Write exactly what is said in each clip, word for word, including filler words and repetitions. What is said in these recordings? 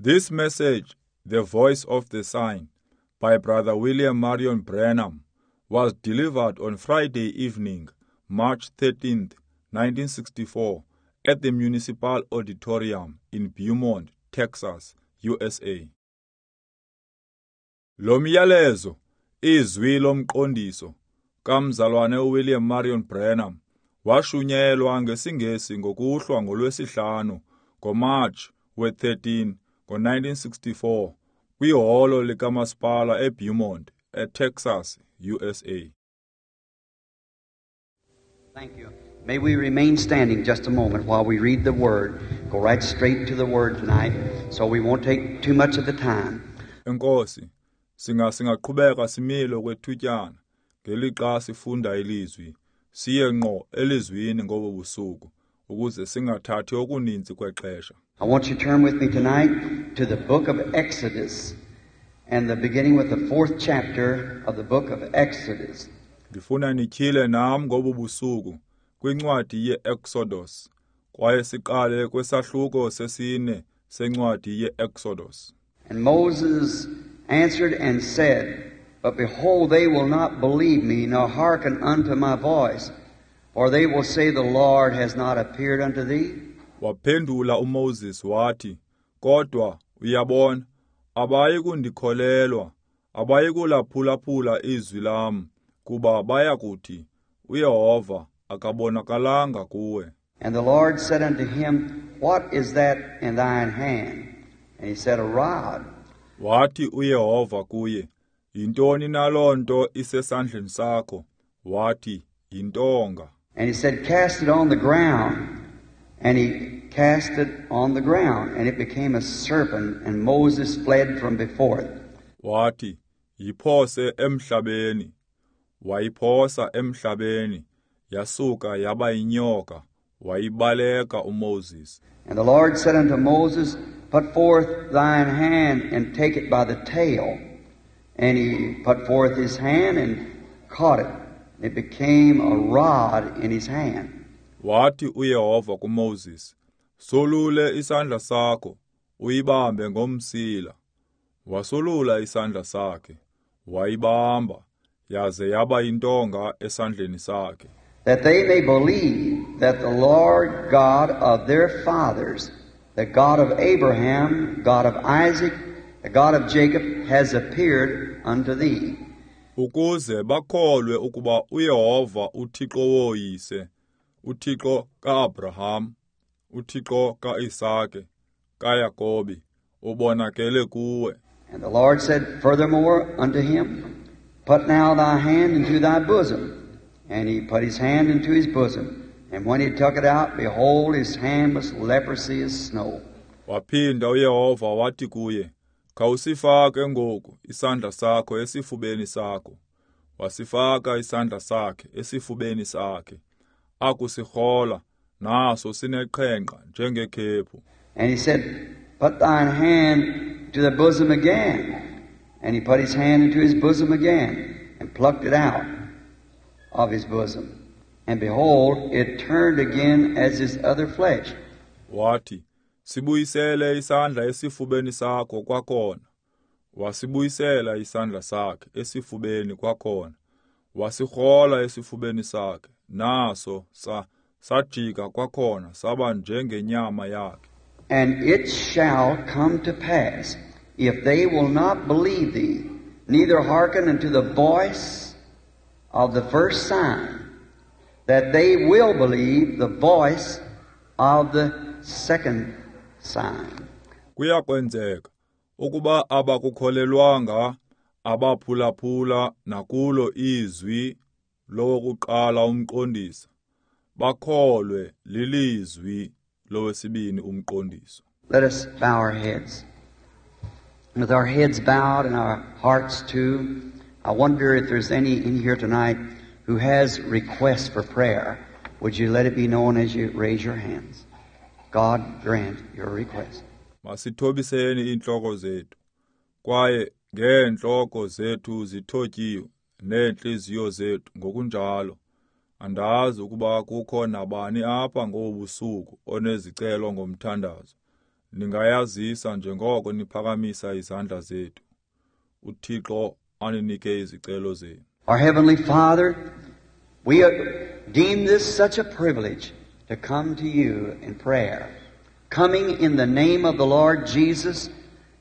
This message, The Voice of the Sign, by Brother William Marion Branham, was delivered on Friday evening, March thirteenth, nineteen sixty-four, at the Municipal Auditorium in Beaumont, Texas, U S A. Lo myalezo, izwi lomqondiso, kamzalwane uWilliam Marion Branham, washunyelwa ngesiNgesi ngokuhlwa ngolwesihlanu ngoMarch we thirteen ngo nineteen sixty-four kwiholo likamasipala eBeaumont, eTexas, U S A. Thank you. May we remain standing just a moment while we read the Word. Go right straight to the Word tonight, so we won't take too much of the time. Enkosi, singa singaqhubeka simile kwethutyana ngelixa sifunda ilizwi, siye ngqo elizwini ngobo busuku ukuze singathathi okuninzi kwexesha. I want you to turn with me tonight to the book of Exodus, and the beginning with the fourth chapter of the book of Exodus. Ndifuna nityhile nam ngobu busuku kwincwadi ye-Exodus, kwaye siqale kwesahluko sesine sencwadi ye-Exodus. And Moses answered and said, But behold, they will not believe me, nor hearken unto my voice, for they will say, The Lord has not appeared unto thee. Waphendula uMoses wathi, Kodwa uyabona, abayi kundikholelwa, abayi kulaphulaphula izwi lam, kuba baya kuthi, uYehova akabonakalanga kuwe. And the Lord said unto him, What is that in thine hand? And he said, A rod. Wathi uYehova kuye, Yintoni na loo nto isesandleni sakho? Wathi, Yintonga. And he said, Cast it on the ground. And he cast it on the ground, and it became a serpent, and Moses fled from before it. Wathi, Yiphose emhlabeni. Wayiphosa emhlabeni, yasuka yaba yinyoka, wayibaleka uMoses. And the Lord said unto Moses, Put forth thine hand, and take it by the tail. And he put forth his hand and caught it. And it became a rod in his hand. Wathi uYehova kuMoses, Solule isandla sakho, uyibambe ngomsila. Wasolula isandla sakhe, wayibamba, yaze yaba yintonga esandleni sakhe. That they may believe that the Lord God of their fathers, the God of Abraham, God of Isaac, the God of Jacob, has appeared unto thee. Ukuze bakholwe ukuba uYehova uThixo woyise, uThixo kaAbraham, uThixo kaIsake, kaYakobi, ubonakele kuwe. And the Lord said furthermore unto him, Put now thy hand into thy bosom. And he put his hand into his bosom. And when he took it out, behold, his hand was leprosy as snow. Waphinda uYehova wathi kuye, Khawusifake ngoku isandla sakho esifubeni sakho. Wasifaka isandla sakhe esifubeni sakhe. Akusirhola, naso sineqhenqa njengekhephu. And he said, Put thine hand to the bosom again. And he put his hand into his bosom again, and plucked it out of his bosom. And behold, it turned again as his other flesh. Wathi, Sibuyisele isandla esifubeni sakho kwakhona. Wasibuyisela isandla sakhe esifubeni kwakhona. Wasirhola esifubeni sakhe, naso sa sajika kwakhona saba njengenyama yakhe. And it shall come to pass, if they will not believe thee, neither hearken unto the voice of the first sign, that they will believe the voice of the second sign. Kuyakwenzeka ukuba abakukholelwanga abaphulaphula nakulo izwi lowokuqala umqondiso, bakholwe lilizwi lowesibini umqondiso. Let us bow our heads. With our heads bowed and our hearts too, I wonder if there's any in here tonight who has requests for prayer. Would you let it be known as you raise your hands? God grant your request. Masithobiseni iintloko zethu, kwaye ngeentloko zethu zithotyiwe neentliziyo zethu ngokunjalo. Andazi ukuba kukho nabani apha ngobu busuku onezicelo ngomthandazo. Ningayazisa njengoko niphakamisa izandla zethu. UThixo aninike izicelo zenu. Our Heavenly Father, we deem this such a privilege to come to you in prayer, coming in the name of the Lord Jesus,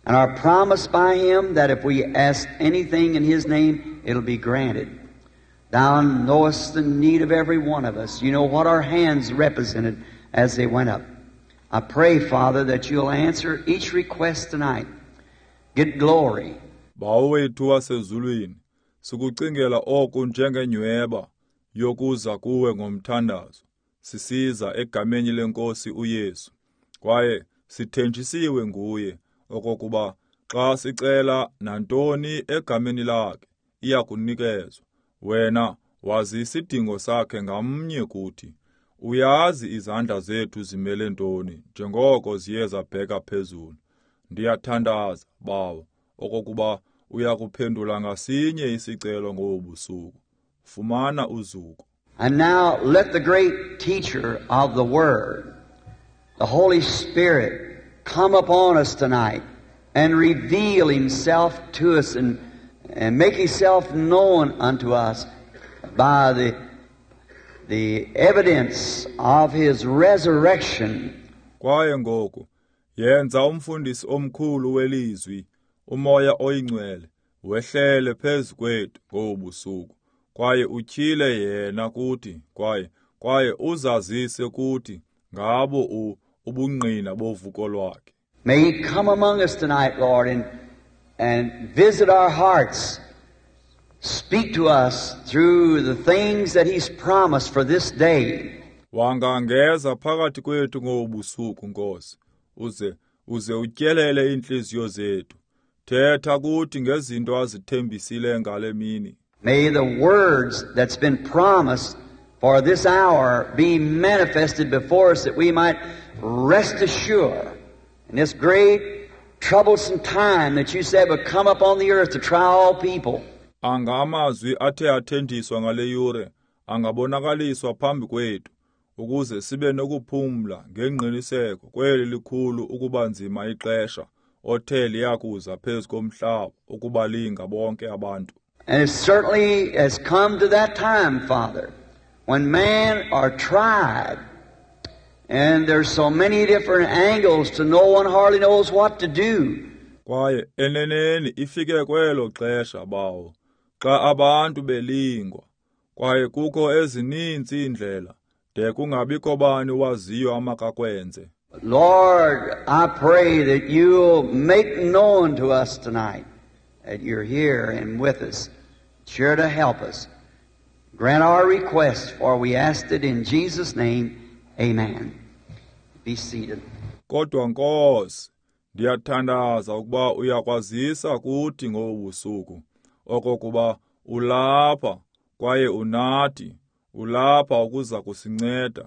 and are promised by Him that if we ask anything in His name, it'll be granted. Thou knowest the need of every one of us. You know what our hands represented as they went up. I pray, Father, that you'll answer each request tonight. Get glory. Bawo wethu wasezulwini, sikucingela oku njengenyweba yokuza kuwe ngomthandazo. Sisiza egameni lenkosi uYesu. Kwaye sithenjisiwe nguye okokuba xa sicela nantoni egameni lakhe iyakunikezwa. Wena wazi isidingo sakhe ngamnye kuthi. Uyazi izandla zethu zimele ntoni njengoko ziye zabheka phezulu. Ndiyathandaza, Bawo, okokuba uyakuphendula ngasinye isicelo ngobu busuku. Fumana uzuko. And now let the great teacher of the Word, the Holy Spirit, come upon us tonight and reveal Himself to us and, and make Himself known unto us by the, the evidence of His resurrection. Kwaye ngoku, yenza umfundisi omkhulu welizwi, uMoya oyiNgcwele, wehlele phezu kwethu ngobu busuku. Kwaye utyhile yena kuthi, kwaye kwaye uzazise kuthi ngabo u ubungqina bovuko lwakhe. May He come among us tonight, Lord, and, and visit our hearts. Speak to us through the things that He's promised for this day. Wangangeza phakathi kwethu ngobu busuku, Nkosi, uze uze utyelele iintliziyo zethu. Thetha kuthi ngezinto azithembisile ngale mini. May the words that's been promised for this hour be manifested before us, that we might rest assured in this great troublesome time that you said would come upon the earth to try all people. Anga amazwi athe athenjiswa ngale yure angabonakaliswa phambi kwethu ukuze sibe nokuphumla ngengqiniseko kweli likhulu ukuba nzima ixesha othe liyakuza phezu komhlaba ukubalinga bonke abantu. And it certainly has come to that time, Father, when men are tried, and there's so many different angles to no one hardly knows what to do. Kwaye eneneni ifike kwelo xesha, Bawo, xa abantu belingwa, kwaye kukho ezininzi iindlela de kungabikho bani waziyo amakakwenze. Lord, I pray that you'll make known to us tonight that you're here and with us, sure to help us. Grant our request, for we asked it in Jesus' name. Amen. Be seated. Kodwa Nkosi, ndiyathandaza ukuba uyakwazisa kuthi ngobu busuku okokuba ulapha kwaye unathi, ulapha ukuza kusinceda.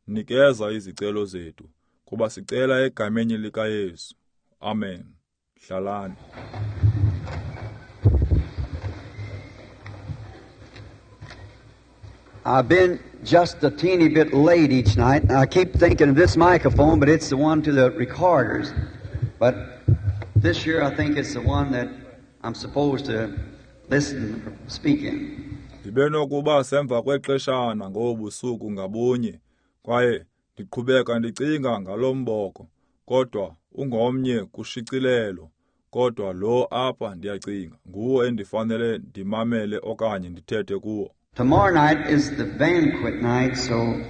Nikeza izicelo zethu, kuba sicela egameni likaYesu. Amen. Hlalani. I've been just a teeny bit late each night. I keep thinking of this microphone, but it's the one to the recorders. But this year I think it's the one that I'm supposed to listen, speak in. Ndibe nokuba semva kwexeshana ngobusuku ngabunye, kwaye ndiqhubeka ndicinga ngalomboko, kodwa ungomnye kushicilelo, kodwa lo apha ndiyacinga nguwo endifanele ndimamele okanye ndithethe kuwo. Tomorrow night is the banquet night, so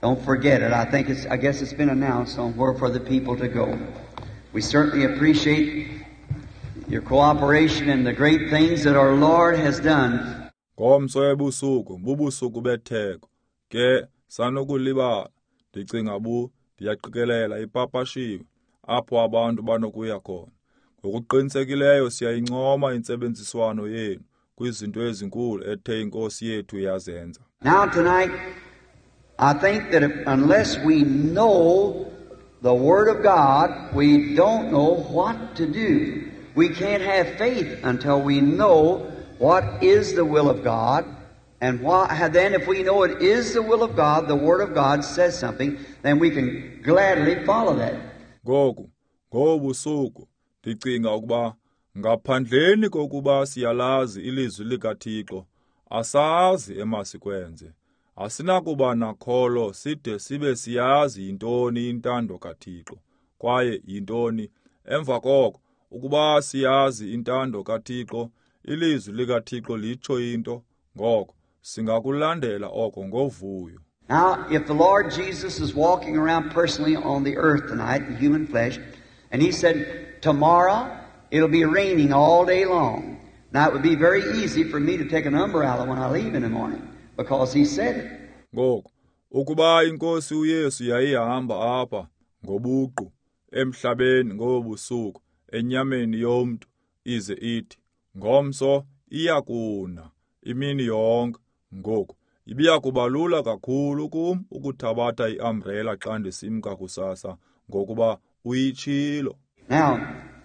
don't forget it. I think it's, I guess it's been announced on where for the people to go. We certainly appreciate your cooperation and the great things that our Lord has done. Ngomso ebusuku, bubusuku betheko. Ke sanokulibala, ndicinga bu ndiyaqikelela ipapashiwe apho abantu banokuya khona. Ngokuqinisekileyo siyayincoma intsebenziswano yenu kwizinto ezinkulu ethe inkosi yethu yazenza. Now tonight, I think that if, unless we know the Word of God, we don't know what to do. We can't have faith until we know what is the will of God. And why, then if we know it is the will of God, the Word of God says something, then we can gladly follow that. Ngoku, ngobusuku, ndicinga ukuba ngaphandleni kokuba siyalazi ilizwi likaThixo, asazi emasikwenze. Asinakuba nakholo side sibe siyazi yintoni intando kaThixo. Kwaye yintoni emva koko, ukuba siyazi intando kaThixo, ilizwi likaThixo litsho into, ngoko singakulandela oko ngovuyo. Now, if the Lord Jesus is walking around personally on the earth tonight in human flesh, and he said, tomorrow it'll be raining all day long. Now, it would be very easy for me to take an umbrella when I leave in the morning, because he said it. Ngoku, ukuba iNkosi uYesu yayihamba apha ngobuqu emhlabeni ngobusuku enyameni yomntu, ize ithi, ngomso iyakuna imini yonke. Ngoku, ibiya kuba lula kakhulu kum ukuthabatha iumbrella xa ndisimka kusasa, ngokuba uyitshilo. Now,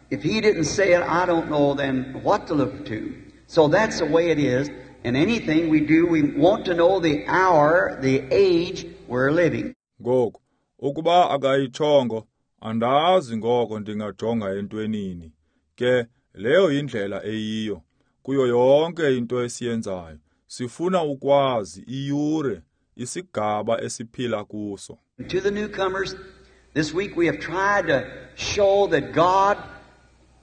if he didn't say it, I don't know then what to look to. So that's the way it is. In anything we do, we want to know the hour, the age we're living. Ngoku, ukuba akayitshongo, andazi ngoko ndingajonga entwenini. Ke leyo yindlela eyiyo kuyo yonke into esiyenzayo. Sifuna ukwazi iyure, isigaba esiphila kuso. To the newcomers, this week we have tried to show that God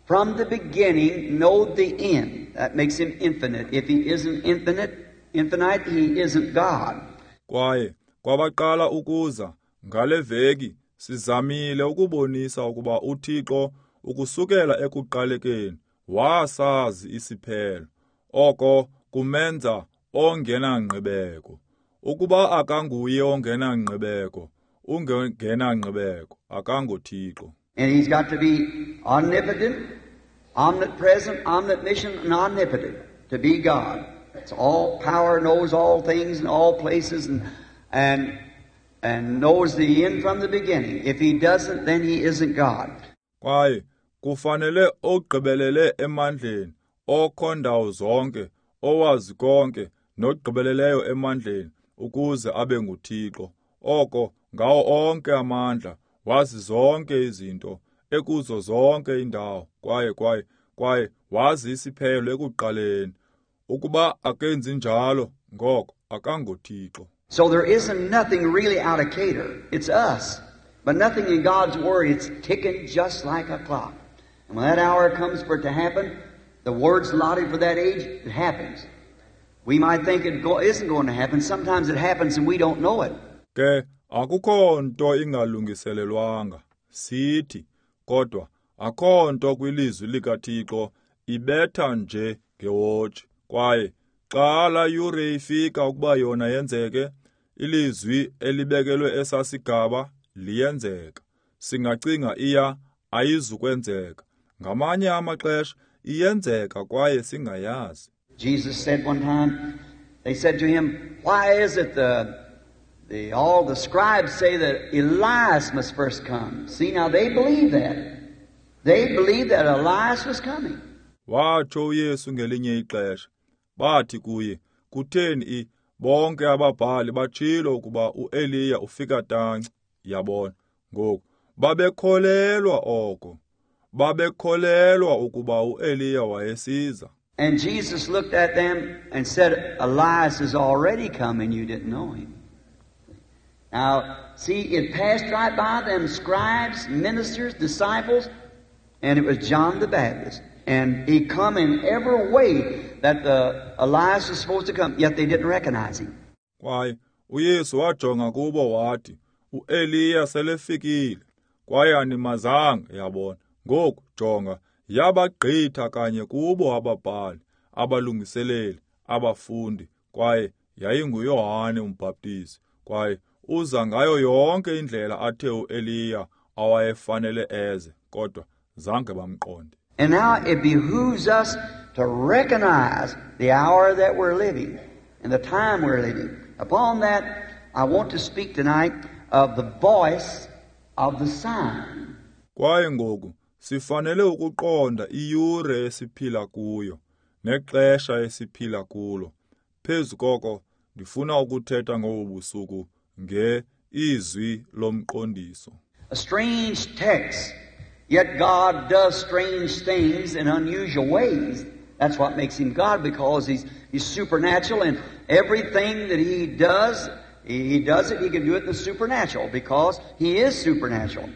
from the beginning knowed the end. That makes him infinite. If he isn't infinite, infinite, he isn't God. Kwaye kwabaqala ukuza ngale veki sizamile ukubonisa ukuba uThixo ukusukela ekuqalekeni wasazi isiphelo. Oko kumenza ongenangqibeko. Ukuba akanguye ongenangqibeko, ungenangqibeko, akangoThixo. And he's got to be omnipotent, omnipresent, omniscient, and omnipotent to be God. It's all power, knows all things and all places, and, and, and knows the end from the beginning. If he doesn't, then he isn't God. Kwaye kufanele ogqibelele emandleni, okho ndawo zonke, owazi konke, nogqibeleleyo emandleni, ukuze abe nguThixo. Oko ngawo onke amandla, wazi zonke izinto, ekuzo zonke indawo, kwaye kwaye kwaye wazi isiphelo ekuqaleni. Ukuba akenzi njalo, ngoko akangoThixo. So there isn't nothing really out of cater. It's us. But nothing in God's Word. It's ticking just like a clock. And when that hour comes for it to happen, the word's allotted for that age, it happens. We might think it go, isn't going to happen. Sometimes it happens and we don't know it. Ke akukho nto ingalungiselelwanga sithi, kodwa akho nto kwilizwi likaThixo ibetha nje ngewotshi. Kwaye xa la yure ifika ukuba yona yenzeke, ilizwi elibekelwe esasigaba liyenzeka. Singacinga iya ayizukwenzeka. Ngamanye amaxesha iyenzeka kwaye singayazi. Jesus said one time, they said to him, why is it the, the all the scribes say that Elias must first come? See, now they believe that. They believed that Elias was coming. Watsho uYesu ngelinye ixesha, bathi kuye, kutheni i bonke ababhali batshilo ukuba uEliya ufika tanci? Yabona, ngoku babekholelwa oko. Babekholelwa ukuba uEliya wayesiza. And Jesus looked at them and said, Elias is already come and you didn't know him. Now, see, it passed right by them scribes, ministers, disciples, and it was John the Baptist. And he come in every way that the Elias was supposed to come, yet they didn't recognize him. Kwaye uYesu wajonga kubo wathi, uEliya selefikile, kwaye animazanga, yabona. Ngoku jonga, yabagqitha kanye kubo ababhali, abalungiseleli, abafundi, kwaye yayinguYohane uMbhaptizi, kwaye uza ngayo yonke indlela athe uEliya awayefanele eze, kodwa zange bamqonde. And now it behooves us to recognize the hour that we're living and the time we're living. Upon that, I want to speak tonight of the voice of the sign. Kwaye ngoku sifanele ukuqonda iyure esiphila kuyo nexesha esiphila kulo. Phezu koko ndifuna ukuthetha ngobu busuku nge izwi lomqondiso. A strange text, yet God does strange things in unusual ways. That's what makes Him God, because He's, he's supernatural, and everything that He does, He does it, He can do it in the supernatural, because He is supernatural.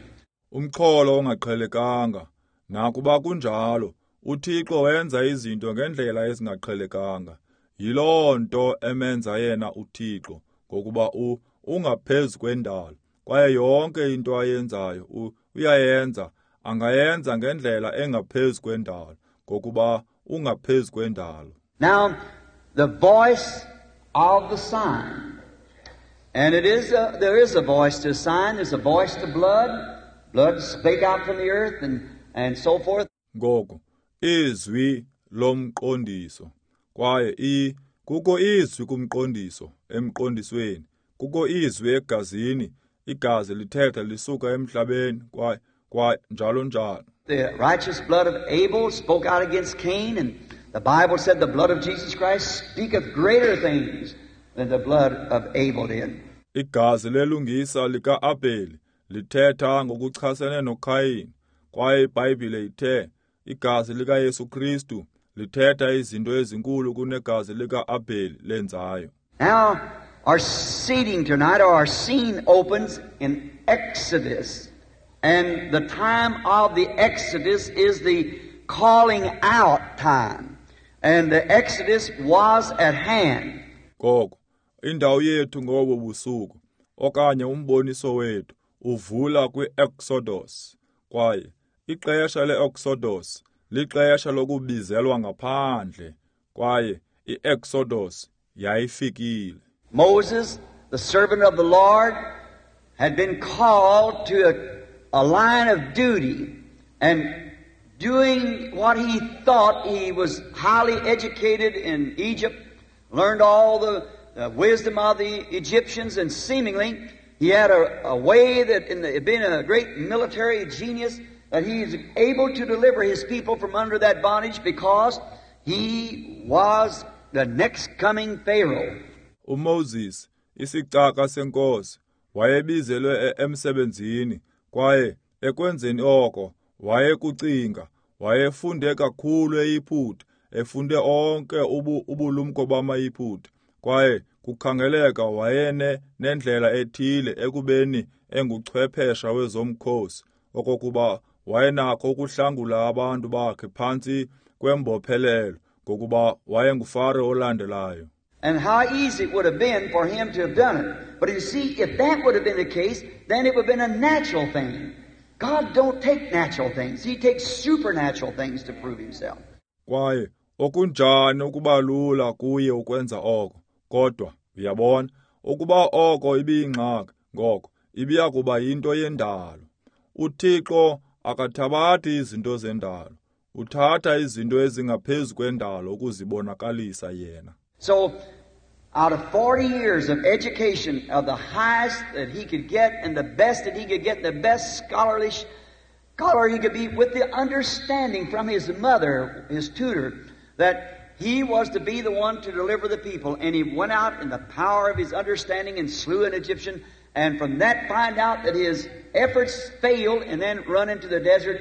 Umxholo ongaqhelekanga, nakuba kunjalo, uThixo wenza izinto ngendlela ezingaqhelekanga. Yiloo nto emenza yena uThixo, ngokuba u ungaphezu kwendalo, kwaye yonke into ayenzayo uyayenza, angayenza ngendlela engaphezu kwendalo, ngokuba ungaphezu kwendalo. Now, the voice of the sign. And it is a, there is a voice to a sign, there's a voice to blood. Blood spake out from the earth and, and so forth. Ngoku, izwi lomqondiso. Kwaye i kukho izwi kumqondiso, emqondisweni. Kukho izwi egazini, igazi lithetha lisuka emhlabeni, kwaye kwaye njalo njalo. The righteous blood of Abel spoke out against Cain, and the Bible said the blood of Jesus Christ speaketh greater things than the blood of Abel did. Igazi lelungisa lika-Abeli lithetha ngokuchasene noKayin, kwaye iBhayibhile ithe igazi likaYesu Kristu lithetha izinto ezinkulu kunegazi lika-Abeli lenzayo. Now, our seating tonight, or our scene opens in Exodus. And the time of the Exodus is the calling out time. And the Exodus was at hand. Ngoko, indawo yethu ngobo busuku, okanye umboniso wethu, uvula kwi-Exodus. Kwaye ixesha le-Exodus lixesha lokubizelwa ngaphandle, kwaye i-Exodus yayifikile. Moses, the servant of the Lord, had been called to a, a line of duty, and doing what he thought. He was highly educated in Egypt, learned all the, the wisdom of the Egyptians, and seemingly he had a, a way that, in the, being a great military genius, that he is able to deliver his people from under that bondage, because he was the next coming Pharaoh. UMoses, isicaka senkosi, wayebizelwe emsebenzini, kwaye ekwenzeni oko wayekucinga, wayefunde kakhulu eYiputa, efunde onke ubu, ubulumko bamaYiputa, kwaye kukhangeleka wayene nendlela ethile ekubeni enguchwephesha wezomkhosi, okokuba wayenakho ukuhlangula abantu bakhe phantsi kwembophelelo, ngokuba wayenguFaro olandelayo. And how easy it would have been for him to have done it. But you see, if that would have been the case, then it would have been a natural thing. God don't take natural things. He takes supernatural things to prove himself. Kwaye okunjani ukuba lula kuye ukwenza oko. Kodwa uyabona, ukuba oko ibiyingxaki, ngoko ibiya kuba yinto yendalo. UThixo akathabathi izinto zendalo. Uthatha izinto ezingaphezu kwendalo ukuzibonakalisa yena. So, out of forty years of education of the highest that he could get and the best that he could get, the best scholarly scholar he could be, with the understanding from his mother, his tutor, that he was to be the one to deliver the people. And he went out in the power of his understanding and slew an Egyptian, and from that find out that his efforts failed, and then run into the desert.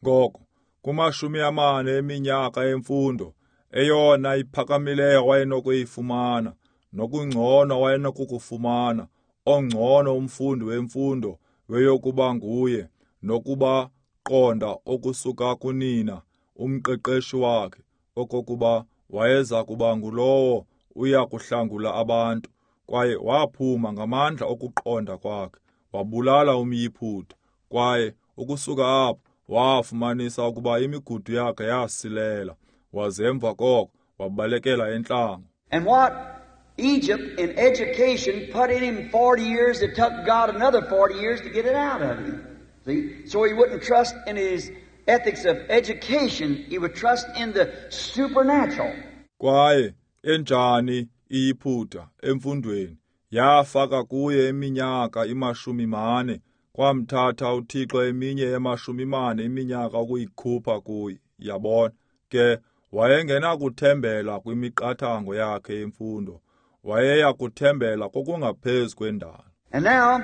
Ngoko, kumashumi amane eminyaka emfundo, eyona iphakamileyo wayenokuyifumana, nokungcono wayenokukufumana, ongcono umfundi wemfundo weyokuba nguye, nokuba qonda okusuka kunina umqeqeshi wakhe, okokuba wayeza kuba ngulowo uya kuhlangula abantu. Kwaye waphuma ngamandla okuqonda kwakhe, wabulala umYiputa, kwaye ukusuka apho wafumanisa ukuba imigudu yakhe yasilela, waze emva koko wabalekela entlango. And what Egypt in education put in him forty years, it took God another forty years to get it out of him. See? So he wouldn't trust in his ethics of education, he would trust in the supernatural. Kwaye enjani iYiputa emfundweni yafaka kuye iminyaka imashumi mane, kwamthatha uThixo eminye emashumi mane iminyaka ukuyikhupha kuye. Yabona ke, wayengenakuthembela kwimiqathango yakhe yemfundo, wayeya kuthembela kokungaphezu kwendalo. And now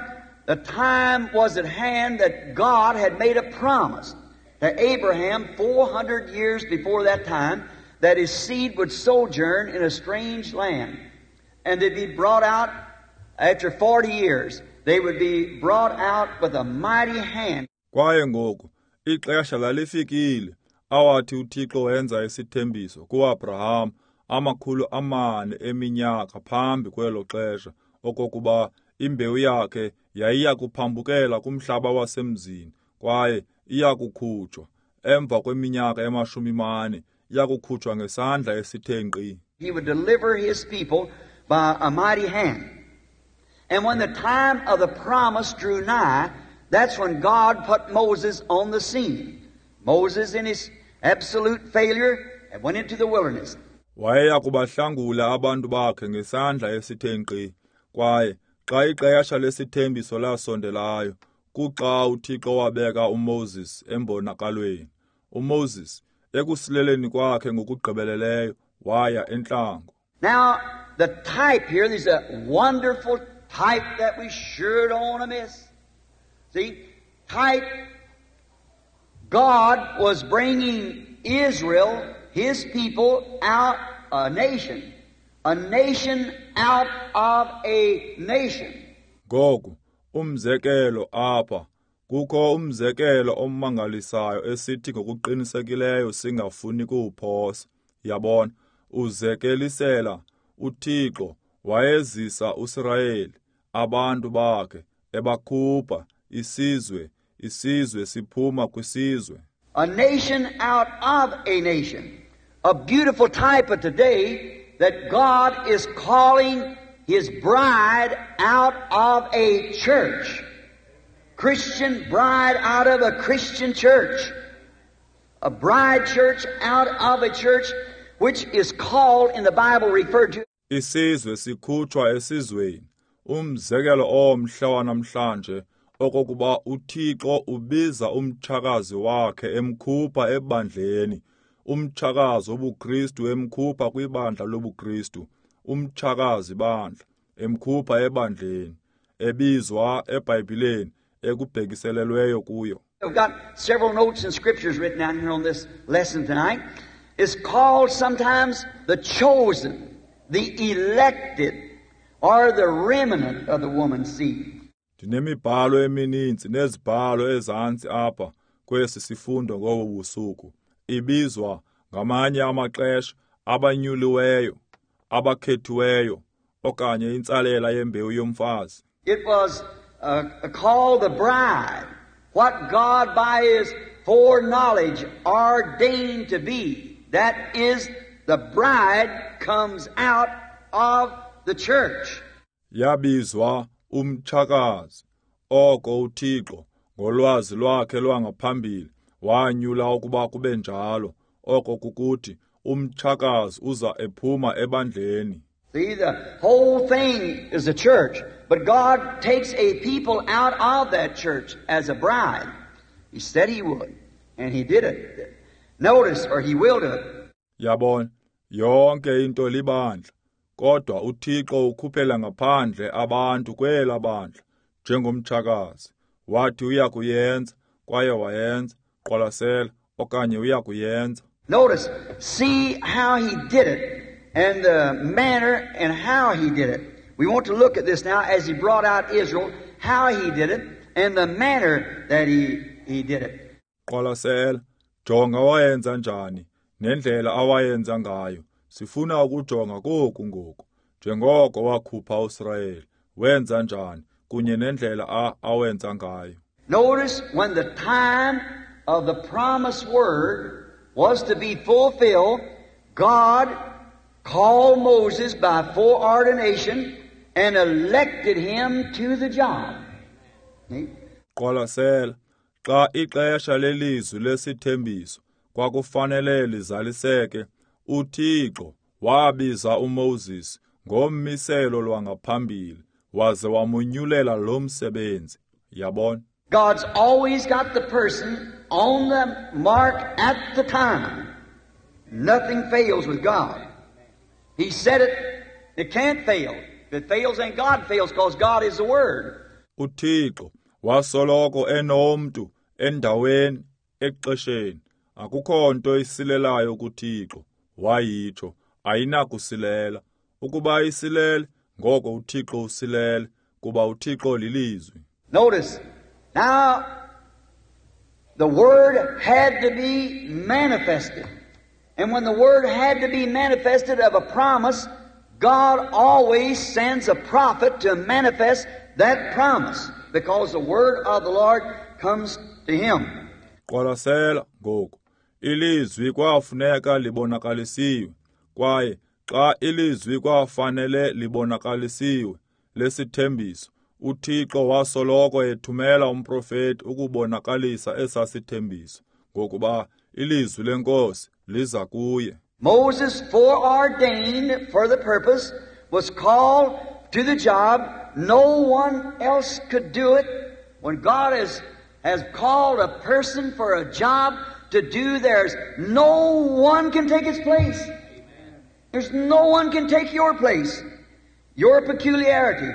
the time was at hand that God had made a promise to Abraham four hundred years before that time that his seed would sojourn in a strange land. And they'd be brought out after forty years. They would be brought out with a mighty hand. Kwaye ngoku ixesha lalifikile awathi uThixo wenza isithembiso kuAbraham amakhulu amane eminyaka phambi kwelo xesha okokuba imbewu yakhe yayiya kuphambukela kumhlaba wasemzini kwaye iya kukhutshwa emva kweminyaka emashumi mane iya kukhutshwa ngesandla esithe nkqi. He would deliver his people by a mighty hand. And when the time of the promise drew nigh, that's when God put Moses on the scene. Moses, in his absolute failure, went into the wilderness. Wayeya kubahlangula abantu bakhe ngesandla esithe nkqi. Kwaye xa ixesha lesithembiso lasondelayo, kuxa uThixo wabeka uMoses embonakalweni. uMoses, ekusileleni kwakhe ngokugqibeleleyo, waya entlango. Now, the type here, there's a wonderful type that we sure don't want to miss. See, type, God was bringing Israel, His people, out a nation. A nation out of a nation. Ngoku, umzekelo apha, kukho umzekelo omangalisayo esithi ngokuqinisekileyo singafuni kuwuphosa. Yabona, uzekelisela uThixo wayezisa uSirayeli, abantu bakhe, ebakhupha isizwe, isizwe siphuma kwisizwe. A nation out of a nation. A beautiful type of today that God is calling His bride out of a church. Christian bride out of a Christian church. A bride church out of a church which is called in the Bible referred to. Isizwe sikhutshwa esizweni. Umzekelo omhle wanamhlanje okokuba uThixo ubiza umtshakazi wakhe emkhupha ebandleni. Umtshakazi wobuKristu emkhupha kwibandla lobuKristu. Umtshakazi bandla emkhupha ebandleni ebizwa eBhayibhileni ekubhekiselelweyo kuyo. We've got several notes and scriptures written down here on this lesson tonight. It's called sometimes the chosen, the elected, or the remnant of the woman's seed. Ndinemibhalo emininzi nezibhalo ezantsi apha kwesi sifundo ngobu busuku. Ibizwa ngamanye amaxesha abanyuliweyo, abakhethiweyo, okanye intsalela yembewu yomfazi. It was uh, called the bride, what God by His foreknowledge ordained to be. That is, the bride comes out of the church. Yabizwa umtshakazi, oko uThixo ngolwazi lwakhe lwangaphambili wanyula ukuba kube njalo, oko kukuthi umtshakazi uza ephuma ebandleni. See, the whole thing is a church, but God takes a people out of that church as a bride. He said He would, and He did it. Notice, or He will do it. Yabona, yonke into libandla, kodwa uThixo ukhuphela ngaphandle abantu kwela bandla njengomtshakazi. Wathi uya kuyenza, kwaye wayenza. Qwalasela, okanye uya kuyenza. Notice, see how He did it, and the manner and how He did it. We want to look at this now as He brought out Israel, how He did it, and the manner that He, he did it. Qwalasela, jonga wayenza njani, nendlela awayenza ngayo. Sifuna ukujonga koku ngoku. Njengoko wakhupha uSirayeli, wenza njani, kunye nendlela a awenza ngayo. Notice when the time of the promised word was to be fulfilled, God called Moses by foreordination and elected him to the job. Qwalasela, xa ixesha lelizwi lesithembiso kwakufanele lizaliseke, uThixo wabiza uMoses ngommiselo lwangaphambili waze wamunyulela lo msebenzi. Yabona? God's always got the person on the mark at the time. Nothing fails with God. He said it, it can't fail. If it fails, then God fails, because God is the Word. UThixo wasoloko enomntu endaweni exesheni. Akukho nto isilelayo kuThixo. Wayitsho, ayinakusilela. Ukuba isilele, ngoko uThixo usilele, kuba uThixo lilizwi. Notice, now the Word had to be manifested. And when the Word had to be manifested of a promise, God always sends a prophet to manifest that promise, because the Word of the Lord comes to him. Qwalasela ngoku, ilizwi kwafuneka libonakalisiwe, kwaye xa ilizwi kwafanele libonakalisiwe lesithembiso, uThixo wasoloko ethumela umprofeti ukubonakalisa esasithembiso, ngokuba ilizwi leNkosi liza kuye. Moses, foreordained for the purpose, was called to the job. No one else could do it. When God has, has called a person for a job to do, there's no one can take his place. There's no one can take your place, your peculiarity.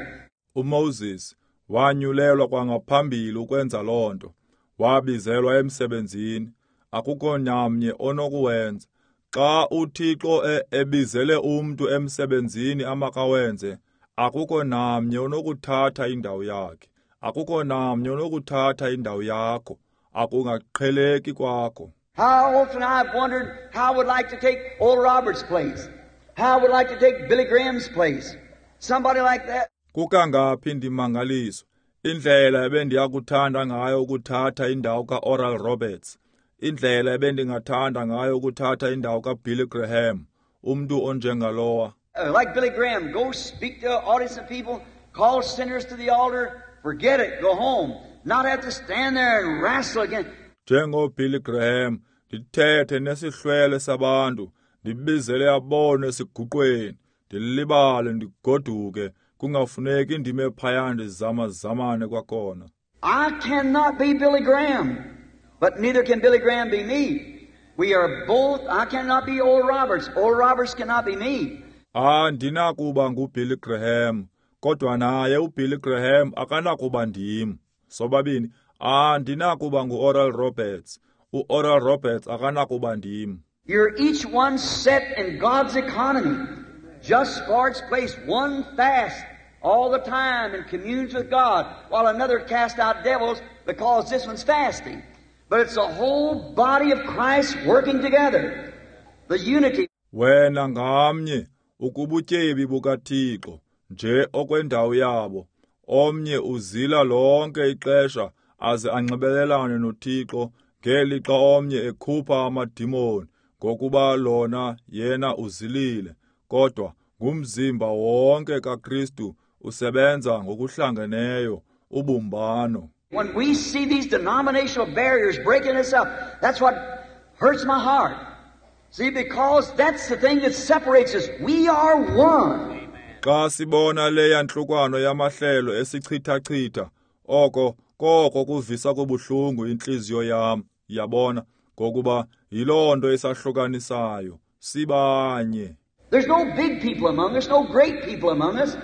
UMoses wanyulelwa kwangaphambili ukwenza loo nto. Wabizelwa emsebenzini. Akukho namnye onokuwenza. Xa uThixo ebizele umntu emsebenzini amakawenze, akukho namnye onokuthatha indawo yakhe. Akukho namnye onokuthatha indawo yakho. Akungaqheleki kwakho. How often I've wondered how I would like to take Oral Roberts' place. How I would like to take Billy Graham's place. Somebody like that. Kukangaphi ndimangaliswa indlela ebendiyakuthanda ngayo ukuthatha indawo ka-Oral Roberts, indlela ebendingathanda ngayo ukuthatha indawo kaBilly Graham, umntu onjengalowa. Uh, like Billy Graham, go speak to an audience of people, call sinners to the altar, forget it, go home. Not have to stand there and wrestle again. NjengoBilly Graham, ndithethe nesihlwele sabantu, ndibizele abone esiguqweni, ndilibale ndigoduke, kungafuneki ndime phaya ndizamazamane kwakhona. I cannot be Billy Graham, but neither can Billy Graham be me. We are both, I cannot be Oral Roberts. Oral Roberts cannot be me. Andinakuba nguBilly Graham, kodwa naye uBilly Graham akanakuba ndim. Sobabini, andinakuba nguOral Roberts. UOral Roberts akanakuba ndim. You're each one set in God's economy, just for its place. One fasts all the time and communes with God, while another casts out devils because this one's fasting. But it's the whole body of Christ working together. The unity. Wena ngamnye ukubutyebi bukaThixo nje okwendawo yabo. Omnye uzila lonke ixesha aze anxibelelane noThixo, ngelixa omnye ekhupha amadimoni, ngokuba lona yena uzilile. Kodwa ngumzimba wonke kaKristu usebenza ngokuhlangeneyo, ubumbano. When we see these denominational barriers breaking us up, that's what hurts my heart. See, because that's the thing that separates us. We are one. Xa sibona le yantlukwano yamahlelo esichithachitha, oko koko kuvisa kubuhlungu intliziyo yam, yabona, ngokuba yiloo nto esahlukanisayo, sibanye. There's no big people among us, no great people among us.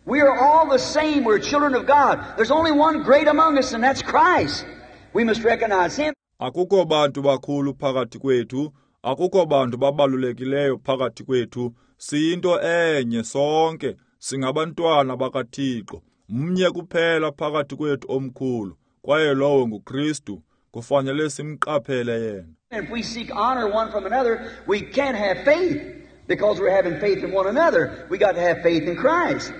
We are all the same. We're children of God. There's only one great among us, and that's Christ. We must recognize Him. Akukho bantu bakhulu phakathi kwethu, akukho bantu babalulekileyo phakathi kwethu. Siyinto enye sonke, singabantwana bakaThixo. Mnye kuphela phakathi kwethu omkhulu, kwaye lowo nguKristu. Kufanele simqaphele yena. If we seek honor one from another, we can't have faith, because we're having faith in one another. We got to have faith in Christ.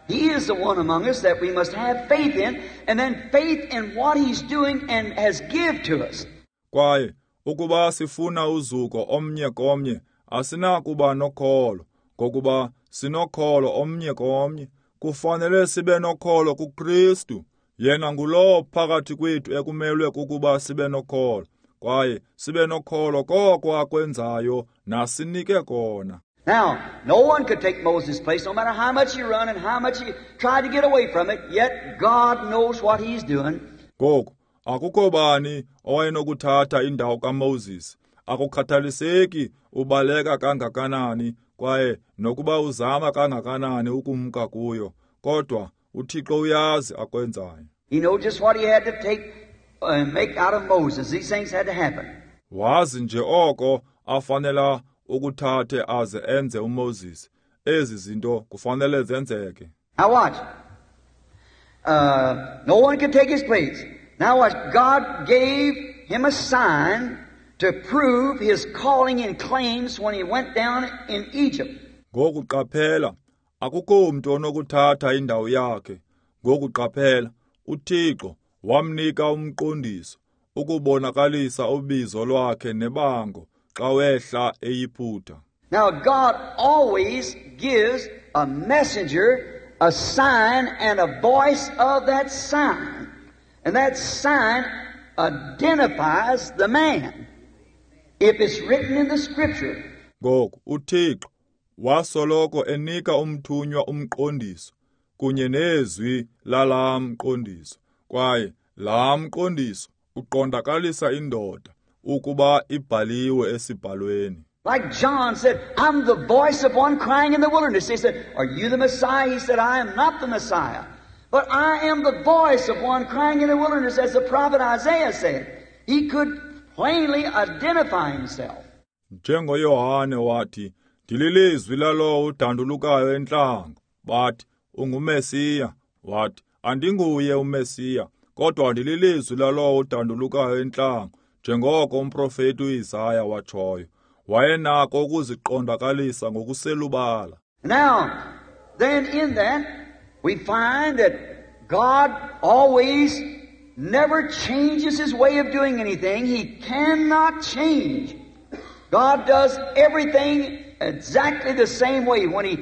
He is the one among us that we must have faith in, and then faith in what He's doing and has give to us. Kwaye ukuba sifuna uzuko omnye komnye, asinakuba nokholo, ngokuba sinokholo omnye komnye. Kufanele sibe nokholo kuKristu. Yena ngulowo phakathi kwethu ekumelwe kukuba sibe nokholo, kwaye sibe nokholo koko akwenzayo nasinike kona. Now, no one could take Moses' place, no matter how much he run and how much he tried to get away from it, yet God knows what He's doing. Ngoku, akukho bani owayenokuthatha indawo kaMoses. Akukhathaliseki ubaleka kangakanani kwaye nokuba uzama kangakanani ukumka kuyo, kodwa UThixo uyazi akwenzayo. He knew just what he had to take and make out of Moses. These things had to happen. Wazi nje oko afanela ukuthathe aze enze uMoses. Ezi zinto kufanele zenzeke. Now watch. Uh, no one could take his place. Now watch. God gave him a sign to prove his calling and claims when he went down in Egypt. Ngoku qaphela, akukho mntu onokuthatha indawo yakhe. Ngoku qaphela, uThixo wamnika umqondiso ukubonakalisa ubizo lwakhe nebango xa wehla eYiputa. Now God always gives a messenger a sign and a voice of that sign. And that sign identifies the man. If it's written in the scripture. Ngoku uThixo wasoloko enika umthunywa umqondiso kunye nezwi lalaa mqondiso, kwaye laa mqondiso uqondakalisa indoda ukuba ibhaliwe esibhalweni. Like John said, I'm the voice of one crying in the wilderness. He said, are you the Messiah? He said, I am not the Messiah. But I am the voice of one crying in the wilderness, as the prophet Isaiah said. He could plainly identify himself. NjengoYohane wathi, ndililizwi lalowo udandulukayo entlango. Bathi, unguMesiya. Wathi, andinguye uMesiya, kodwa ndililizwi lalowo udandulukayo entlango, njengoko umprofeti uIsaya watshoyo. Wayenako ukuziqondakalisa ngokuselubala. Now, then in that, we find that God always never changes his way of doing anything. He cannot change. God does everything exactly the same way when he,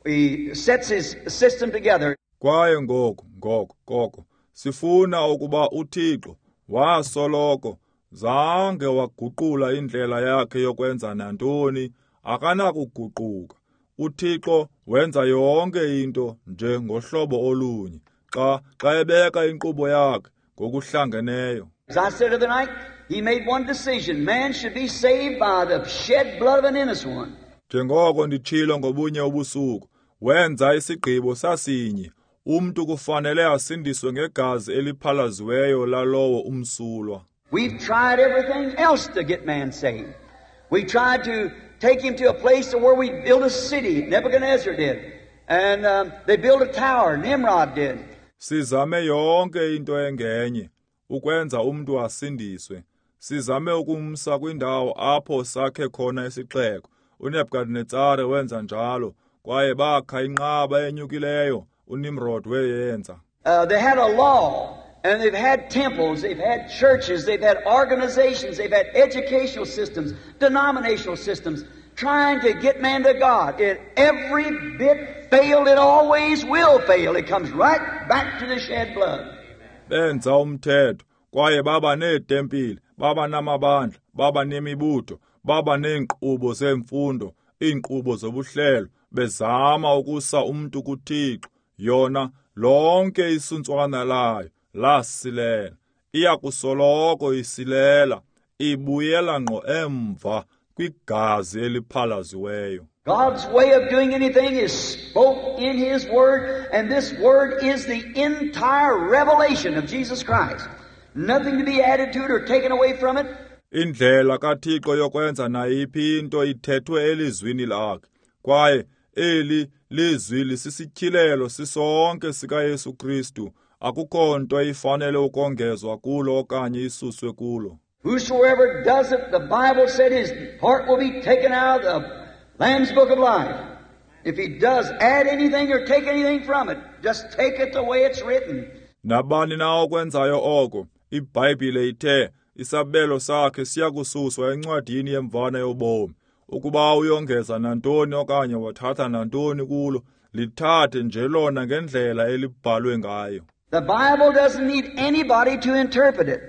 he sets his system together. Kwaye ngoku, ngoko, koko, sifuna ukuba uThixo wasoloko zange waguqula indlela yakhe yokwenza nantoni, akanakuguquka. UThixo wenza yonke into nje ngohlobo olunye xa xa ebeka inkqubo yakhe ngokuhlangeneyo. As I said the other night, he made one decision. Man should be saved by the shed blood of an innocent one. Njengoko nditshilo ngobunye ubusuku, wenza isigqibo sasinye. Umntu kufanele asindiswe ngegazi eliphalaziweyo lalowo umsulwa. We've tried everything else to get man saved. We tried to take him to a place where we built a city. Nebuchadnezzar did. And um, they built a tower. Nimrod did. Sizame yonke into engenye ukwenza umntu asindiswe. Sizame ukumsa kwindawo apho sakhe khona isixeko. uNebukadnezare wenza njalo, kwaye bakha inqaba enyukileyo. uNimrod weyenza. Uh, they had a law. And they've had temples, they've had churches, they've had organizations, they've had educational systems, denominational systems, trying to get man to God. It every bit failed, it always will fail. It comes right back to the shed blood. Benza umthetho, kwaye baba neetempile, baba namabandla, baba nemibutho, baba neenkqubo zemfundo, iinkqubo zobuhlelo, bezama ukusa umntu kuThixo. Yona lonke isuntswana layo lasilela, iyakusoloko isilela, ibuyela ngqo emva kwigazi eliphalaziweyo. God's way of doing anything is spoke in His Word, and this Word is the entire revelation of Jesus Christ. Nothing to be added to it or taken away from it. Indlela kaThixo yokwenza nayiphi into ithethwe elizwini lakhe, kwaye eli lizwi lisisityhilelo sisonke sikaYesu Kristu. Akukho nto ifanele ukongezwa kulo okanye isuswe kulo. Whosoever does it, the Bible said his heart will be taken out of the Lamb's Book of Life. If he does add anything or take anything from it, just take it the way it's written. Nabani na okwenzayo oko, iBhayibhile ithe isabelo sakhe siyakususwa encwadini yemvana yobomi. Ukuba uyongeza nantoni okanye wathatha nantoni kulo, lithathe nje lona ngendlela elibhalwe ngayo. The Bible doesn't need anybody to interpret it.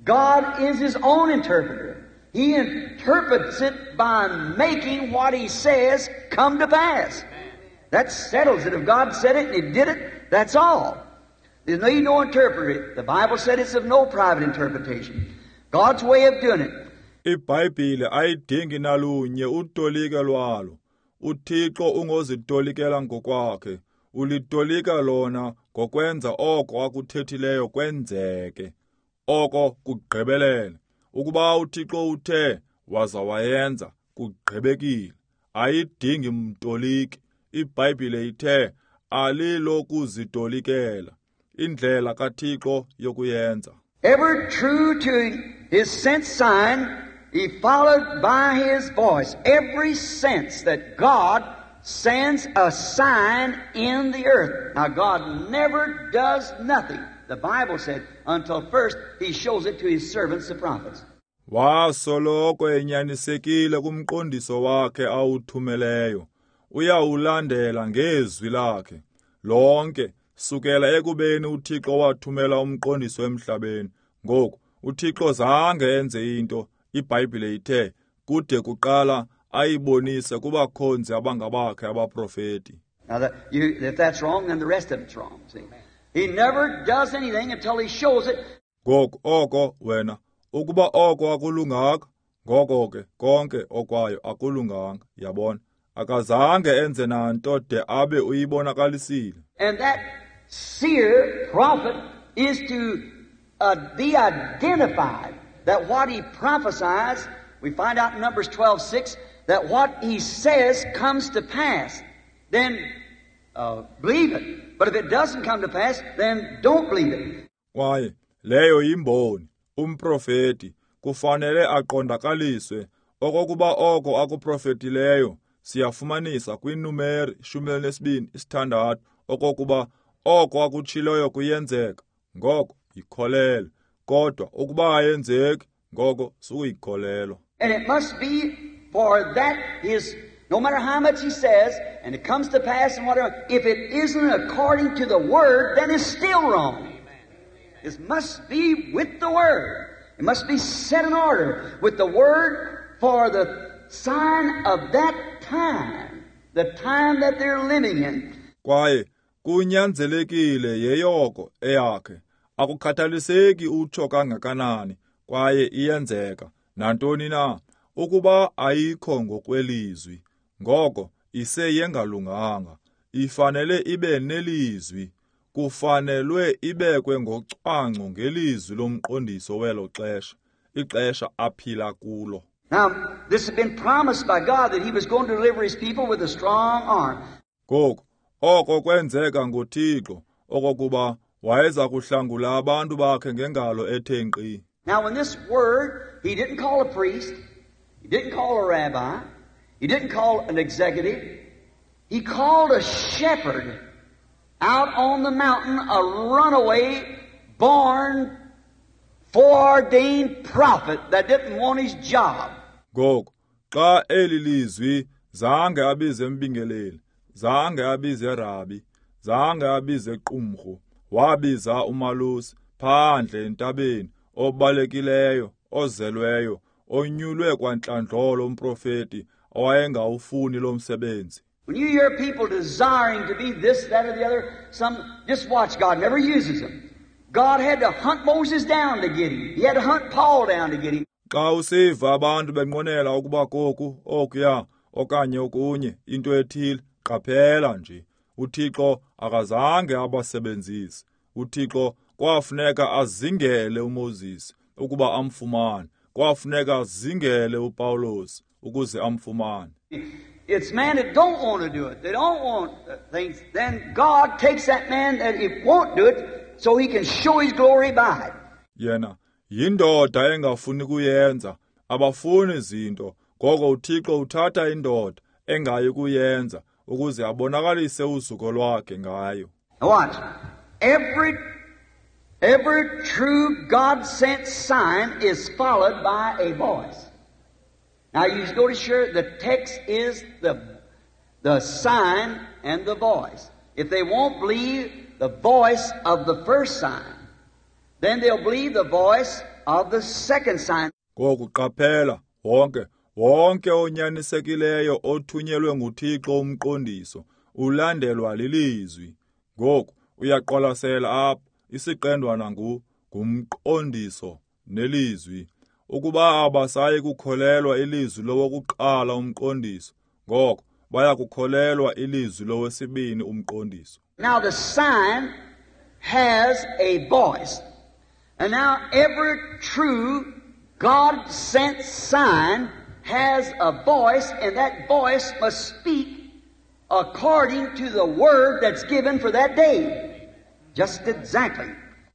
God is His own interpreter. He interprets it by making what He says come to pass. That settles it. If God said it and He did it, that's all. There's no need no interpreter. The Bible said it's of no private interpretation. God's way of doing it. IBhayibhile ayidingi nalunye utolike lwalo. UThixo ungozitolikela ngokwakhe. Ulitolika lona ngokwenza oko akuthethileyo kwenzeke, oko kugqibelele. Ukuba uThixo uthe waza wayenza, kugqibekile. Ayidingi mtoliki. IBhayibhile ithe alilokuzitolikela, indlela kaThixo yokuyenza. Ever true to his sent sign, he followed by his voice. Every sense that God sends a sign in the earth. Now, God never does nothing, the Bible said, until first he shows it to his servants, the prophets. Wasoloko enyanisekile kumqondiso wakhe awuthumeleyo. Uyawulandela ngezwi lakhe lonke sukela ekubeni uThixo wathumela umqondiso emhlabeni. Ngoku uThixo zange enze into, iBhayibhile ithe kude kuqala ayibonise kubakhonzi abangabakhe abaprofeti. Now that you, if that's wrong, then the rest of it's wrong. See? He never does anything until he shows it. Ngoku oko wena ukuba oko akulunganga, ngoko ke konke okwayo akulunganga, yabona. Akazange enze nanto de abe uyibonakalisile. And that seer prophet is to uh, be identified, that what he prophesies, we find out in Numbers twelve six, that what he says comes to pass. Then uh, believe it. But if it doesn't come to pass, then don't believe it. Kwaye leyo yimboni, umprofeti kufanele aqondakaliswe okokuba oko akuprofetileyo. Siyafumanisa kwiNumeri ishumi elinesibini isithandathu okokuba oko akutshiloyo kuyenzeka, ngoko yikholelwe. Kodwa ukuba ayenzeki, ngoko sukuyikholelwa. And it must be for that his, no matter how much he says, and it comes to pass and whatever, if it isn't according to the Word, then it's still wrong. It must be with the Word. It must be set in order with the Word for the sign of that time, the time that they're living in. Kwaye kunyanzelekile yeyoko eyakhe. Akukhathaliseki utsho kangakanani, kwaye iyenzeka nantoni na, ukuba ayikho ngokwelizwi, ngoko iseyengalunganga. Ifanele ibe nelizwi, kufanelwe ibekwe ngocwangco ngelizwi lomqondiso welo xesha, ixesha aphila kulo. Now, this had been promised by God that he was going to deliver his people with a strong arm. Ngoku, oko kwenzeka ngoThixo, okokuba wayeza kuhlangula abantu bakhe ngengalo ethe nkqi. Now, when this word, he didn't call a priest, he didn't call a rabbi, he didn't call an executive, he called a shepherd out on the mountain, a runaway, born, foreordained prophet that didn't want his job. Ngoku, xa eli lizwi zange abize mbingeleli, zange abize rabi, zange abize qumrhu, wabiza umalusi phandle entabeni, obalekileyo, ozelweyo, onyulwe kwantlandlolo umprofeti owayengawufuni lo msebenzi. When you hear people desiring to be this, that, or the other, some just watch, God never uses them. God had to hunt Moses down to get him. He had to hunt Paul down to get him. Xa usiva abantu benqwenela ukuba koku, okuya, okanye okunye, into ethile, qaphela nje. uThixo akazange abasebenzise. uThixo kwafuneka azingele uMoses ukuba amfumane. Kwafuneka azingele uPawulos ukuze amfumane. It's man that don't want to do it. They don't want things. Then God takes that man that he won't do it so he can show his glory by it. Yena yindoda engafuni kuyenza, abafuni izinto. Ngoko uThixo uthatha indoda engayi kuyenza ukuze abonakalise uzuko lwakhe ngayo. Now watch. Every, every true God-sent sign is followed by a voice. Now you notice here the text is the, the sign and the voice. If they won't believe the voice of the first sign, then they'll believe the voice of the second sign. Ngoku qaphela wonke wonke onyanisekileyo othunyelwe nguThixo umqondiso ulandelwa lilizwi. Ngoku uyaqwalasela apha isiqendwana ngu ngumqondiso nelizwi. Ukuba abasayi kukholelwa ilizwi lowokuqala umqondiso, ngoko baya kukholelwa ilizwi lowesibini umqondiso. Now the sign has a voice. And now every true God-sent sign has a voice, and that voice must speak according to the word that's given for that day. Just exactly.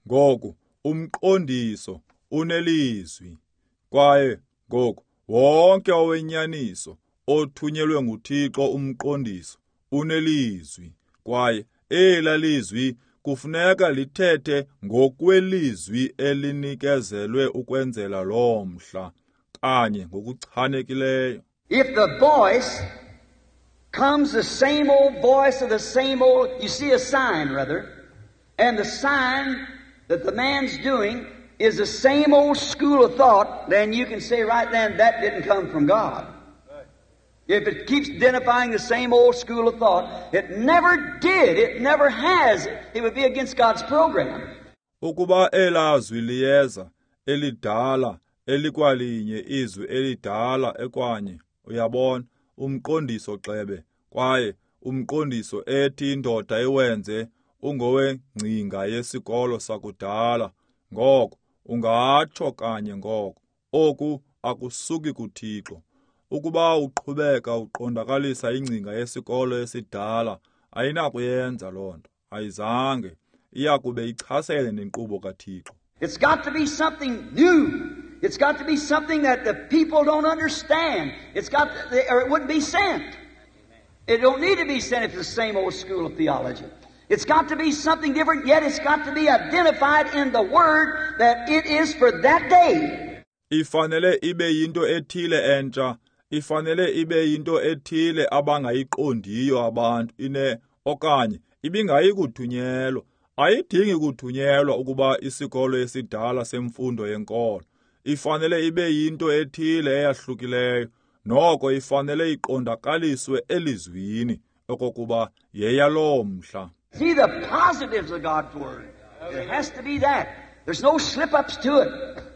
Ngoku umqondiso unelizwi. Kwaye ngoku wonke owenyaniso othunyelwe nguThixo umqondiso unelizwi. Kwaye ela lizwi kufuneka lithethe ngokwelizwi elinikezelwe ukwenzela lo mhla kanye ngokuchanekileyo. If the voice comes the same old voice of the same old, you see a sign rather, and the sign that the man's doing is the same old school of thought, then you can say right then that didn't come from God. If it keeps identifying the same old school of thought, it never did, it never has. It would be against God's program. Ukuba elazwi liyeza elidala elikwalinye izwi elidala ekwanye, uyabona, umqondiso xebe, kwaye umqondiso ethi indoda iwenze ungowengcinga yesikolo sakudala. Ngoko ungatsho kanye ngoko oku akusuki kuThixo. Ukuba uqhubeka uqondakalisa ingcinga yesikolo esidala, ayinakuyenza loo nto. Ayizange, iyakube ichasene nenkqubo kaThixo. It's got to be something new. It's got to be something that the people don't understand. It's got to, or it wouldn't be sent. It don't need to be sent if it's the same old school of theology. It's got to be something different, yet it's got to be identified in the Word that it is for that day. Ifanele ibe yinto ethile entsha. Ifanele ibe yinto ethile abangayiqondiyo abantu ine okanye ibingayi kuthunyelwa. Ayidingi kuthunyelwa ukuba isikolo esidala semfundo yenkolo. Ifanele ibe yinto ethile eyahlukileyo, noko ifanele iqondakaliswe elizwini okokuba yeyaloo mhla. See the positives of God's Word. It has to be that. There's no slip-ups to it.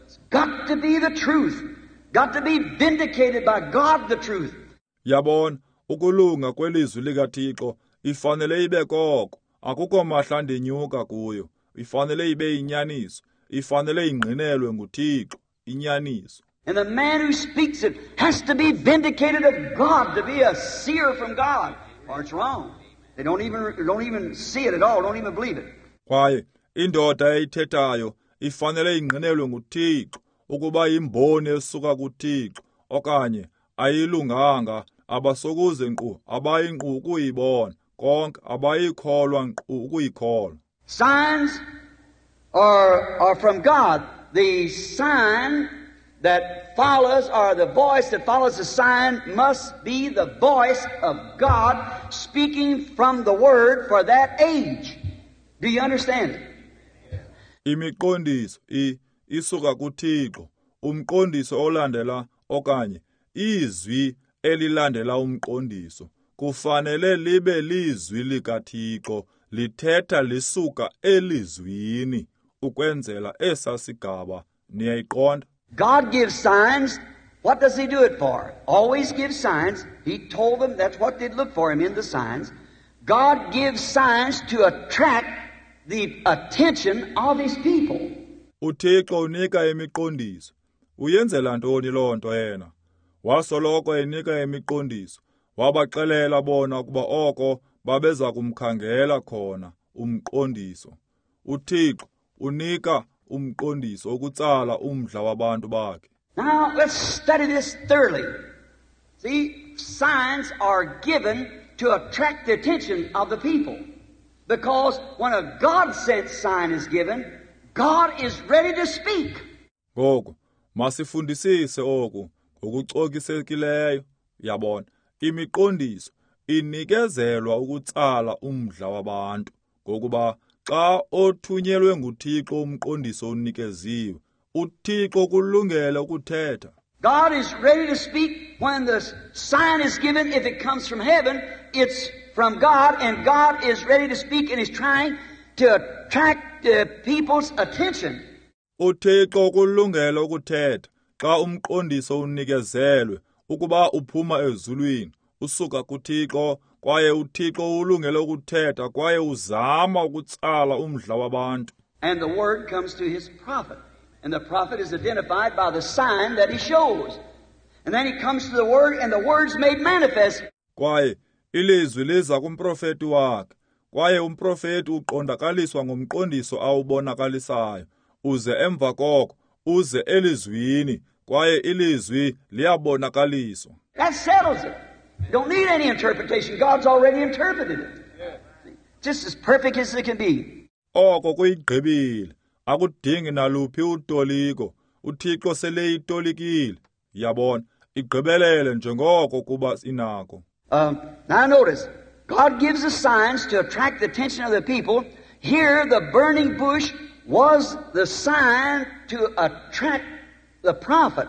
It's got to be the truth. Got to be vindicated by God, the truth. Yabona, ukulunga kwelizwi likaThixo ifanele ibe koko. Akukho mahla ndinyuka kuyo. Ifanele ibe inyaniso. Ifanele ingqinelwe nguThixo, inyaniso. And the man who speaks it has to be vindicated of God, to be a seer from God, or it's wrong. They don't even, don't even see it at all, don't even believe it. Kwaye indoda eyithethayo ifanele ingqinelwe nguThixo ukuba imboni esuka kuThixo, okanye ayilunganga, abasokuze nkqu abayinqu ukuyibona konke, abayikholwa nkqu ukuyikholwa. Signs are, are from God. The sign that follows, or the voice that follows the sign, must be the voice of God speaking from the Word for that age. Do you understand it? Imiqondiso i isuka kuThixo. Umqondiso olandela okanye izwi elilandela umqondiso kufanele libe lizwi likaThixo lithetha lisuka elizwini ukwenzela esasigaba. Niyayiqonda? God gives signs. What does He do it for? Always gives signs. He told them that's what they'd look for Him in the signs. God gives signs to attract the attention of His people. UThixo unika imiqondiso. Uyenzela ntoni loo nto yena? Wasoloko enika imiqondiso. Wabaxelela bona ukuba oko babeza kumkhangela khona umqondiso. UThixo unika umqondiso ukutsala umdla wabantu bakhe. Now let's study this thoroughly. See, signs are given to attract the attention of the people. Because when a God-sent sign is given, God is ready to speak. Ngoku masifundisise oku ngokucokisekileyo. Yabona, imiqondiso inikezelwa ukutsala umdla wabantu, ngokuba xa othunyelwe nguThixo umqondiso unikeziwe, uThixo kulungele ukuthetha. God is ready to speak when the sign is given. If it comes from heaven, it's from God, and God is ready to speak and is trying to attract the people's attention. uThixo kulungele ukuthetha xa umqondiso unikezelwe ukuba uphuma ezulwini, usuka kuThixo, Kwaye uThixo ulungele ukuthetha kwaye uzama ukutsala umdla wabantu. And the word comes to his prophet. And the prophet is identified by the sign that he shows. And then he comes to the word, and the word's made manifest. Kwaye ilizwi liza kumprofeti wakhe. Kwaye umprofeti uqondakaliswa ngomqondiso awubonakalisayo. Uze emva koko, uze elizwini, kwaye ilizwi liyabonakaliswa. That settles it. You don't need any interpretation. God's already interpreted it. Just as perfect as it can be. Oko kuyigqibile. Akudingi naluphi utoliko. UThixo seleyitolikile. Yabona, igqibelele njengoko kuba inako. Um, now notice, God gives the signs to attract the attention of the people. Here, the burning bush was the sign to attract the prophet.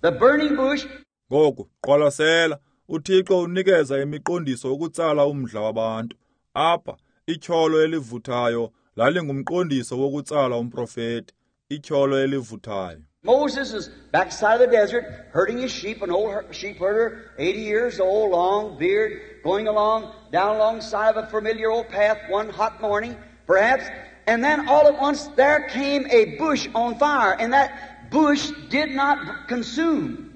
The burning bush. Ngoku, qwalasela, uThixo unikeza imiqondiso ukutsala umdla wabantu. Apha, ityholo elivuthayo lalingumqondiso wokutsala umprofeti. Ityholo elivuthayo. Moses is backside of the desert, herding his sheep, an old sheep herder, eighty years old, long beard, going along, down alongside of a familiar old path one hot morning, perhaps. And then all at once there came a bush on fire, and that bush did not consume.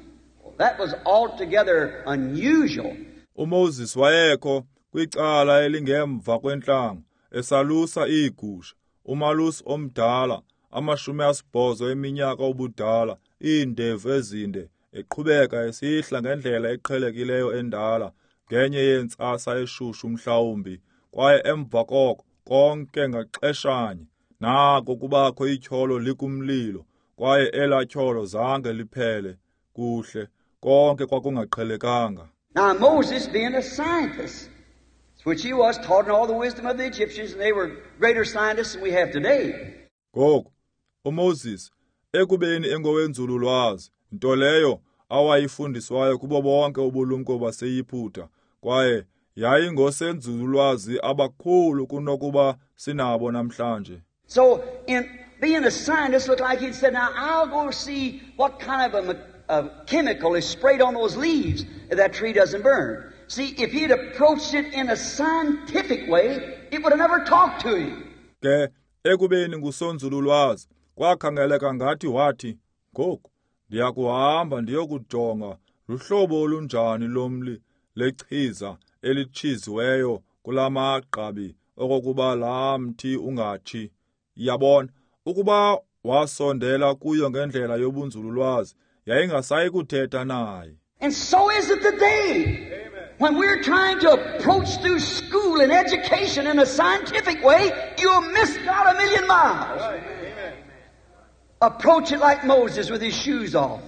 That was altogether unusual. UMoses wayekho kwicala elingemva kwentlango, esalusa iigusha, umalusi omdala, amashumi asibhozo eminyaka ubudala, iindevu ezinde, eqhubeka esihla ngendlela eqhelekileyo endala, ngenye yentsasa eshushu mhlawumbi, kwaye emva koko konke ngaxeshanye, nako kubakho ityholo likumlilo, kwaye elaa tyholo zange liphele. Kuhle, konke kwakungaqhelekanga. Now Moses, being a scientist, which he was, taught in all the wisdom of the Egyptians, and they were greater scientists than we have today. Ngoku uMoses, ekubeni engowenzululwazi, nto leyo awayifundiswayo kubo bonke ubulumko baseYiputa, kwaye yayingosenzululwazi abakhulu kunokuba sinabo namhlanje. So in being a scientist, looked like he'd said, now I'll go see what kind of a, a chemical is sprayed on those leaves if that tree doesn't burn. See, if he'd approached it in a scientific way, it would have never talked to him. Ke ekubeni ngusonzululwazi, kwakhangeleka ngathi wathi, ngoku ndiyakuhamba ndiyokujonga luhlobo olunjani lomli lechiza elitshiziweyo kulamagqabi okokuba laa mthi ungatshi. Yabona, ukuba wasondela kuyo ngendlela yobunzululwazi, yayingasayi kuthetha naye. And so is it today. Amen. When we're trying to approach through school and education in a scientific way, you'll miss God a million miles. Right. Amen. Approach it like Moses with his shoes off.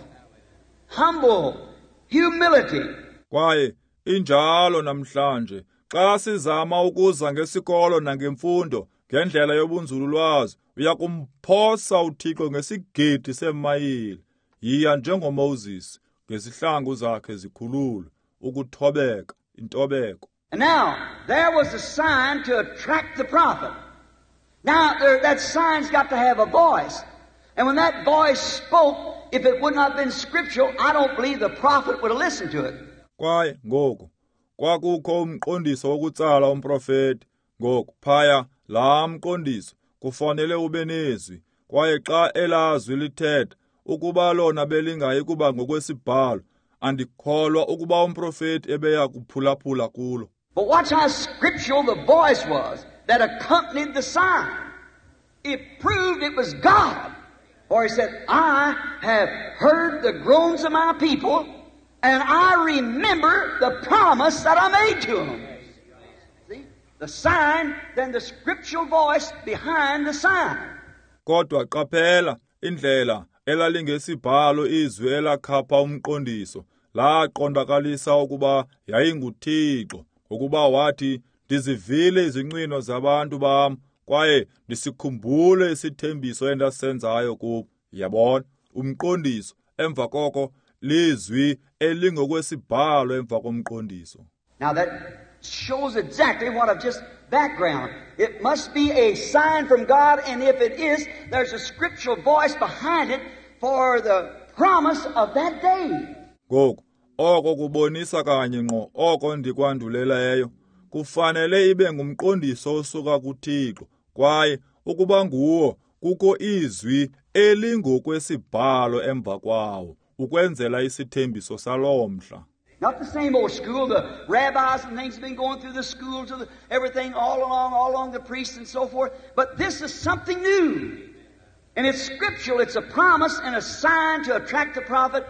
Humble, humility. Kwaye injalo namhlanje, xa sizama ukuza ngesikolo nangemfundo ngendlela yobunzululwazi, uyakumphosa uThixo ngesigidi seemayile. Yiya njengoMoses ngezihlangu zakhe zikhululwe, ukuthobeka, intobeko. And now, there was a sign to attract the prophet. Now, there, that sign's got to have a voice. And when that voice spoke, if it would not have been scriptural, I don't believe the prophet would have listened to it. Kwaye ngoku kwakukho umqondiso wokutsala umprofeti. Ngoku phaya laa mqondiso kufanele ube nezwi, kwaye xa elazwi lithetha, ukuba lona belingayi kuba ngokwesibhalo, andikholwa ukuba umprofeti ebeya kuphulaphula kulo. But watch how scriptural the voice was that accompanied the sign. It proved it was God. For he said, I have heard the groans of my people, and I remember the promise that I made to them. See? The sign, then the scriptural voice behind the sign. Kodwa qaphela indlela elalingesibhalo izwi elakhapha umqondiso, laqondakalisa ukuba yayinguThixo, ngokuba wathi, ndizivile izincwino zabantu bam, kwaye ndisikhumbule isithembiso endasenzayo kubo. Yabona, umqondiso emva koko lizwi elingokwesibhalo emva komqondiso. Now that shows exactly what I've just background. It must be a sign from God, and if it is, there's a scriptural voice behind it for the promise of that day. Ngoku Oko kubonisa kanye ngqo oko ndikwanduleleyo. Kufanele ibe ngumqondiso osuka kuThixo, kwaye ukuba nguwo kukho izwi elingokwesibhalo emva kwawo ukwenzela isithembiso saloo mhla. Not the same old school, the rabbis and things have been going through the schools, of the, everything all along, all along the priests and so forth. But this is something new. And it's scriptural, it's a promise and a sign to attract the prophet.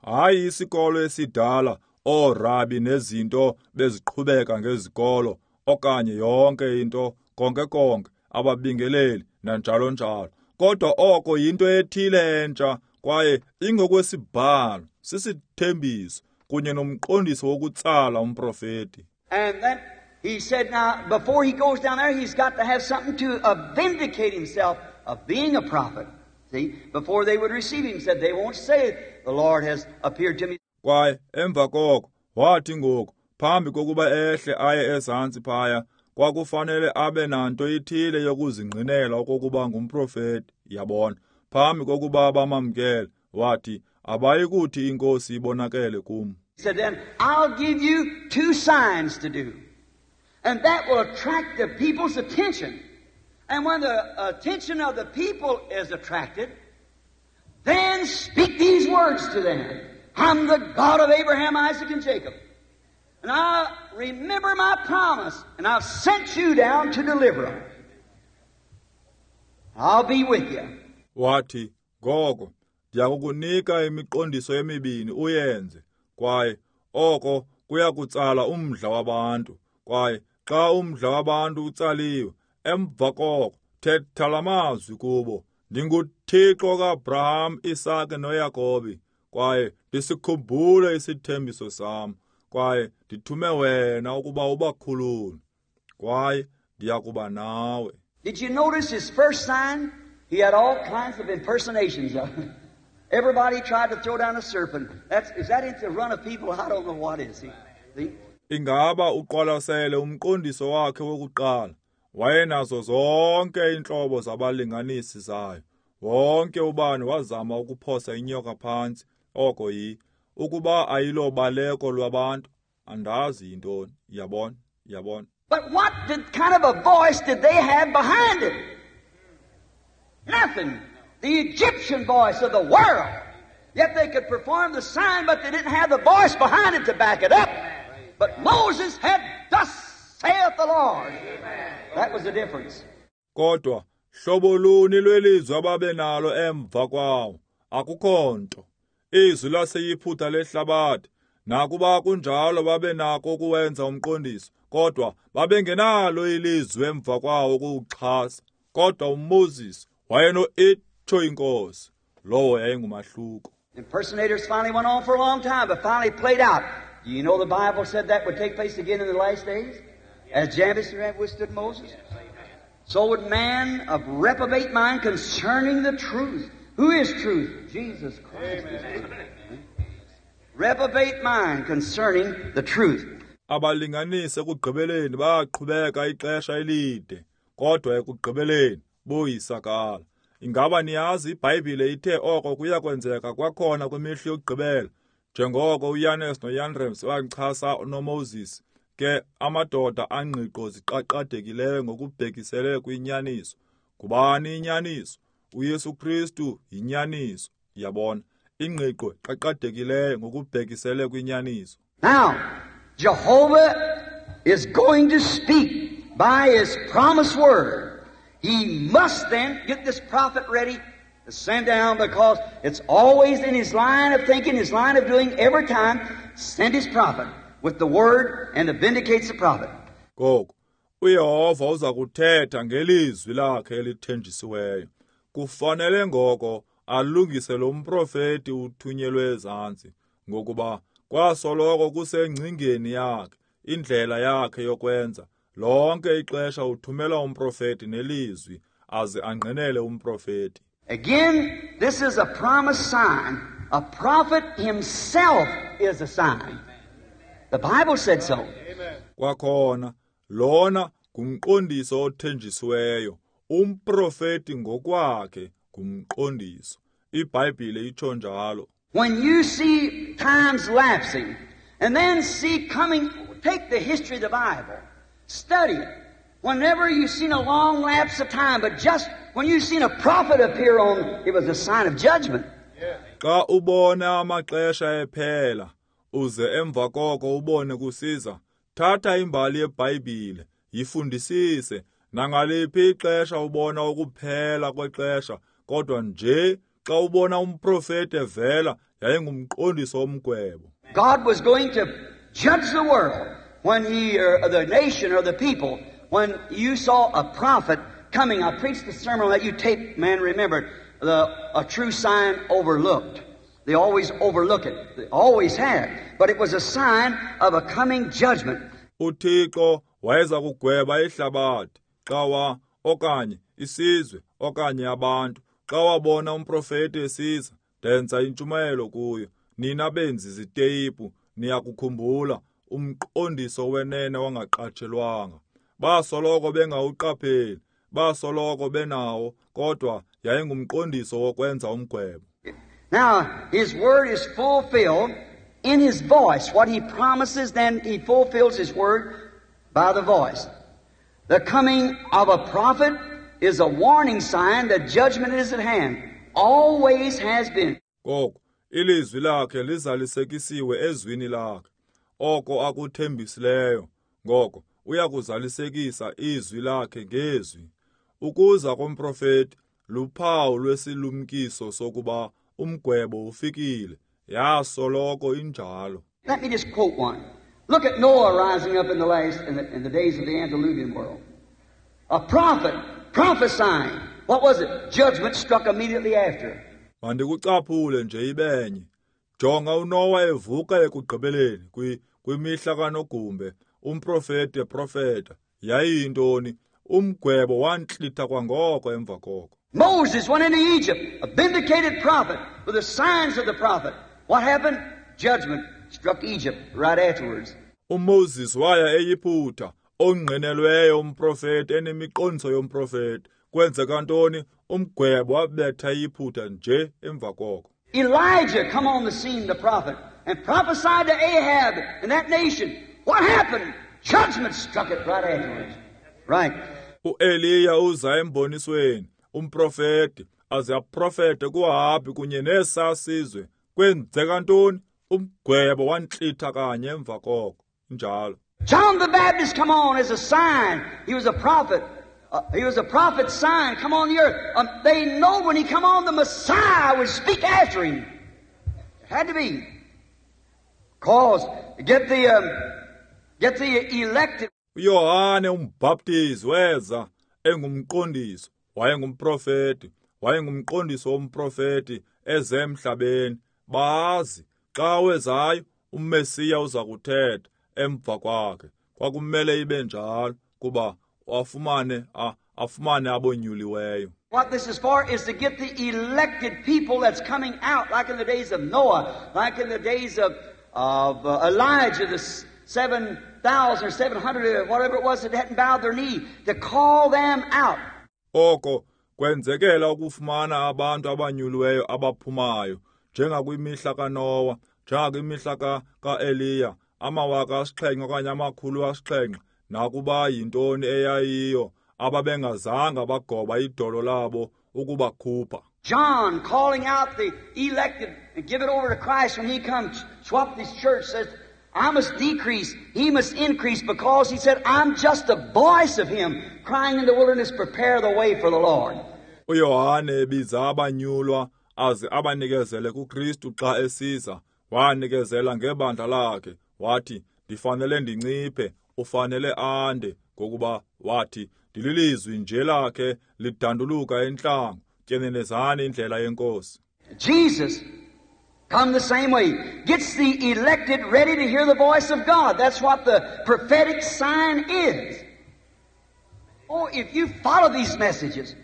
Hayi isikolo esidala, oorabi nezinto beziqhubeka ngezikolo, okanye yonke into, konke konke, ababingeleli, nanjalo njalo. Kodwa oko yinto ethile entsha, kwaye ingokwesibhalo, sisithembiso, kunye nomqondiso wokutsala umprofeti. And then he said, now, before he goes down there, he's got to have something to uh, vindicate himself of being a prophet. See, before they would receive him, said they won't say, the Lord has appeared to me. Kwaye emva koko wathi ngoku phambi kokuba ehle aye ezantsi phaya kwakufanele abe nanto ithile yokuzingqinela okokuba ngumprofeti, yabona, phambi kokuba bamamkele, wathi abayikuthi inkosi ibonakele kum. He said, then I'll give you two signs to do, and that will attract the people's attention. And when the attention of the people is attracted, then speak these words to them. I'm the God of Abraham, Isaac, and Jacob. And I remember my promise, and I've sent you down to deliver them. I'll be with you. Wathi, ngoko, ndiyakukunika imiqondiso emibini uyenze, kwaye oko kuyakutsala umdla wabantu. Kwaye xa umdla wabantu utsaliwe, emva koko thetha la mazwi kubo, ndinguThixo kaAbraham, Isake noYakobi, kwaye ndisikhumbule isithembiso sam, kwaye ndithume wena ukuba ubakhulule, kwaye ndiyakuba nawe. Did you notice his first sign? He had all kinds of impersonations of it. Everybody tried to throw down a serpent. That's, is that into the run of people? I don't know what is. See? See? Ingaba uqwalasele umqondiso wakhe wokuqala. Wayenazo zonke iintlobo zabalinganisi zayo. Wonke ubani wazama ukuphosa inyoka phantsi, oko yi ukuba ayilobaleko lwabantu, andazi yintoni, yabona, yabona. But what did, kind of a voice did they have behind it? Nothing. The Egyptian voice of the world. Yet they could perform the sign, but they didn't have the voice behind it to back it up. But Moses had, thus saith the Lord. That was the difference. Kodwa hlobo luni lwelizwi ababenalo emva kwawo? Akukho nto. Izwi laseYiphutha lehlabathi, nakuba kunjalo babenako ukuwenza umqondiso, kodwa babengenalo ilizwi emva kwawo ukuwuxhasa. Kodwa uMoses wayeno-itsho inkosi, lowo yayingumahluko. Impersonators finally went on for a long time, but finally played out. Do you know the Bible said that would take place again in the last days? As Jannes withstood Moses? So would man of reprobate mind concerning the truth. Who is truth? Jesus Christ is truth. Reprobate mind concerning the truth. Abalinganisi ekugqibeleni baqhubeka ixesha elide, kodwa ekugqibeleni boyisakala. Ingaba niyazi iBhayibhile ithe oko kuya kwenzeka kwakhona kwimihla yokugqibela, njengoko uYanes noYambres bachasa noMoses, ke amadoda angqiqo ziqaqadekileyo ngokubhekisele kwinyaniso. Ngubani inyaniso? uYesu Kristu yinyaniso, yabona, ingqiqo qaqadekileyo ngokubhekisele kwinyaniso. Now, Jehovah is going to speak by his promised word. He must then get this prophet ready to send down, because it's always in his line of thinking, his line of doing, every time, send his prophet with the word and it vindicates the prophet. Ngoko, uYehova uza kuthetha ngelizwi lakhe elithenjisiweyo. Kufanele ngoko alungise lo mprofeti uthunyelwe ezantsi, ngokuba kwasoloko kusengcingeni yakhe, indlela yakhe yokwenza. Lonke ixesha uthumela umprofeti nelizwi, aze angqinele umprofeti. Again, this is a promised sign. A prophet himself is a sign. The Bible said so. Kwakhona, lona ngumqondiso othenjisiweyo. Umprofeti ngokwakhe ngumqondiso. iBhayibhile itsho njalo. When you see times lapsing, and then see coming, take the history of the Bible, study it. Whenever you've seen a long lapse of time, but just when you've seen a prophet appear on, it was a sign of judgment. Xa ubona amaxesha ephela, uze emva koko ubone kusiza, thatha imbali yeBhayibhile, yifundisise. Nangaliphi ixesha ubona ukuphela kwexesha, kodwa nje xa ubona umprofeti evela, yayingumqondiso womgwebo. God was going to judge the world when he, or the nation or the people, when you saw a prophet coming. I preached the sermon on that. You tape, man, remember, the, a true sign overlooked. They always overlook it. They always have. But it was a sign of a coming judgment. UThixo wayeza kugweba ihlabathi xa wa okanye isizwe okanye abantu xa wabona umprofeti esiza. Ndenza intshumayelo kuyo. Nina benzi ziteyipu niyakukhumbula umqondiso wenene wangaqatshelwanga. Basoloko bengawuqapheli, basoloko benawo, kodwa yayingumqondiso wokwenza umgwebo. Now, His word is fulfilled in His voice. What He promises, then He fulfills His word by the voice. The coming of a prophet is a warning sign that judgment is at hand. Always has been. Koko, ilizwi lakhe lizalisekisiwe ezwini lakhe. Oko akuthembisileyo, ngoko uyakuzalisekisa izwi lakhe ngezwi. Ukuza komprofeti luphawu lwesilumkiso sokuba umgwebo ufikile. Yasoloko injalo. Let me just quote one. Look at Noah rising up in the last in the, in the days of the antediluvian world. A prophet prophesying. What was it? Judgment struck immediately after. Mandikucaphule nje ibenye. Jonga uNoah evuka ekugqibeleni kwi kwimihla kaNogumbe, umprofeti eprofeta. Yayiyintoni? Umgwebo wantlitha kwangoko emva koko. Moses went into Egypt, a vindicated prophet with the signs of the prophet. What happened? Judgment struck Egypt right afterwards. uMoses waya eYiputa, ongqinelweyo umprofeti enemiqondiso yomprofeti. Kwenzeka ntoni? Umgwebo wabetha iYiputa nje emva koko. Elijah come on the scene, the prophet, and prophesied to Ahab and that nation. What happened? Judgment struck it right afterwards. Right. uEliya uza embonisweni, umprofeti, aze aprofete kuAhabi kunye nesa sizwe. Kwenzeka ntoni? Umgwebo wantlitha kanye emva koko. Njalo. John the Baptist come on as a sign. He was a prophet. Uh, he was a prophet's sign come on the earth. Um, they know when he come on, the Messiah would speak after him. It had to be. Cause get the um, get the elected. uYohane umbhaptizi weza engumqondiso, wayengumprofeti, wayengumqondiso womprofeti eze emhlabeni. Bazi xa wezayo uMesiya uza kuthetha emva kwakhe. Kwakumele ibe njalo kuba afumane afumane abonyuliweyo. What this is for is to get the elected people that's coming out, like in the days of Noah, like in the days of, of uh, Elijah, the seven thousand or seven hundred, whatever it was that hadn't bowed their knee, to call them out. Oko kwenzekela ukufumana abantu abanyuliweyo abaphumayo, njengakwimihla kaNoah, njengakwimihla kaEliya, amawaka asixhenxe okanye amakhulu asixhenxe, nakuba yintoni eyayiyo ababengazanga bagoba idolo labo ukubakhupha. John calling out the elected and give it over to Christ when he comes, swap this church, says, I must decrease, he must increase, because he said, I'm just a voice of him crying in the wilderness, prepare the way for the Lord. uYohane ebiza abanyulwa aze abanikezele kuKristu xa esiza, wanikezela ngebandla lakhe, wathi, ndifanele ndinciphe, ufanele ande, ngokuba wathi, ndililizwi nje lakhe lidanduluka entlango, tyenenezani indlela yenkosi. Jesus come the same way, gets the elected ready to hear the voice of God. That's what the prophetic sign is. Oh, if you follow these messages,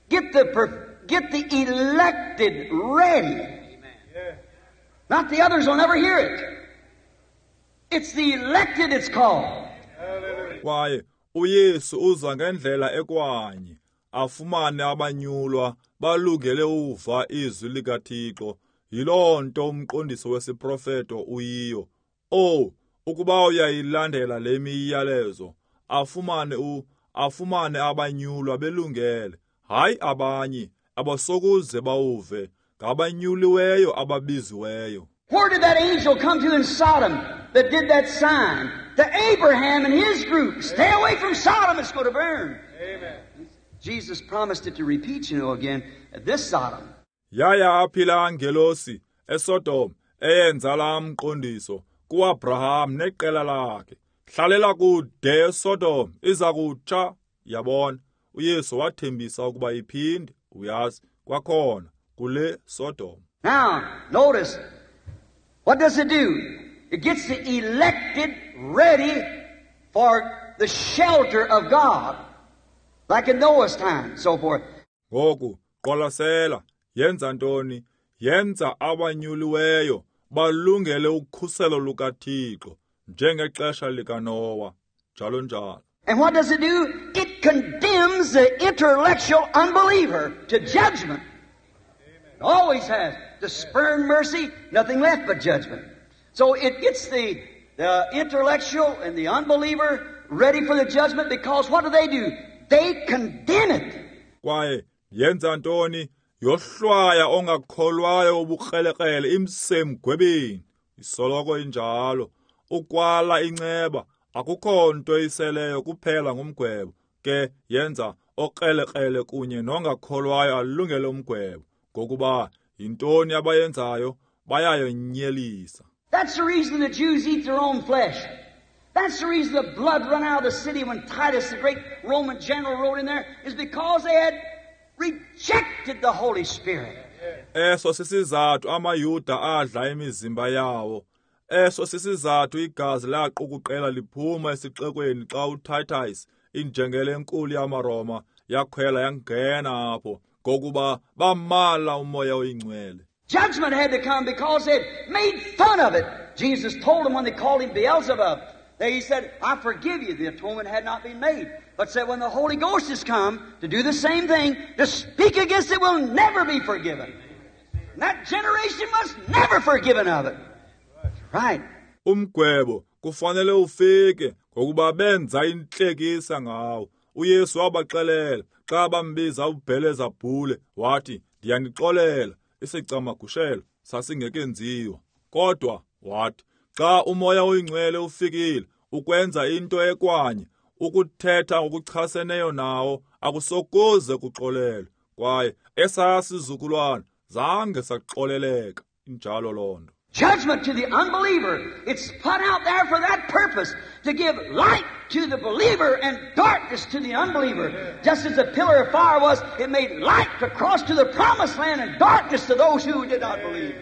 get the get the elected ready. Amen. Not the others will never hear it. It's the elected it's called. Kwaye uYesu uza ngendlela ekwanye, afumane abanyulwa balungele uva izwi likaThixo. Yiloo nto umqondiso wesiprofeto uyiyo. Oh, ukuba uyayilandela le miyalezo, afumane u afumane abanyulwa belungele, hayi abanye abasokuze bawuve, ngabanyuliweyo ababiziweyo. Where did that angel come to in Sodom that did that sign? To Abraham and his group. Stay away from Sodom, it's going to burn. Amen. Jesus promised it to repeat, you know, again, this Sodom. Yaya aphi laa ngelosi eSodom eyenza laa mqondiso kuAbraham neqela lakhe. Hlalela kude eSodom, iza kutsha. Yabona, uYesu wathembisa ukuba iphinde, uyazi, kwakhona kule Sodom. Now, notice, what does it do? It gets the elected ready for the shelter of God, like in Noah's time, so forth. Ngoku, qwalasela, yenza ntoni? Yenza abanyuliweyo balungele ukhuselo lukaThixo, njengexesha likaNowa, njalo njalo. And what does it do? It condemns the intellectual unbeliever to judgment. It always has. To spurn mercy, nothing left but judgment. So it gets the, the intellectual and the unbeliever ready for the judgment, because what do they do? They condemn it. Kwaye yenza ntoni? Yohlwaya ongakholwayo ubukrelekrele imsemgwebeni. Isoloko injalo. Ukwala inceba, akukho nto iseleyo kuphela ngumgwebo. Ke yenza okrelekrele kunye nongakholwayo alungele umgwebo. Ngokuba yintoni abayenzayo? Bayayonyelisa. That's the reason the Jews eat their own flesh. That's the reason the blood run out of the city when Titus, the great Roman general, rode in there, is because they had rejected the Holy Spirit. Eso sisizathu amaYuda adla imizimba yawo. Eso sisizathu igazi laqukuqela liphuma esixekweni xa uTitus, injengele enkulu yamaRoma, yakhwela yangena apho, ngokuba bamala uMoya oyiNgcwele. Judgment had to come because they had made fun of it. Jesus told them when they called him Beelzebub, they, he said, I forgive you. The atonement had not been made. But said when the Holy Ghost has come to do the same thing, to speak against it will never be forgiven. And that generation was never forgiven of it. Right. Umgwebo kufanele ufike ngokuba benza intlekisa ngawo. uYesu wabaxelela xa bambiza uBhelezabhule, wathi, ndiyanixolela, isicamagushelo sasingekenziwa. Kodwa wathi, xa uMoya oyiNgcwele ufikile ukwenza into ekwanye, ukuthetha ngokuchaseneyo nawo akusokuze kuxolelwe. Kwaye esaa sizukulwana zange saxoleleka. Injalo loo nto. Judgment to the unbeliever. It's put out there for that purpose, to give light to the believer and darkness to the unbeliever. Just as the pillar of fire was, it made light to cross to the promised land and darkness to those who did not believe.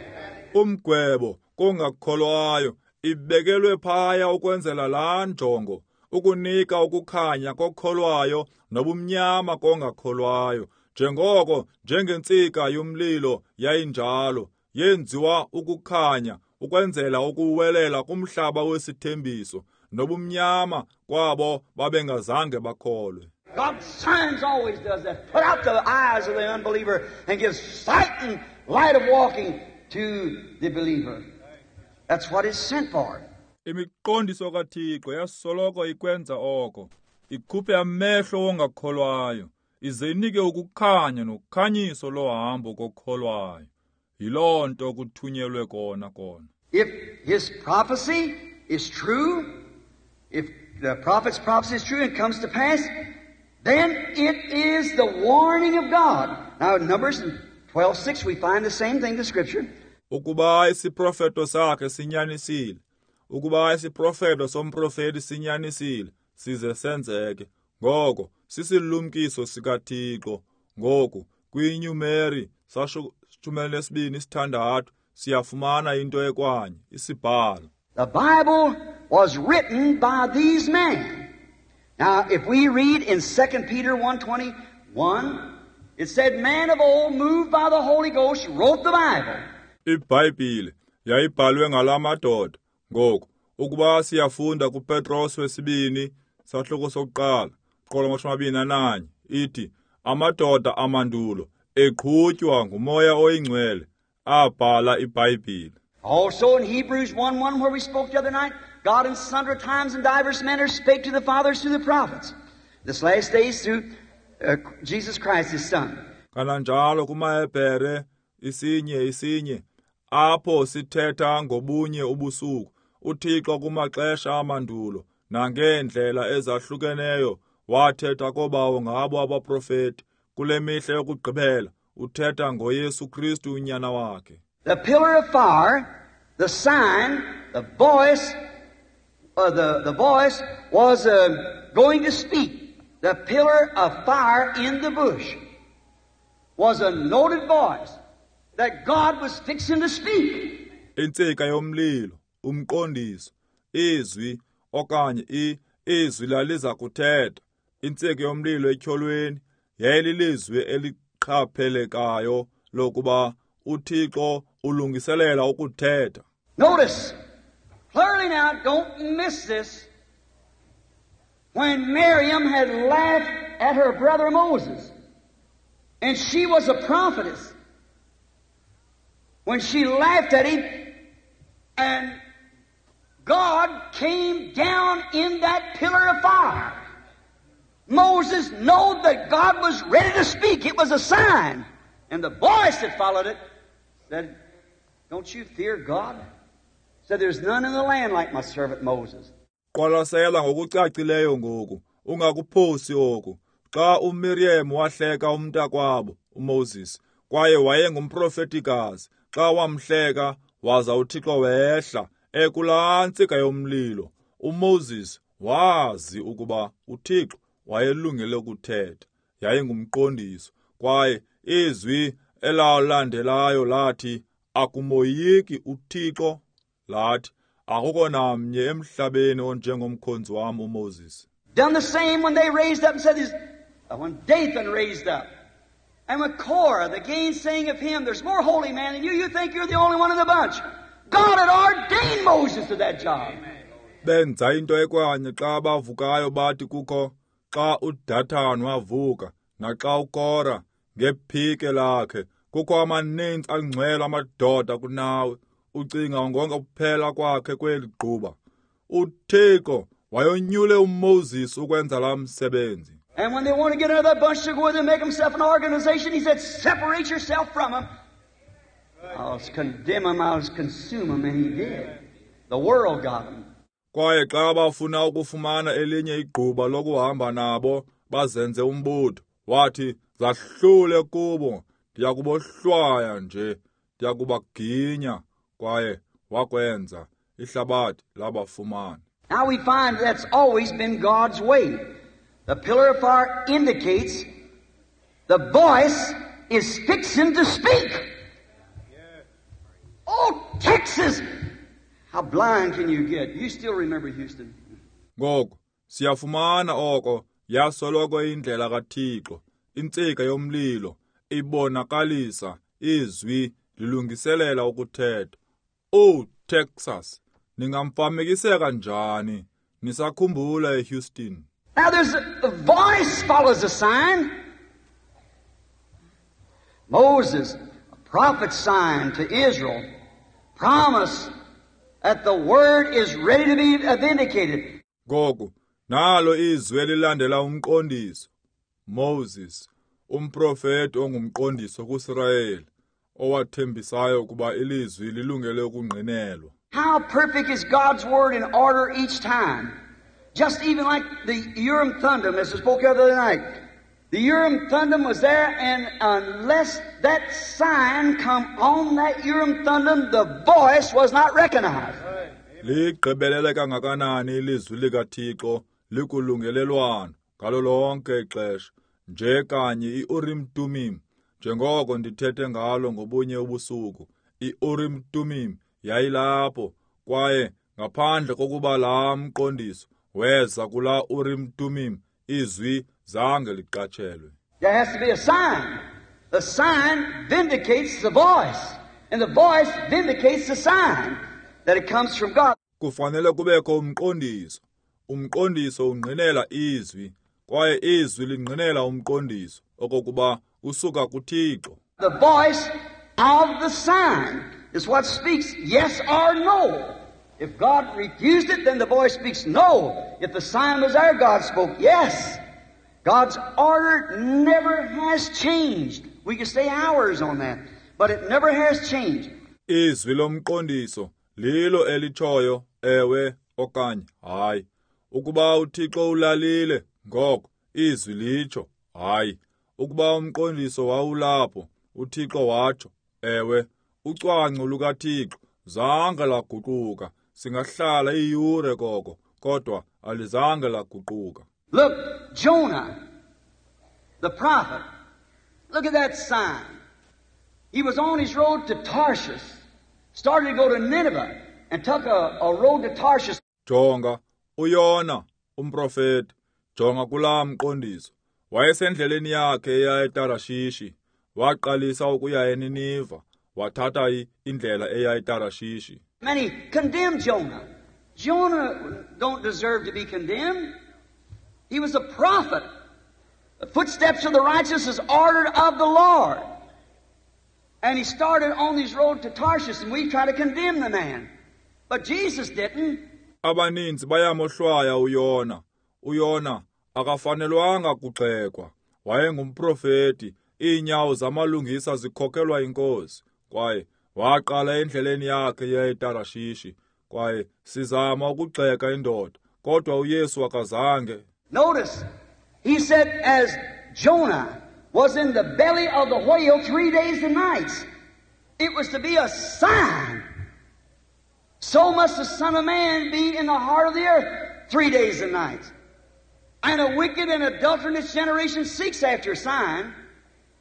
Umgwebo kongakholwayo ibekelwe phaya ukwenzela laa njongo, ukunika ukukhanya kokholwayo nobumnyama kongakholwayo. Njengoko njengentsika yomlilo yayinjalo, yenziwa ukukhanya ukwenzela ukuwelela kumhlaba wesithembiso nobumnyama kwabo babengazange bakholwe. God's signs always does that. Put out the eyes of the unbeliever and give sight and light of walking to the believer. That's what it's sent for. Imiqondiso kaThixo yasoloko ikwenza oko, ikhuphe amehlo wongakholwayo, ize inike ukukhanya nokhanyiso lohambo kokholwayo. Yiloo nto kuthunyelwe kona kona. If his prophecy is true, if the prophet's prophecy is true and comes to pass, then it is the warning of God. Now in Numbers twelve six we find the same thing in the Scripture. Ukuba isiprofeto sakhe sinyanisile, ukuba isiprofeto somprofeti sinyanisile, size senzeke. Ngoko sisilumkiso sikaThixo. Ngoku kwiNyumeri sasho shumi elinesibini isithandathu siyafumana into ekwanye isibhalo. The Bible was written by these men. Now if we read in Second Peter one twenty-one, it said man of old moved by the Holy Ghost wrote the Bible. IBhayibhile yayibhalwe ngalamadoda. Ngoku ukuba siyafunda kuPetros wesibini sahluko sokuqala qolo amashumi amabini ananye ithi amadoda amandulo eqhutywa nguMoya oyiNgcwele abhala iBhayibhile. Also in Hebrews one one, where we spoke the other night, God in sundry times and divers manners spake to the fathers through the prophets. This last days through uh, Jesus Christ, His Son. Kananjalo kumaHebhere isinye isinye apho sithetha ngobunye ubusuku, uThixo kumaxesha amandulo nangeendlela ezahlukeneyo wathetha kobawo ngabo abaprofeti. Kule mihla yokugqibela uthetha ngoYesu Kristu unyana wakhe. The pillar of fire, the sign, the voice, uh, the, the voice was uh, going to speak. The pillar of fire in the bush was a noted voice that God was fixing to speak. Intsika yomlilo, umqondiso, izwi okanye i izwi laliza kuthetha. Intsika yomlilo etyholweni yayililizwi eliqhaphelekayo lokuba uThixo ulungiselela ukuthetha. Notice clearly now, don't miss this. When Miriam had laughed at her brother Moses, and she was a prophetess, when she laughed at him, and God came down in that pillar of fire, Moses knew that God was ready to speak. It was a sign. And the voice that followed it said, "Don't you fear God?" Said, "There's none in the land like my servant Moses." Qwalasela ngokucacileyo ngoku, ungakuphosi oku. Xa uMiriam wahleka umntakwabo uMoses, kwaye wayengumprofetikazi, xa wamhleka waza uThixo wehla ekulaa ntsika yomlilo, uMoses wazi ukuba uThixo wayelungele ukuthetha. Yayingumqondiso, kwaye izwi elalandelayo lathi, "Akumoyiki uThixo?" Lathi, "Akukho namnye emhlabeni onjengomkhonzi wam uMoses." Done the same when they raised up and said, this, when Dathan raised up, and with Korah, the gainsaying of him, there's more holy man than you, you think you're the only one in the bunch. God had ordained Moses to that job. Benza into ekwanye xa bavukayo bathi kukho, xa uDathan wavuka, naxa uKora ngephike lakhe, kukho amaninzi angcwele amadoda kunawe, ucinga ngonke kuphela kwakhe kweli gquba. uThixo wayonyule uMoses ukwenza la msebenzi. And when they want to get another bunch to go with and make themselves an organization, he said, "Separate yourself from them. I'll condemn them, I'll consume them," and he did. The world got them. Kwaye xa bafuna ukufumana elinye igquba lokuhamba nabo bazenze umbutho, wathi, "Zahlule kubo, ndiyakubohlwaya nje, ndiyakubaginya." Kwaye wakwenza, ihlabathi labafumana. Now we find that's always been God's way. The pillar of fire indicates the voice is fixing to speak. Oh, Texas! How blind can you get? You still remember Houston. Ngoku siyafumana oko yasoloko indlela kaThixo. Intsika yomlilo ibonakalisa izwi lilungiselela ukuthetha. Oh, Texas, ningamfamekiseka njani? Nisakhumbula eHouston. Now there's a, the voice follows a sign. Moses, a prophet's sign to Israel, promise that the word is ready to be vindicated. Ngoku nalo izwi elilandela umqondiso. Moses, umprofeti ongumqondiso kuSirayeli, owathembisayo ukuba ilizwi lilungele ukungqinelwa. How perfect is God's word in order each time. Just even like the Urim Thummim, as I spoke the other night. The Urim Thummim was there, and unless that sign come on that Urim Thummim, the voice was not recognized. Ligqibelele kangakanani ilizwi likaThixo likulungelelwano ngalo lonke ixesha, nje kanye iUrim Thummim, njengoko ndithethe ngalo ngobunye ubusuku. IUrim Thummim yayilapho, kwaye ngaphandle kokuba laa mqondiso weza kula Urim Thummim, izwi zange liqatshelwe. There has to be a sign. The sign vindicates the voice, and the voice vindicates the sign that it comes from God. Kufanele kubekho umqondiso. Umqondiso ungqinela izwi, kwaye izwi lingqinela umqondiso okokuba usuka kuThixo. The voice of the sign is what speaks yes or no. If God refused it, then the voice speaks no. If the sign was there, God spoke yes. God's order never has changed. We can stay hours on that, but it never has changed. Izwi lomqondiso lilo elitshoyo ewe okanye hayi. Ukuba uThixo ulalile, ngoko izwi litsho hayi. Ukuba umqondiso wawulapho, uThixo watsho ewe. Ucwangco lukaThixo zange laguquka. Singahlala iyure koko, kodwa alizange laguquka. Look, Jonah, the prophet, look at that sign. He was on his road to Tarshish, started to go to Nineveh, and took a, a road to Tarshish. Jonga, uYona, umprofeti, jonga kulaa mqondiso. Wayesendleleni yakhe eya eTarashishi, waqalisa ukuya eNiniva, wathatha indlela eya eTarashishi. Many condemned Jonah. Jonah don't deserve to be condemned. He was a prophet. The footsteps of the righteous is ordered of the Lord. And he started on his road to Tarshish, and we try to condemn the man. But Jesus didn't. Abaninzi bayamohlwaya uYona. uYona akafanelwanga kugxekwa. Wayengumprofeti. Iinyawo zamalungisa zikhokelwa inkosi. Kwaye waqala endleleni yakhe eya eTarashishi. Kwaye sizama ukugxeka indoda, kodwa uYesu akazange. Notice, he said, as Jonah was in the belly of the whale three days and nights, it was to be a sign. So must the Son of Man be in the heart of the earth three days and nights. And a wicked and adulterous generation seeks after a sign,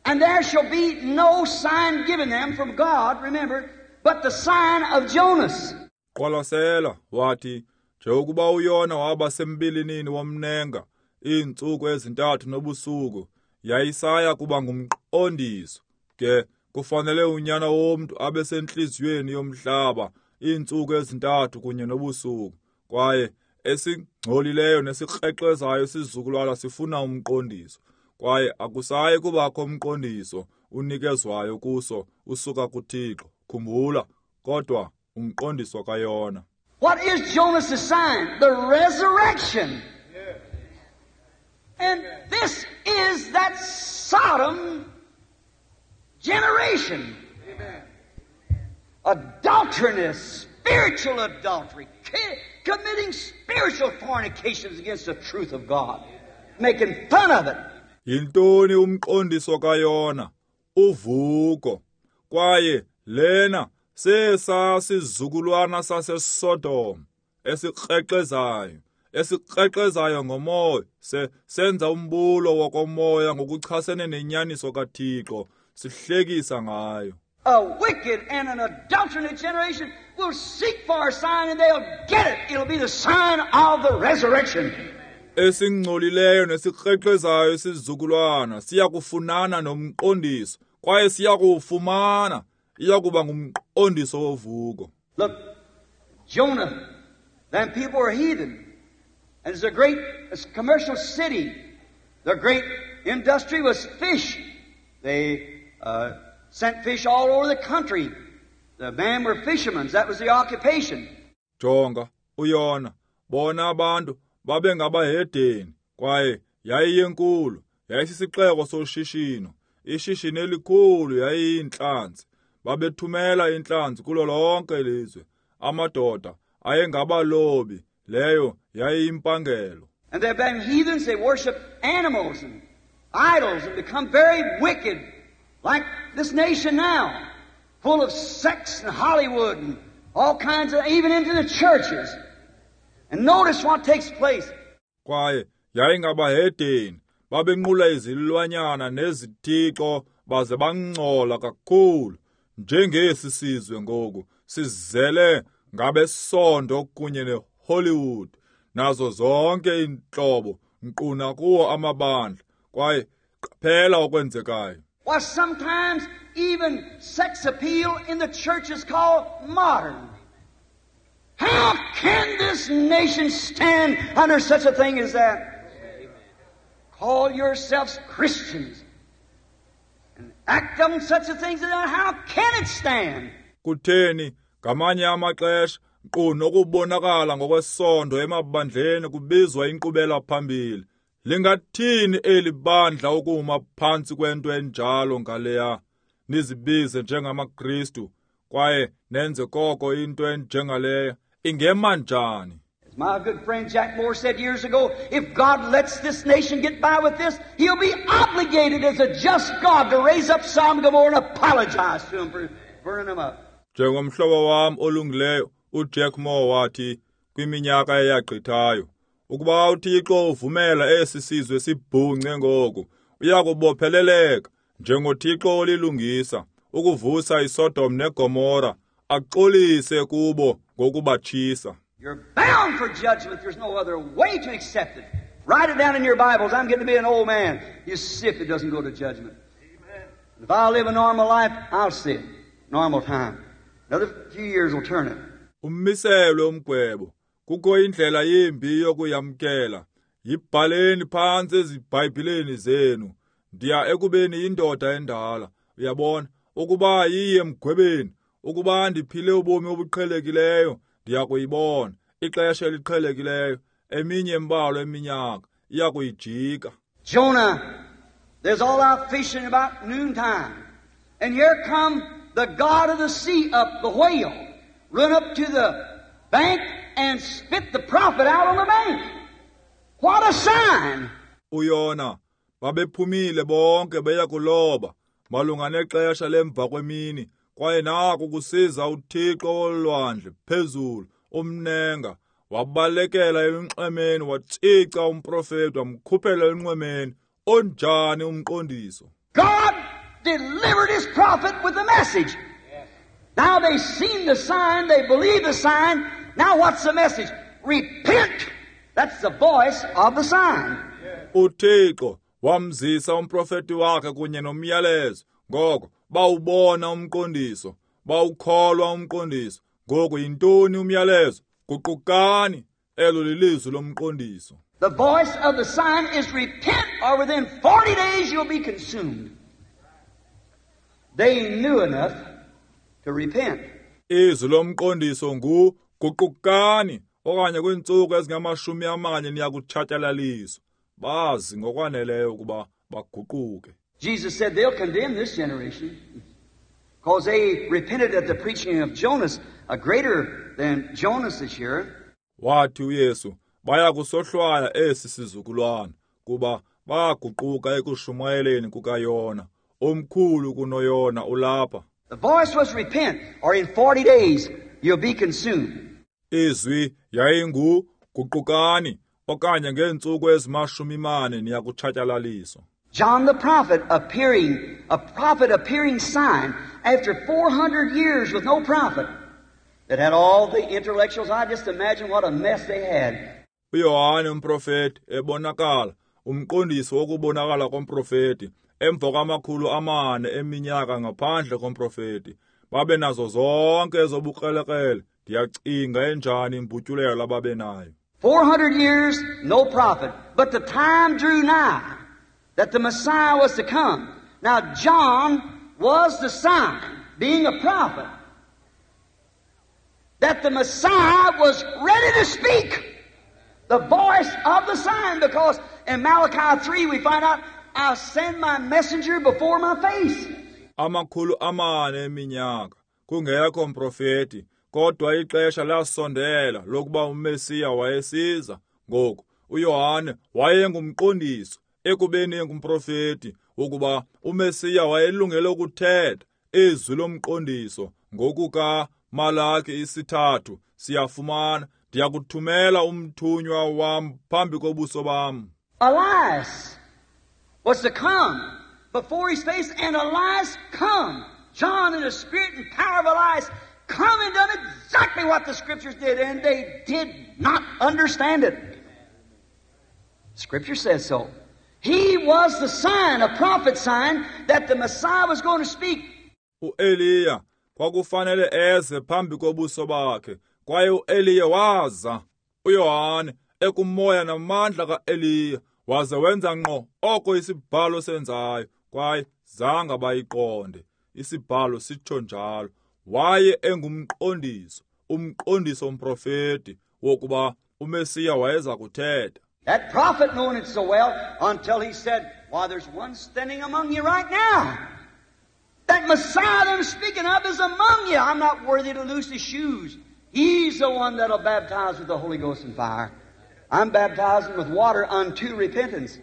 and there shall be no sign given them from God, remember, but the sign of Jonas. Qwalasela, wathi, njengokuba uYona waba sembilinini womnenga iintsuku ezintathu nobusuku, yayisaya kuba ngumqondiso. Ke kufanele unyana womntu abe sentliziyweni yomhlaba iintsuku ezintathu kunye nobusuku. Kwaye esingcolileyo nesikrexezayo isizukulwana sifuna umqondiso. Kwaye akusayi kubakho umqondiso unikezwayo kuso usuka kuThixo. Khumbula, kodwa umqondiso kaYona. What is Jonas' sign? The resurrection. And this is that Sodom generation. Amen. Adulteriness, spiritual adultery, committing spiritual fornications against the truth of God, making fun of it. Yintoni umqondiso kaYona? Uvuko. Kwaye lena sesa sizukulwana saseSodom esikrexezayo, esikrexezayo ngomoya, se senza umbulo wokomoya ngokuchasene nenyaniso kaThixo, sihlekisa ngayo. A wicked and an adulterous generation will seek for a sign, and they'll get it. It'll be the sign of the resurrection. Esingcolileyo nesikrexezayo isizukulwana siyakufunana nomqondiso, kwaye siyakuwufumana. Iyakuba ngumqondiso wovuko. Look, Jonah, then people were heathen. And it's a great it's a commercial city. Their great industry was fish. They uh, sent fish all over the country. The men were fishermen. That was the occupation. Jonga, uYona, bona abantu babengabahedeni, kwaye yayiyenkulu, yayisisixeko soshishino. Ishishini elikhulu yayiyintlanzi. Babethumela intlanzi kulo lonke ilizwe. Amadoda ayengabalobi, leyo yayiyimpangelo. And they've been heathens, they worship animals and idols and become very wicked, like this nation now, full of sex and Hollywood and all kinds of, even into the churches. And notice what takes place. Kwaye yayingabahedeni, babenqula izilwanyana nezithixo baze bangcola kakhulu. Njengesi sizwe ngoku sizele ngabesondo kunye neHollywood nazo zonke iintlobo nkqu kuwo amabandla. Kwaye qaphela okwenzekayo. Why, sometimes even sex appeal in the church is called modern. How can this nation stand under such a thing as that? Call yourselves Christians and Act on such a things as that, how can it stand? Kutheni ngamanye amaxesha nkqu nokubonakala ngokwesondo emabandleni kubizwa inkqubela phambili. Lingathini eli bandla ukuma phantsi kwento enjalo ngaleya? Nizibize njengamaKristu kwaye nenze koko into enjengaleya. Ingema njani? As my good friend Jack Moore said years ago, if God lets this nation get by with this, he'll be obligated as a just God to raise up Sodom and Gomorrah and apologize to them for burning them up. Njengomhlobo wam olungileyo uJack Moore wathi kwiminyaka eyagqithayo, ukuba uThixo uvumela esi sizwe sibhunce ngoku, uyakubopheleleka njengoThixo olilungisa ukuvusa iSodom neGomora axolise kubo ngokubatshisa. You're bound for judgment. There's no other way to accept it. Write it down in your Bibles. I'm getting to be an old man. You see if it doesn't go to judgment. Amen. If I live a normal life, I'll see it. Normal time. Another few years will turn it. Ummiselwe umgwebo. Kukho indlela yimbi yokuyamkela. Yibhaleni phantsi eziBhayibhileni zenu. Ndiya ekubeni indoda endala. Uyabona, ukuba yiye emgwebeni, ukuba ndiphile ubomi obuqhelekileyo, ndiyakuyibona. Ixesha eliqhelekileyo, eminye embalwa eminyaka, iyakuyijika. Jonah, there's all out fishing about noontime. And here come the god of the sea up, the whale, run up to the bank and spit the prophet out on the bank. What a sign! Uyona, babephumile bonke beya kuloba, malunga nexesha lemva kwemini, kwaye naku kusiza uThixo wolwandle phezulu, umnenga, wabalekela elunxwemeni, watshica umprofeti, wamkhuphela elunxwemeni. Onjani umqondiso! God delivered his prophet with a message. Now they've seen the sign, they believe the sign. Now what's the message? Repent! That's the voice of the sign. uThixo wamzisa umprofeti wakhe kunye nomyalezo. Ngoko bawubona umqondiso, bawukholwa umqondiso. Ngoku yintoni umyalezo? Guqukani, elo lilizwi lomqondiso. The voice of the sign is repent, or within forty days you'll be consumed. They knew enough to repent. Izwi lomqondiso ngu guqukani, okanye kwiintsuku ezingamashumi amane niyakutshatyalaliswa. Bazi ngokwaneleyo ukuba baguquke. Jesus said they'll condemn this generation because they repented at the preaching of Jonas, a greater than Jonas this year. Wathi uYesu baya kusohlwaya esi sizukulwana kuba baguquka ekushumayeleni kukaYona, omkhulu kunoYona ulapha. The voice was repent, or in forty days you'll be consumed. Izwi yayingu guqukani, okanye ngeentsuku ezimashumi mane niyakutshatyalaliswa. John the prophet appearing, a prophet appearing sign after four hundred years with no prophet that had all the intellectuals. I just imagine what a mess they had. uYohane umprofeti ebonakala, umqondiso wokubonakala komprofeti, emva kwamakhulu amane eminyaka ngaphandle komprofeti. Babe nazo zonke ezobukrelekrele. Ndiyacinga enjani imbutyulelo ababe nayo. four hundred years, no prophet. But the time drew nigh that the Messiah was to come. Now John was the sign, being a prophet, that the Messiah was ready to speak. The voice of the sign, because in Malachi three we find out, I'll send my messenger before my face. Amakhulu amane eminyaka, kungekho mprofeti, kodwa ixesha lasondela lokuba uMesiya wayesiza. Ngoku uYohane wayengumqondiso, ekubeni engumprofeti, ukuba uMesiya wayelungele ukuthetha izwi lomqondiso. Ngokuka Malaki isithathu siyafumana, ndiyakuthumela umthunywa wam phambi kobuso bam. Elias was to come before his face, and Elias come. John, in the spirit and power of Elias, come and done exactly what the Scriptures did, and they did not understand it. Scripture says so. He was the sign, a prophet sign, that the Messiah was going to speak. uEliya kwakufanele eze phambi kobuso bakhe, kwaye uEliya waza. uYohane ekumoya namandla kaEliya waze wenza ngqo oko isibhalo senzayo, kwaye Zange bayiqonde. Isibhalo sitsho njalo. Waye engumqondiso, umqondiso umprofeti wokuba uMesiya wayeza kuthetha. That prophet knowing it so well until he said, "Why, there's one standing among you right now. That Messiah that I'm speaking of is among you. I'm not worthy to loose his shoes. He's the one that'll baptize with the Holy Ghost and fire. I'm baptizing with water unto repentance.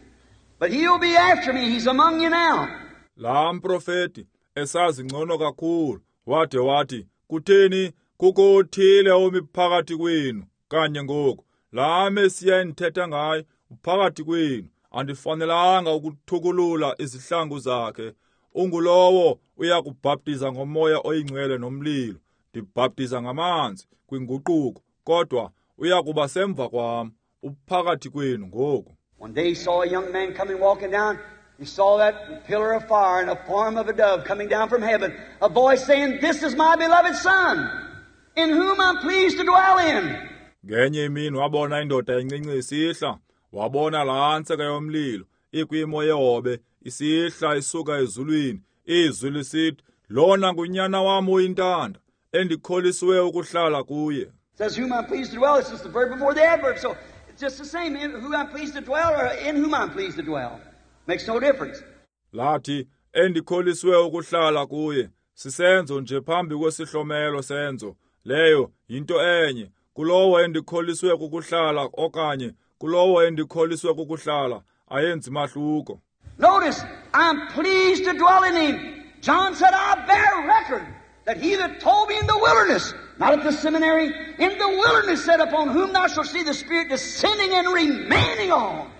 But he'll be after me. He's among you now." Laa mprofeti esazi ngcono kakhulu wade wathi, "Kutheni kukho othile omi phakathi kwenu kanye ngoku? Laa Mesiya endithetha ngaye uphakathi kwenu. Andifanelanga ukuthukulula izihlangu zakhe. Ungulowo uya kubhaptiza ngomoya oyingcwele nomlilo. Ndibhaptiza ngamanzi kwinguquko, kodwa uya kuba semva kwam. Uphakathi kwenu ngoku." One day he saw a young man coming walking down. He saw that pillar of fire in the form of a dove coming down from heaven. A voice saying, "This is my beloved Son, in whom I'm pleased to dwell in." Ngenye imini wabona indoda encinci isihla, wabona laa ntsika yomlilo ikwimo yehobe isihla isuka ezulwini, izwi lisithi, "Lona ngunyana wam oyintanda, endikholisiwe ukuhlala kuye." Says whom I'm pleased to dwell. It's just the verb before the adverb. So it's just the same, in who I'm pleased to dwell or in whom I'm pleased to dwell. Makes no difference. Lathi endikholisiwe ukuhlala kuye, sisenzo nje phambi kwesihlomelo senzo. Leyo yinto enye. Kulowo endikholiswe kukuhlala okanye kulowo endikholiswe kukuhlala ayenzi mahluko. Notice, I'm pleased to dwell in him. John said, "I bear record that he that told me in the wilderness," not at the seminary, in the wilderness said, "upon whom thou shalt see the Spirit descending and remaining on."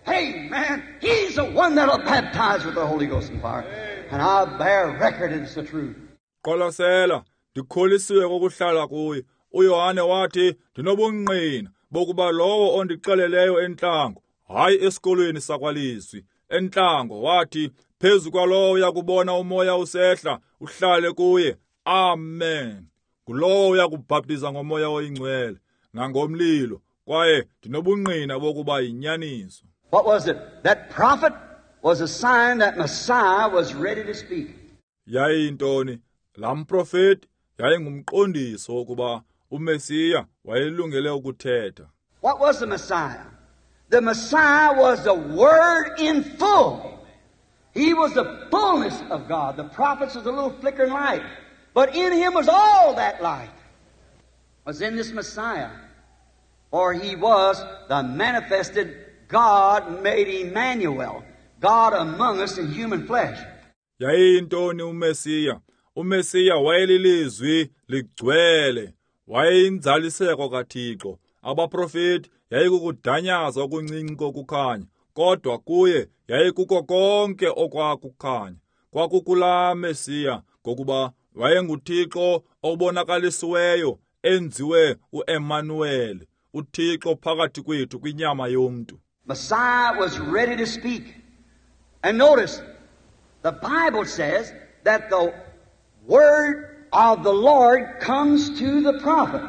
Hey, man, he's the one that'll baptize with the Holy Ghost and fire. And I bear record it's the truth. Qwalasela, ndikholisiwe kokuhlala kuye. uYohane wathi, "Ndinobungqina bokuba lowo ondixeleleyo entlango, hayi esikolweni sakwalizwi, entlango," wathi, "phezu kwalowo uyakubona umoya usehla uhlale kuye. Amen. Ngulowo uyakubhaptiza ngomoya oyingcwele nangomlilo, kwaye ndinobungqina bokuba yinyaniso." What was it? That prophet was a sign that Messiah was ready to speak. Yayintoni? Laa mprofeti yayingumqondiso wokuba uMesiya wayelungele ukuthetha. What was the Messiah? The Messiah was the Word in full. He was the fullness of God. The prophets was a little flickering light. But in him was all that light. Was in this Messiah. For he was the manifested God made Emmanuel, God among us in human flesh. Yayintoni uMesiya? uMesiya wayelilizwi ligcwele, wayeyinzaliseko kaThixo. Abaprofeti yayikukudanyaza okuncinci kokukhanya, kodwa kuye yayikuko konke okwakukhanya. Kwakukulaa Mesiya, ngokuba wayenguThixo obonakalisiweyo, enziwe uEmmanuel, uThixo phakathi kwethu kwinyama yomntu. Messiah was ready to speak. And notice, the Bible says that the word of the Lord comes to the prophet.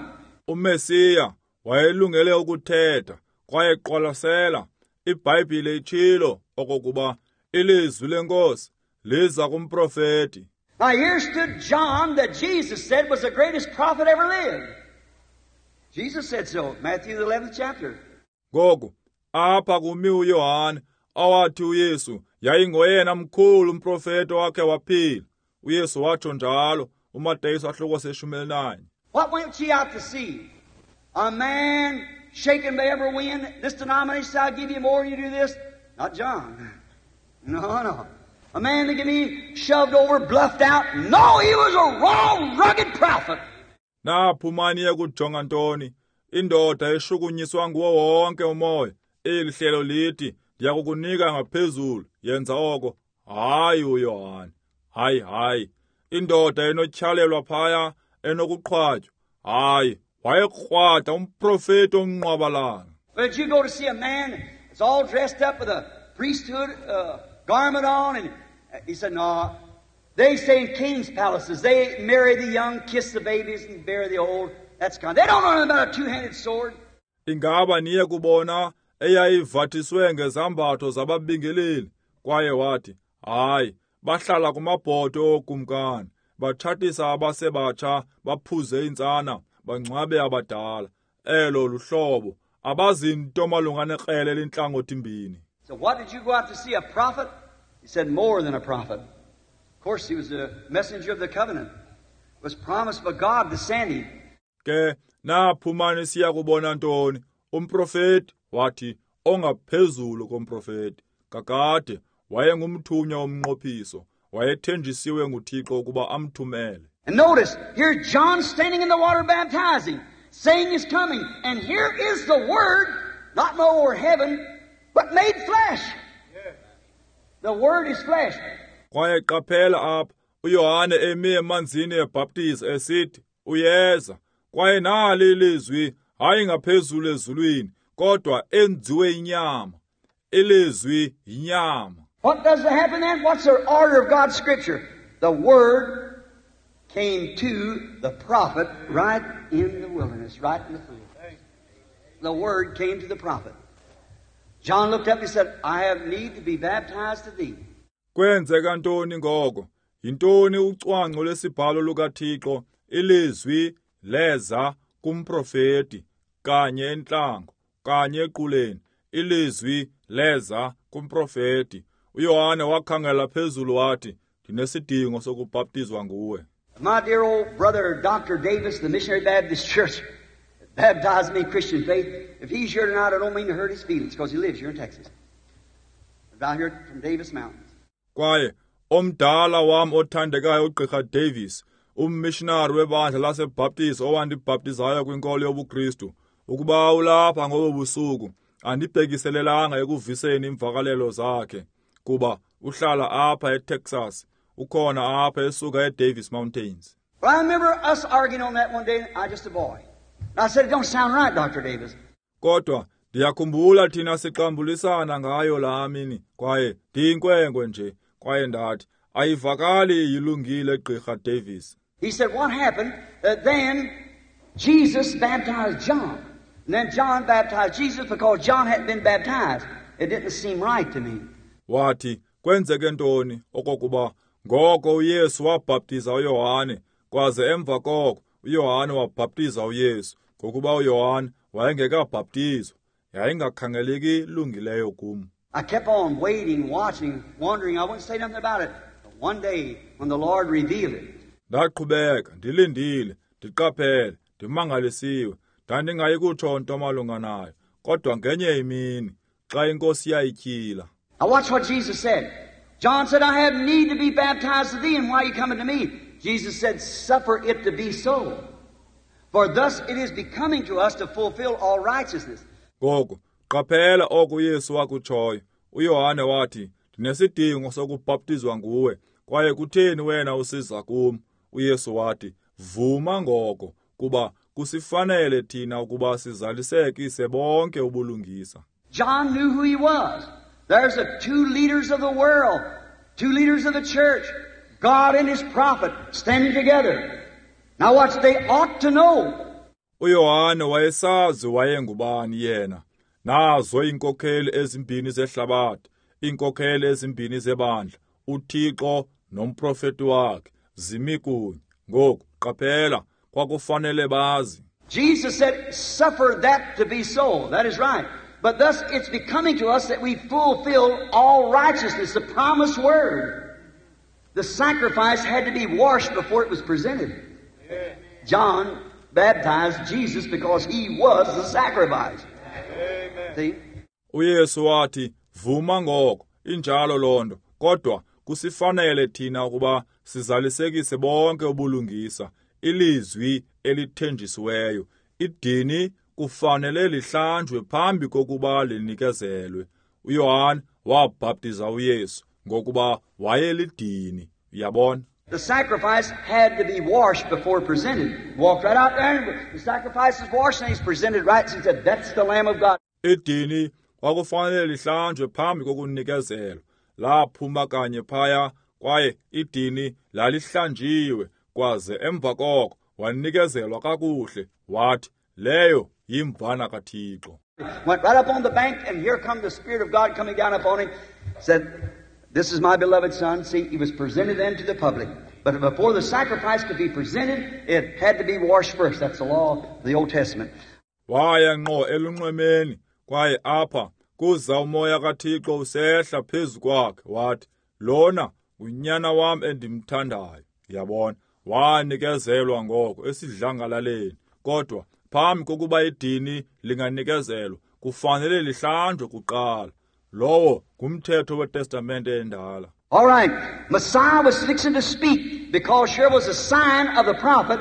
uMesiya wayelungele ukuthetha, kwaye qwalasela, iBhayibhile itshilo okokuba ilizwi lenkosi liza kumprofeti. Now here stood John that Jesus said was the greatest prophet ever lived. Jesus said so, Matthew the eleventh chapter. Ngoku apha kumi uYohane awathi uYesu yayingoyena mkhulu umprofeti wakhe waphila. uYesu watsho njalo, uMateyu isahluko seshumi elinanye. What went ye out to see? A man shaken by every wind. This denomination said, I'll give you more, you do this. Not John. No, no. A man that can be shoved over, bluffed out. No, he was a raw, rugged prophet. Naphumani ekujonga ntoni? Indoda eshukunyiswa nguwo wonke umoya. Eli hlelo lithi, ndiyakukunika ngaphezulu, yenza oko. Hayi uYohane. Hayi, hayi. Indoda enotyhalelwa phaya, enokuqhwatywa. Hayi, wayekrwada umprofeti omnqwabalala. But you go to see a man that's all dressed up with a priesthood uh, garment on, and he said, no. They say in kings' palaces, they marry the young, kiss the babies, and bury the old. That's kind. They don't know anything about a two-handed sword. Ingaba niye kubona eyayivathiswe ngezambatho zababingeleli? Kwaye wathi, hayi, Bahlala kumabhoto ookumkani, batshatisa abasebatsha, baphuze iintsana, bangcwabe abadala. Elo luhlobo, abazinto malunga nekrele elintlangothi-mbini. So what did you go out to see, a prophet? He said, more than a prophet. Of course, he was a messenger of the covenant. It was promised by God to send him. Ke naphuma nisiya kubona ntoni? Umprofeti? Wathi, ongaphezulu komprofeti. Kakade wayengumthunywa womnqophiso, wayethenjisiwe nguThixo ukuba amthumele. And notice, here John standing in the water baptizing, saying he's coming, and here is the Word, not no heaven, but made flesh. The Word is flesh. Kwaye qaphela apha, uYohane emi emanzini ebhaptiza esithi, uyeza. Kwaye nali ilizwi, hayi ngaphezulu ezulwini, kodwa enziwe inyama. Ilizwi yinyama. What does happen then? What's the order of God's Scripture? The Word came to the prophet right in the wilderness, right in the field. The Word came to the prophet. John looked up and said, I have need to be baptized to thee. Kwenzeka ntoni ngoko? Yintoni ucwangco lwesibhalo lukaThixo? Ilizwi leza kumprofeti kanye entlango, kanye equleni. Ilizwi leza kumprofeti. uYohane wakhangela phezulu wathi, ndinesidingo sokubhaptizwa nguwe. My dear old brother, Doctor Davis, the Missionary Baptist Church, baptized me in Christian faith. If he's here tonight, I don't mean to hurt his feelings, because he lives here in Texas. Down here from Davis Mountains. Kwaye omdala wam othandekayo uGqirha Davis, ummissionary webandla laseBaptist owandibhaptizayo kwinkolo yobuKristu, ukuba ulapha ngobo busuku, andibhekiselelanga ekuviseni iimvakalelo zakhe, kuba uhlala apha eTexas, ukhona apha esuka eDavis Mountains. Well, I remember us arguing on that one day, I just a boy. And I said, it don't sound right, Doctor Davis. Kodwa ndiyakhumbula thina sixambulisana ngayo laa mini, kwaye ndiyinkwenkwe nje, kwaye ndathi, ayivakali yilungile Gqirha Davis. He said, what happened? Uh, then Jesus baptized John. And then John baptized Jesus because John hadn't been baptized. It didn't seem right to me. Wathi, kwenzeke ntoni okokuba ngoko uYesu wabhaptiza uYohane, kwaze emva koko uYohane wabhaptiza uYesu, ngokuba uYohane wayengekabhaptizwa. Yayingakhangeleki ilungileyo kum. I kept on waiting, watching, wondering. I wouldn't say nothing about it. But one day, when the Lord revealed it. Ndaqhubeka, ndilindile, ndiqaphele, ndimangalisiwe. Ndandingayi kutsho nto malunga nayo, kodwa ngenye imini, xa iNkosi yayityhila. Now watch what Jesus said. John said, I have need to be baptized of thee, and why are you coming to me? Jesus said, suffer it to be so. For thus it is becoming to us to fulfill all righteousness. Ngoku, qaphela oko uYesu wakutshoyo. uYohane wathi, ndinesidingo sokubhaptizwa nguwe, kwaye kutheni wena usiza kum? uYesu wathi, vuma ngoko, kuba kusifanele thina ukuba sizalisekise bonke ubulungisa. John knew who he was. There's the two leaders of the world, two leaders of the church, God and his prophet standing together. Now watch, they ought to know. uYohane wayesazi wayengubani yena. Nazo iinkokheli ezimbini zehlabathi, iinkokheli ezimbini zebandla, uThixo nomprofeti wakhe, zimi kunye. Ngoku qaphela, kwakufanele bazi. Jesus said, suffer that to be so. That is right. But thus it's becoming to us that we fulfill all righteousness, the promised word. The sacrifice had to be washed before it was presented. Amen. John baptized Jesus because he was the sacrifice. Amen. See? uYesu wathi, vuma ngoko, injalo loo nto, kodwa kusifanele thina ukuba sizalisekise bonke ubulungisa, ilizwi elithenjisiweyo. Idini kufanele lihlanjwe phambi kokuba linikezelwe. uYohane wabhaptiza uYesu ngokuba wayelidini. Uyabona? The sacrifice had to be washed before presented. Walked right out there, and the sacrifice is washed, and he's presented right. So he said, that's the Lamb of God. Idini kwakufanele lihlanjwe phambi kokunikezelwa. Laphuma kanye phaya, kwaye idini lalihlanjiwe, kwaze emva koko wanikezelwa kakuhle. Wathi, leyo yimvana kaThixo. Went right up on the bank, and here come the Spirit of God coming down upon him. Said, This is my beloved Son. See, he was presented then to the public. But before the sacrifice could be presented, it had to be washed first. That's the law of the Old Testament. Waya ngqo elunxwemeni, kwaye apha kuza umoya kaThixo usehla phezu kwakhe, wathi, lona unyana wam endimthandayo. Yabona, wanikezelwa ngoko esidlangalaleni. Kodwa phambi kokuba idini linganikezelwa, kufanele lihlanjwe kuqala. Lowo ngumthetho weTestamente endala. All right, Messiah was fixing to speak because here was a sign of the prophet.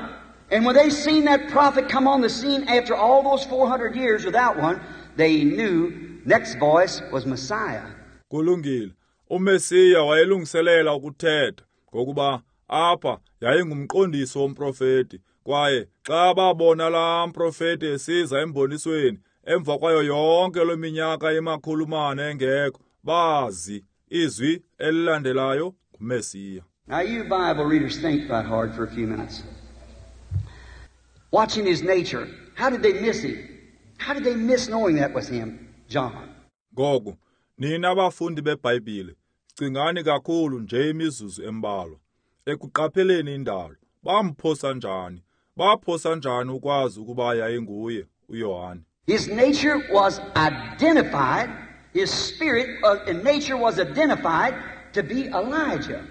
And when they seen that prophet come on the scene after all those four hundred years without one, they knew next voice was Messiah. Kulungile. UMesiya wayelungiselela ukuthetha ngokuba apha yayingumqondiso womprofeti, kwaye xa babona laa mprofeti esiza embonisweni emva kwayo yonke lo minyaka emakhulu mane engekho, bazi izwi elilandelayo nguMesiya. Now you Bible readers think right hard for a few minutes. Watching his nature, how did they miss him? How did they miss knowing that was him, John? Ngoku, nina bafundi beBhayibhile, cingani kakhulu nje imizuzu embalwa. Ekuqapheleni indalo, bamphosa njani? Baphosa njani ukwazi ukuba yayinguye uYohane? His nature was identified, his spirit and nature was identified to be Elijah.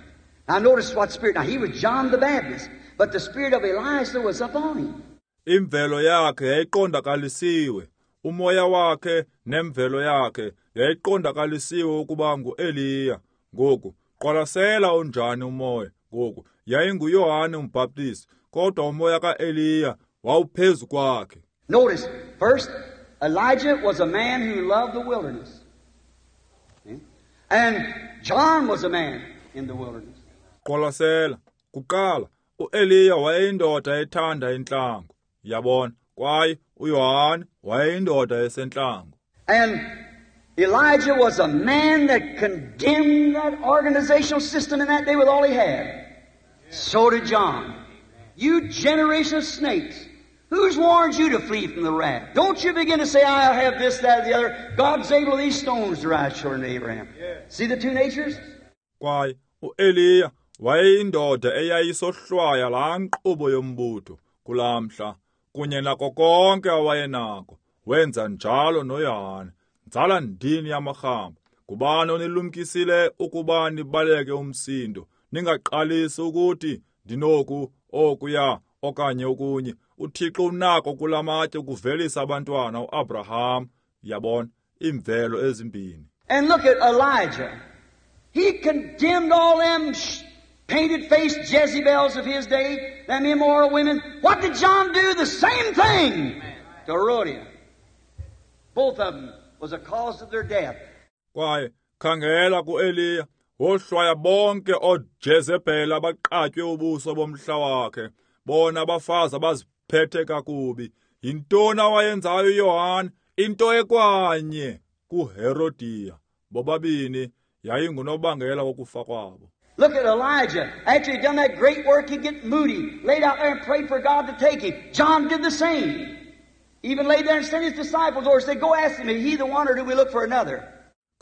Now notice what spirit. Now he was John the Baptist, but the spirit of Elijah was upon him. Imvelo yakhe yayiqondakalisiwe, umoya wakhe nemvelo yakhe yayiqondakalisiwe ukuba nguEliya. Ngoku qwalasela unjani umoya. Ngoku yayinguYohane uMbhaptizi, kodwa umoya kaEliya wawuphezu kwakhe. Notice, first, Elijah was a man who loved the wilderness. And John was a man in the wilderness. Qwalasela, kuqala, uEliya wayeyindoda ethanda intlango. Yabona, kwaye uYohane wayeyindoda esentlango. And Elijah was a man that condemned that organizational system in that day with all he had. So did John. You generation of snakes, who's warned you to flee from the wrath? Don't you begin to say, I'll have this, that, or the other. God's able these stones to rise children to Abraham. Yeah. See the two natures? Kwaye uEliya wayeyindoda eyayisohlwaya laa nkqubo yombutho kulaa mhla, kunye nako konke awayenako. Wenza njalo noYohane. Nzala ndini yamarhamba, ngubani onilumkisile ukuba nibaleke umsindo? Ningaqalisi ukuthi ndinoku okuya okanye okunye. uThixo unako kulamatye ukuvelisa abantwana uAbraham. Yabona, imvelo ezimbini. And look at Elijah. He condemned all them painted-faced Jezebels of his day, them immoral women. What did John do? The same thing to Herodias. Both of them was a cause of their death. Kwaye khangela kuEliya, wohlwaya bonke ooJezebel abaqatywe ubuso bomhla wakhe, bona abafazi abaziphethe kakubi. Yintoni awayenzayo uYohane? Into ekwanye kuHerodiya. Bobabini yayingunobangela wokufa kwabo. Look at Elijah. After he'd done that great work, he'd get moody, laid out there and prayed for God to take him. John did the same. Even laid there and sent his disciples over and said, go ask him, is he the one or do we look for another?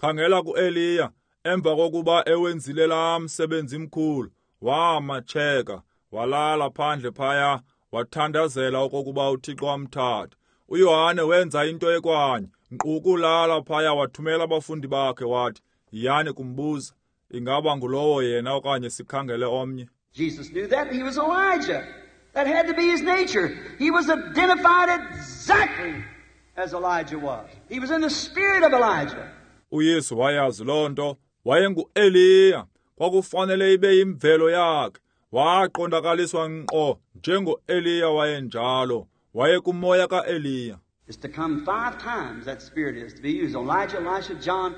Khangela kuEliya, emva kokuba ewenzile laa msebenzi mkhulu, wamatsheka, walala phandle phaya, wathandazela okokuba uThixo amthathe. uYohane wenza into ekwanye, nkqu kulala phaya wathumela abafundi bakhe wathi, yiyani kumbuza, ingaba ngulowo yena okanye sikhangele omnye. Jesus knew that he was Elijah. That had to be his nature. He was identified exactly as Elijah was. He was in the spirit of Elijah. uYesu wayazi loo nto, wayenguEliya. Kwakufanele ibe yimvelo yakhe. Waqondakaliswa ngqo njengoEliya wayenjalo. Wayekumoya kaEliya. It's to come five times, that spirit is to be used. Elijah, Elisha, John,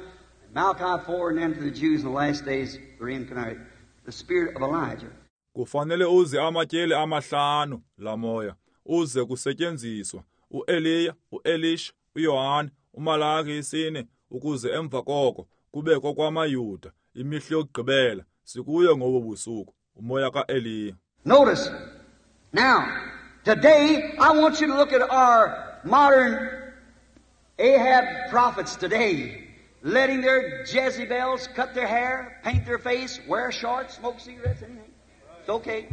Malachi four, and then to the Jews in the last days, the reincarnate, the spirit of Elijah. Kufanele uze amatyeli amahlanu la moya uze kusetyenziswa uEliya, uElisha, uYohane, uMalaki isine, ukuze emva koko kube kokwamaYuda imihla yokugqibela sikuyo ngobo busuku umoya kaEliya. Notice now, today I want you to look at our modern Ahab prophets today. letting their Jezebels cut their hair, paint their face, wear shorts, smoke cigarettes, anything. It's okay.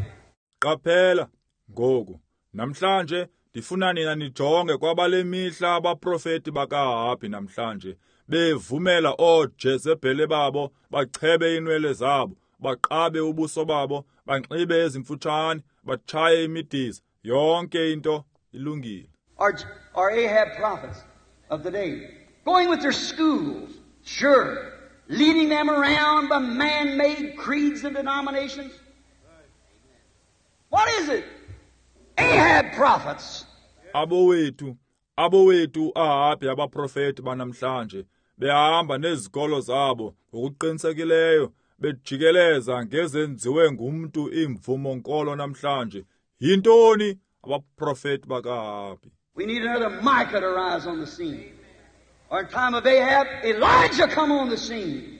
Qaphela ngoku namhlanje ndifuna nina nijonge kwabale mihla abaprofeti bakaAhabhi namhlanje bevumela ooJezebhele babo bachebe iinwele zabo, baqabe ubuso babo, banxibe ezimfutshane, batshaye imidiza, yonke into ilungile. Our, our Ahab prophets of the day, going with their schools, sure, leading them around by man-made creeds and denominations. What is it? Ahab prophets. Abowethu, abowethu Ahabhi abaprofeti banamhlanje behamba nezikolo zabo ngokuqinisekileyo bejikeleza ngezenziwe ngumntu iimvumo nkolo namhlanje. Yintoni abaprofeti bakaAhabhi? We need another Micah to rise on the scene. Or in time of Ahab, Elijah come on the scene.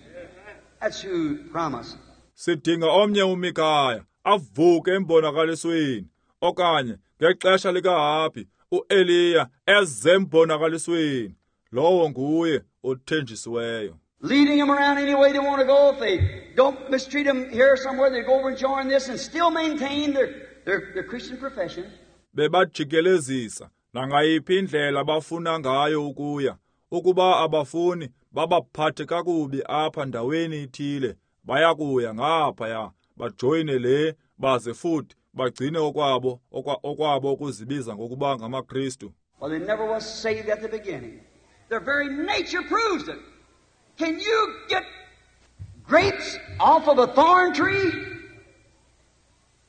That's who promised. Sidinga omnye uMikaya avuke embonakalisweni, okanye ngexesha likaAhabhi uEliya eze embonakalisweni. Lowo nguye othenjisiweyo. Leading them around any way they want to go. If they don't mistreat them here somewhere, they go over and join this and still maintain their, their, their Christian profession. Bebajikelezisa nangayiphi indlela abafuna ngayo ukuya. Ukuba abafuni babaphathe kakubi apha ndaweni ithile, bayakuya ngaphaya bajoyine le baze futhi bagcine okwabo okwabo ukuzibiza ngokuba ngamaKristu. Well, they never was saved at the beginning. Their very nature proves it. Can you get grapes off of a thorn tree?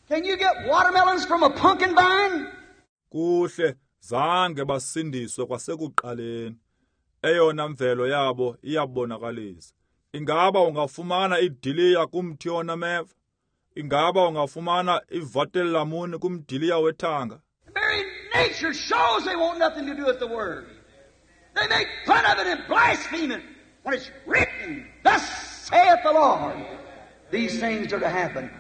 Can you get watermelons from a pumpkin vine? Kuhle, zange basindiswe kwasekuqaleni. Eyona mvelo yabo iyabonakalisa. Ingaba ungafumana idiliya kumthi onameva? Ingaba ungafumana ivatelamuni kumdiliya wethanga? The very nature shows they want nothing to do with the Word. They make fun of it and blaspheme it. When it's written, thus saith the Lord, these things are to happen.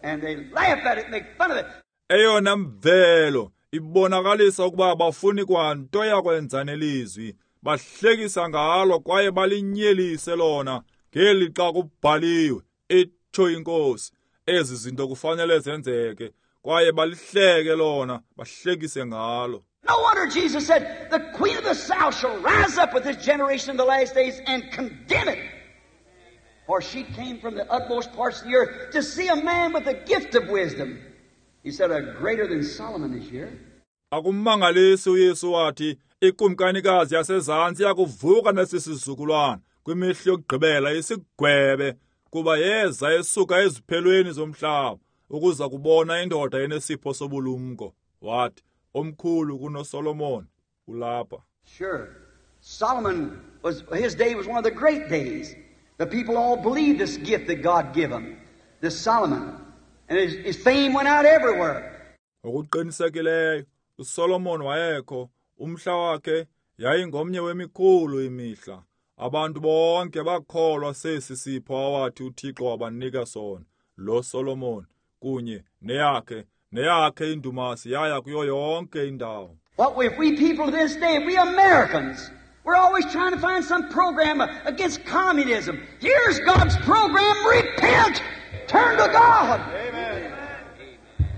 And they laugh at it and make fun of it. Eyona mvelo ibonakalisa ukuba abafuni kwanto yakwenza nelizwi. Bahlekisa ngalo kwaye balinyelise lona ngelixa kubhaliwe, itsho iNkosi. Ezi zinto kufanele zenzeke kwaye balihleke lona, bahlekise ngalo. No wonder Jesus said, the queen of the south shall rise up with this generation in the last days and condemn it. For she came from the utmost parts of the earth to see a man with the gift of wisdom. He said, a greater than Solomon is here. Akumangalisi uYesu wathi, ikumkanikazi yasezantsi yakuvuka nesi sizukulwana kwimihla yokugqibela isigwebe, kuba yeza esuka eziphelweni zomhlaba ukuza kubona indoda enesipho sobulumko. Wathi, omkhulu kunoSolomon ulapha. Sure. Solomon was, his day was one of the great days. The people all believed this gift that God gave them, this Solomon. And his, his fame went out everywhere. Ngokuqinisekileyo uSolomon wayekho, umhla wakhe yayingomnye wemikhulu imihla. Abantu bonke bakholwa sesi sipho awathi uThixo wabanika sona, lo Solomon kunye neyakhe neyakhe indumasi yaya kuyo yonke indawo. What if we people to this day, we Americans, we're always trying to find some program against communism. Here's God's program: repent, turn to God. Amen.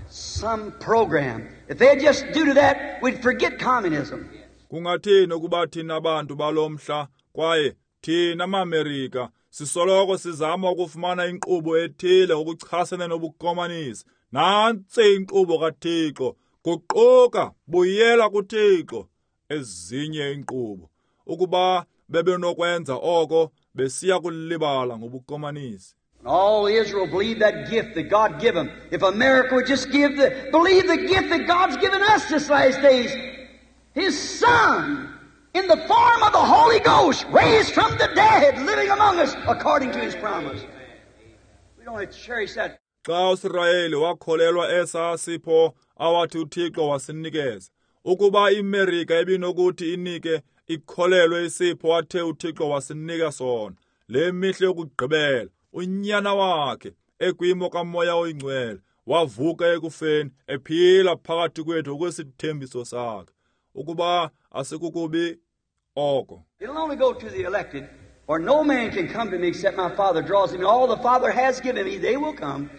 Some program. If they'd just do to that, we'd forget communism. Kungathini ukuba thina abantu balomhla kwaye thina maAmerika sisoloko sizama ukufumana inkqubo ethile ukuchasene nobukomanisi. Nantsi inkqubo kaThixo, guquka, buyela kuThixo. Ezinye inkqubo, ukuba bebenokwenza oko, besiya kulibala ngobukomanisi. All Israel believed that gift that God gave them. If America would just give the, believe the gift that God's given us this last days, His Son, in the form of the Holy Ghost, raised from the dead, living among us according to His promise. We don't have to cherish that. Xa uSirayeli wakholelwa esa sipho awathi uThixo wasinikeza, ukuba iMerika ibinokuthi inike ikholelwe isipho athe uThixo wasinika sona, le mihla yokugqibela, unyana wakhe ekwimo kaMoya oyiNgcwele wavuka ekufeni ephila phakathi kwethu ngokwesithembiso sakhe. Ukuba asikukubi oko. It'll only go to the elected. For no man can come to me except my Father draws him. And all the Father has given me, they will come.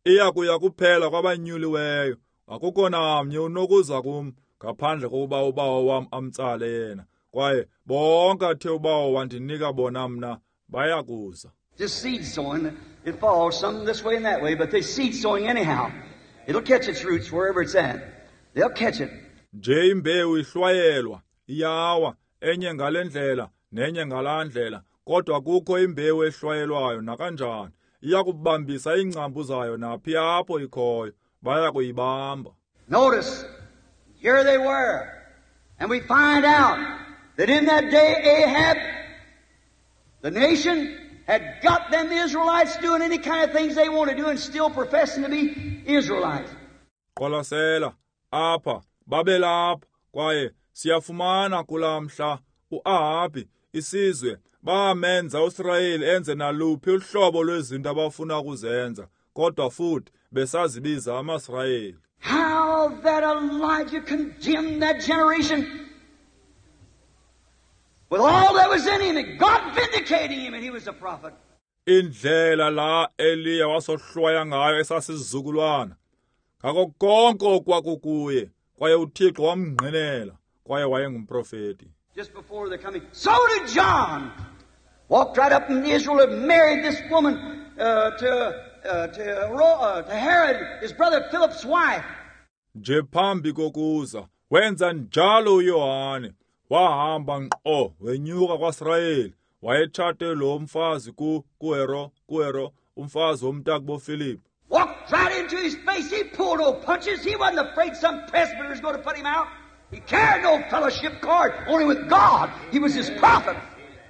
Iya kuya kuphela kwabanyuliweyo. Akukho namnye unokuza kum ngaphandle kokuba uBawo wam amtsale yena. Kwaye bonke athe uBawo wandinika bona mna baya kuza. Just seed sowing, it falls some this way and that way, but they seed sowing anyhow. It'll catch its roots wherever it's at. They'll catch it. Nje imbewu ihlwayelwa, iyawa, enye ngale ndlela nenye ngalaa ndlela, kodwa kukho imbewu ehlwayelwayo nakanjani. Iya kubambisa iingcambu zayo naphi apho ikhoyo, baya kuyibamba. Notice, here they were. And we find out that in that day Ahab, the nation, had got them Israelites doing any kind of things they want to do and still professing to be Israelites. Qwalasela, apha, babelapha, kwaye siyafumana kulaa mhla uAhabi, isizwe, bamenza uSirayeli enze naluphi uhlobo lwezinto abafuna ukuzenza, kodwa futhi besazibiza amaSirayeli. How that Elijah condemned that generation with all that was in him, and God vindicating him, and he was a prophet. Indlela la Eliya wasohlwaya ngayo esasizukulwana ngako konke okwakukuye, kwaye uThixo wamngqinela, kwaye wayengumprofeti. Just before the coming, so did John. Walked right up in Israel and married this woman uh, to, uh, to, uh, to Herod, his brother Philip's wife. Nje phambi kokuza wenza njalo uYohane, wahamba ngqo wenyuka kwaSirayeli, wayetshate lo mfazi ku kuHero kuHero umfazi womntakubo Philip. Walked right into his face. He pulled no punches. He wasn't afraid some presbyter was going to put him out. He carried no fellowship card, only with God. He was his prophet.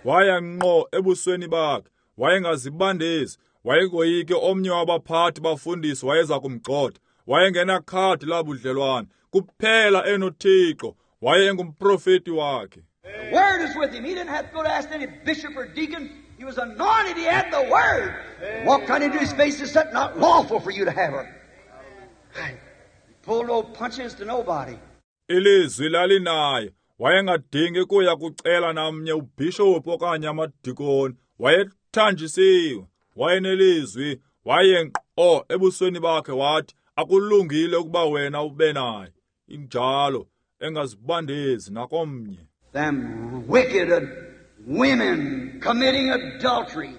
Waya ngqo ebusweni bakhe, wayengazibandezi, wayengoyiki omnye wabaphathi bafundisi wayeza kumgxotha, wayengenakhadi labudlelwane, kuphela enoThixo, wayengumprofeti wakhe. The word is with him. He didn't have to go to ask any bishop or deacon. He was anointed. He had the word. Walked right into his face and said, not lawful for you to have her. He pulled no punches to nobody. Ilizwi lalinaye, wayengadingi kuya kucela namnye ubhishophu okanye amadikoni, wayethanjisiwe, wayenelizwi, waye ngqo ebusweni bakhe wathi, akulungile ukuba wena ube naye. Injalo, engazibandezi nakomnye. Them wicked women committing adultery,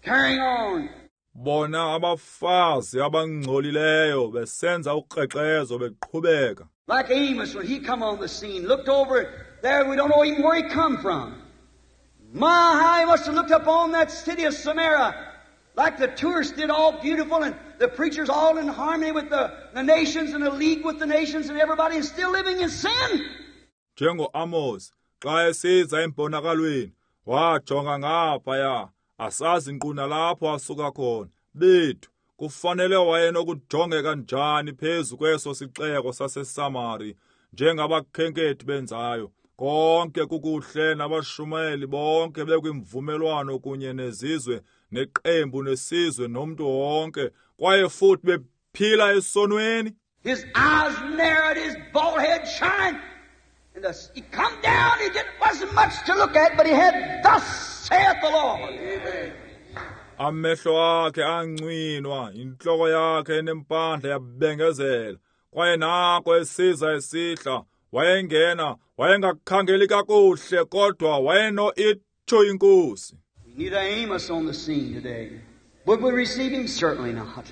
carrying on. Bona abafazi abangcolileyo besenza ukrexezo beqhubeka. Like Amos, when he come on the scene, looked over there, we don't know even where he come from. My, how he must have looked up on that city of Samaria, like the tourists did, all beautiful, and the preachers all in harmony with the, the nations and the league with the nations and everybody, and still living in sin. Njengo Amos, xa esiza embonakalweni, wajonga ngaphaya, asazi nkqu nalapho asuka khona. Bethu, kufanele wayenokujongeka njani phezu kweso sixeko saseSamari, njengabakhenkethi benzayo. Konke kukuhle nabashumayeli bonke bekwimvumelwano kunye nezizwe neqembu nesizwe nomntu wonke, kwaye futhi bephila esonweni. His eyes narrowed, his bald head shined. And the, he come down, he didn't, wasn't much to look at, but he had, thus saith the Lord. Amen. Amehlo akhe ancwinwa, intloko yakhe enempandla yabengezela, kwaye nako esiza esihla, wayengena, wayengakhangeli kakuhle, kodwa wayeno itsho inkosi. We need an Amos on the scene today. Would we receive him? Certainly not.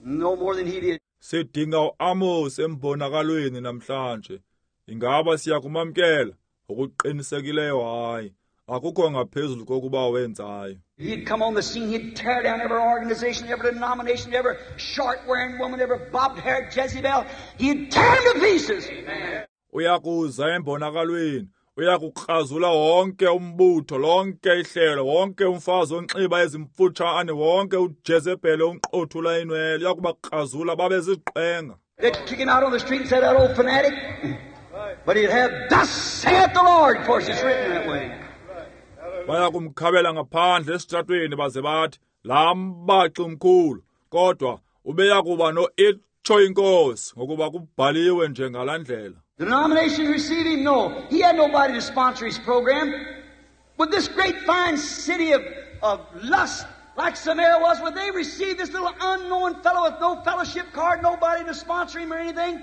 No more than he did. Sidinga uAmos embonakalweni namhlanje. Ingaba siyakumamkela? Okuqinisekileyo hayi. Akukho ngaphezulu kokuba wenzayo. He'd come on the scene, he'd tear down every organization, every denomination, every short-wearing woman, every bobbed-haired Jezebel. He'd tear them to pieces. Uyakuza embonakalweni, uyakukrazula wonke umbutho, lonke ihlelo, wonke umfazi onxiba ezimfutshane, wonke uJezebel onqothula inwele, uyakubakrazula babe ziqwenga. They'd kick him out on the street and say, that old fanatic. But he'd have, thus saith the Lord. Of course, it's written that way. Bayakumkhabela ngaphandle esitratweni baze bathi, laa mbaxi umkhulu, kodwa ubeyakuba no itsho inkosi, ngokuba kubhaliwe nje ngalaa ndlela. The denomination received him? No. He had nobody to sponsor his program. Would this great fine city of, of lust, like Samaria was, would they receive this little unknown fellow with no fellowship card, nobody to sponsor him or anything?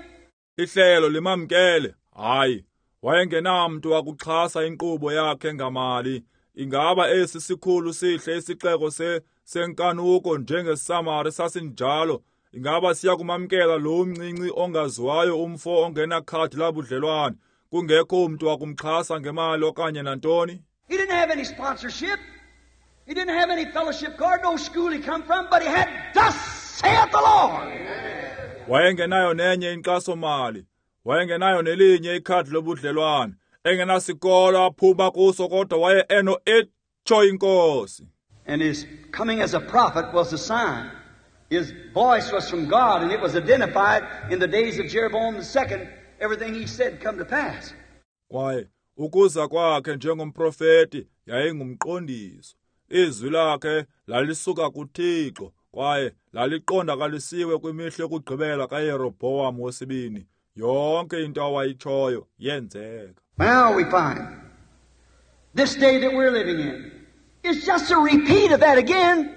Ihlelo limamkele. Hayi, wayengenamntu wakuxhasa inkqubo yakhe ngamali. Ingaba esi sikhulu sihle isixeko se senkanuko njengeSamari sasinjalo, ingaba siya kumamkela lo mncinci ongaziwayo umfo ongenakhadi labudlelwane, kungekho umntu wakumxhasa ngemali okanye nantoni? He didn't have any sponsorship. He didn't have any fellowship card, no school he come from, but he had thus saith the Lord. Wayengenayo nenye inkxaso-mali, wayengenayo nelinye ikhadi lobudlelwane, engenasikolo aphuma kuso, kodwa waye eno itsho inkosi. And his coming as a prophet was a sign. His voice was from God, and it was identified in the days of Jeroboam the second. Everything he said come to pass. Kwaye ukuza kwakhe njengomprofeti yayingumqondiso. Izwi lakhe lalisuka kuThixo, kwaye laliqondakalisiwe kwimihla yokugqibela kaYeroboam wesibini. Yonke into awayitshoyo yenzeka. Now we find this day that we're living in is just a repeat of that again.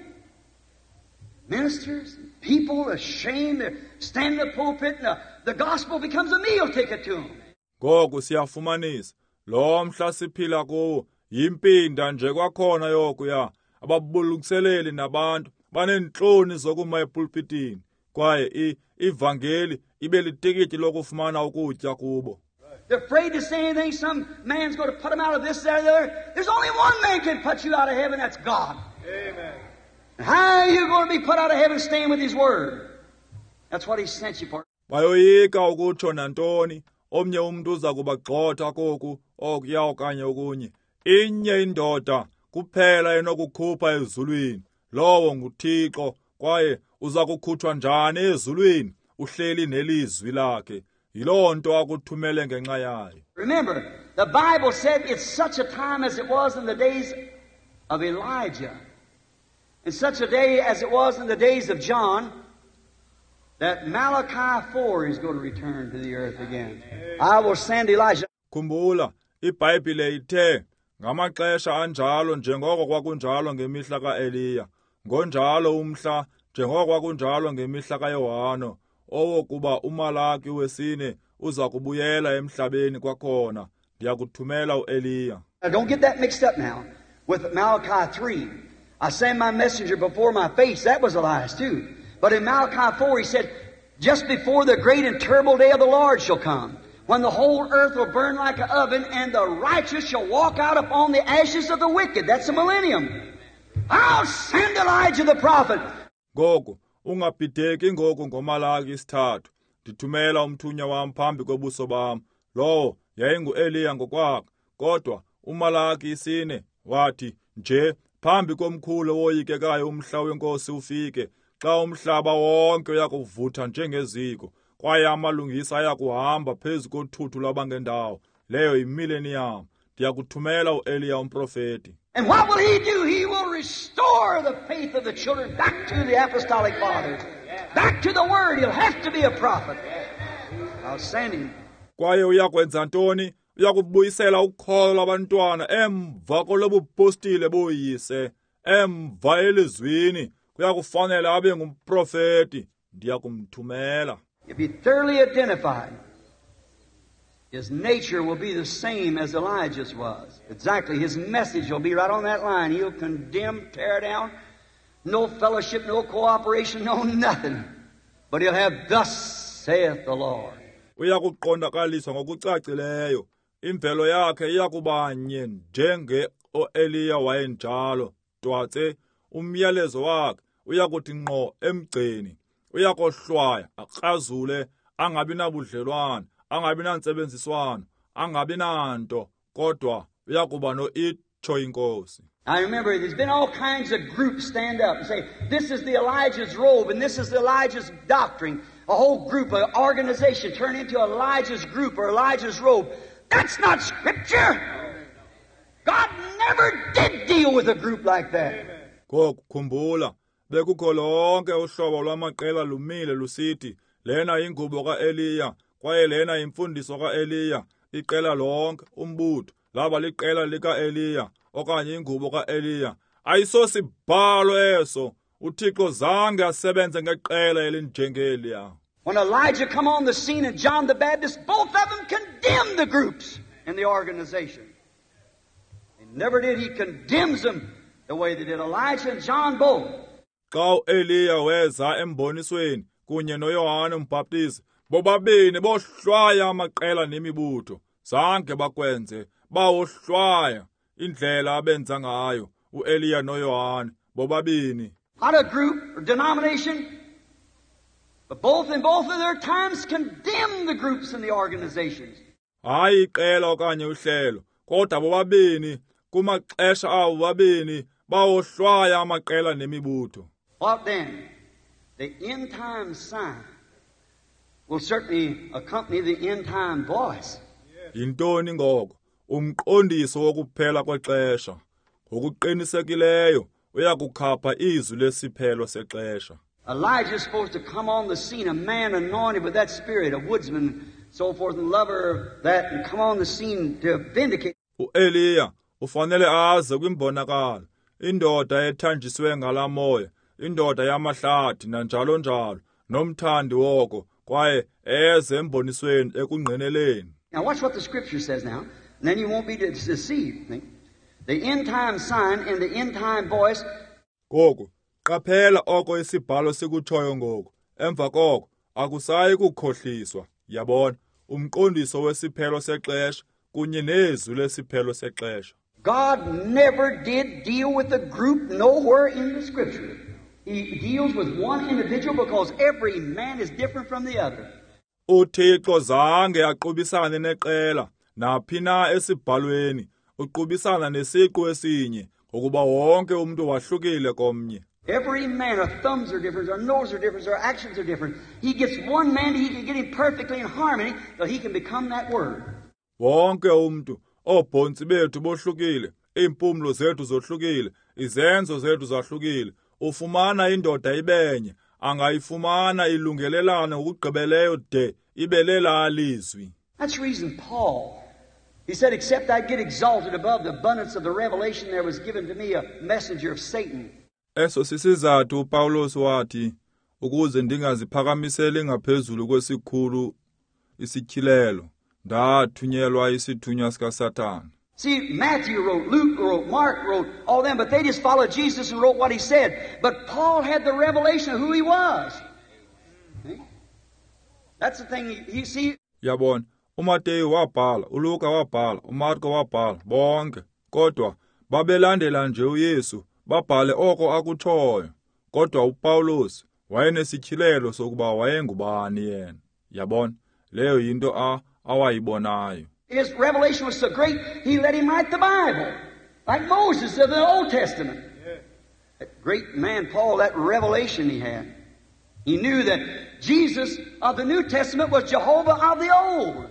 Ministers, people ashamed to stand in the pulpit, and the, the gospel becomes a meal ticket to them. Ngoku siyafumanisa lo mhla siphila kuwo yimpinda nje kwakhona yokuya. Ababulungiseleli nabantu baneentloni zokuma epulpitini, kwaye ivangeli ibe litikiti lokufumana ukutya kubo. They're afraid to say anything. Some man's going to put them out of this, that, or the other. There's only one man can put you out of heaven, that's God. Amen. How are you going to be put out of heaven staying with His Word? That's what He sent you for. Bayoyika ukutsho nantoni, omnye umntu uza kubagxotha koku okuya okanye okunye. Inye indoda kuphela enokukhupha ezulwini, lowo nguThixo, kwaye uza kukhutshwa njani ezulwini? Uhleli nelizwi lakhe. Yiloo nto akuthumele ngenxa yayo. Remember, the Bible said it's such a time as it was in the days of Elijah, and such a day as it was in the days of John, that Malachi four is going to return to the earth again. I will send Elijah. Khumbula, iBhayibhile ithe ngamaxesha anjalo njengoko kwakunjalo ngemihla kaEliya, ngonjalo umhla njengoko kwakunjalo ngemihla kaYohane, owokuba uMalaki wesine uza kubuyela emhlabeni kwakhona. Ndiyakuthumela uEliya. Now don't get that mixed up now with Malachi three. I send my messenger before my face. That was Elias too. But in Malachi four he said, just before the great and terrible day of the Lord shall come, when the whole earth will burn like an oven, and the righteous shall walk out upon the ashes of the wicked. That's the millennium. I'll send Elijah the prophet. Ngoku, ungabhideki ngoku ngoMalaki isithathu. Ndithumela umthunywa wam phambi kobuso bam. Lowo yayinguEliya ngokwakhe. Kodwa uMalaki isine wathi nje phambi komkhulu owoyikekayo umhla wenkosi ufike, xa umhlaba wonke uyakuvutha njengeziko, kwaye amalungisa ayakuhamba phezu kothuthu lwabangendawo. Leyo yimillennium. Ndiyakuthumela uEliya umprofeti. And what will he do? He will restore the faith of the children back to the apostolic fathers, back to the Word. He'll have to be a prophet. I'll send him. Kwaye uyakwenza ntoni? Uyakubuyisela ukholo lwabantwana emva kolobupostile boyise, emva elizwini. Kuyakufanele abe ngumprofeti. Ndiyakumthumela. He'll be thoroughly identified. His nature will be the same as Elijah's was. Exactly. His message will be right on that line. He'll condemn, tear down, no fellowship, no cooperation, no nothing. But he'll have, thus saith the Lord. Uyakuqondakaliswa ngokucacileyo. Imvelo yakhe iyakubanye njenge oEliya wayenjalo. Twatse umyalezo wakhe uyakuthi ngqo emgceni. Uyakohlwaya, akrazule, angabi nabudlelwane, angabi nantsebenziswano, angabi nanto, kodwa uyakuba no-itsho inkosi. I remember there's been all kinds of groups stand up and say, this is the Elijah's robe and this is the Elijah's doctrine. A whole group, an organization turned into Elijah's group or Elijah's robe. That's not Scripture. God never did deal with a group like that. Ngoku khumbula, bekukho lonke uhlobo lwamaqela lumile lusithi, lena ingubo kaEliya, kwaye lena imfundiso kaEliya. Iqela lonke, umbutho, laba liqela likaEliya okanye ingubo kaEliya. Ayisosibhalo eso. UThixo zange asebenze ngeqela elinjengeliya. When Elijah come on the scene and John the Baptist, both of them condemned the groups and the organization. They never did. He condemns them the way they did Elijah and John both. Xa uEliya weza embonisweni kunye noYohane uMbhaptizi, bobabini bohlwaya amaqela nemibutho. Zange bakwenze, bawohlwaya indlela abenza ngayo uEliya noYohane bobabini. Not a group or denomination, but both in both of their times condemned the groups and the organizations. Hayi iqela okanye uhlelo, kodwa bobabini kumaxesha abo bobabini bawohlwaya amaqela nemibutho. What then? The end time sign will certainly accompany the end time voice. Yintoni ngoko? Umqondiso wokuphela kwexesha. Ngokuqinisekileyo uyakukhapha izwi lesiphelo sexesha. Elijah is supposed to come on the scene, a man anointed with that spirit, a woodsman, so forth, and lover of that, and come on the scene to vindicate. uEliya ufanele aze kwimbonakalo, indoda ethanjiswe ngala moya, indoda yamahlathi nanjalo njalo, nomthandi woko, kwaye eze embonisweni ekungqineleni. Now watch what the scripture says now, and then you won't be deceived. The end time sign and the end time voice. Ngoku qaphela oko isibhalo sikutshoyo ngoku. Emva koko akusayi kukhohliswa. Yabona, umqondiso wesiphelo sexesha kunye nezwi lesiphelo sexesha. God never did deal with a group nowhere in the scripture. He deals with one individual because every man is different from the other. UThixo zange aqubisane neqela naphi na esibhalweni. Uqubisana nesiqu esinye ngokuba wonke umuntu wahlukile komnye. Every man, our thumbs are different, our noses are different, our actions are different. He gets one man, he can get him perfectly in harmony, so he can become that word. Wonke umuntu, oobhontsi bethu bohlukile, iimpumlo zethu zohlukile, izenzo zethu zahlukile. Ufumana indoda ibenye, angayifumana ilungelelane ngokugqibeleyo de ibe lelaa lizwi. That's the reason Paul, he said, except I get exalted above the abundance of the revelation there was given to me a messenger of Satan. Eso sisizathu uPawulos wathi, ukuze ndingaziphakamiseli ngaphezulu kwesikhulu isityhilelo, ndathunyelwa isithunywa sikaSathane. See, Matthew wrote, Luke wrote, Mark wrote, all them, but they just followed Jesus and wrote what he said. But Paul had the revelation of who he was. See? That's the thing, you see. Yabona, uMateyu wabhala, uLuka wabhala, uMarko wabhala, bonke. Kodwa babelandela nje uYesu, babhale oko akutshoyo. Kodwa uPawulos wayenesityhilelo sokuba wayengubani yena. Yabona, leyo yinto a awayibonayo. His revelation was so great, he let him write the Bible, like Moses of the Old Testament. Yeah. That great man, Paul, that revelation he had. He knew that Jesus of the New Testament was Jehovah of the Old.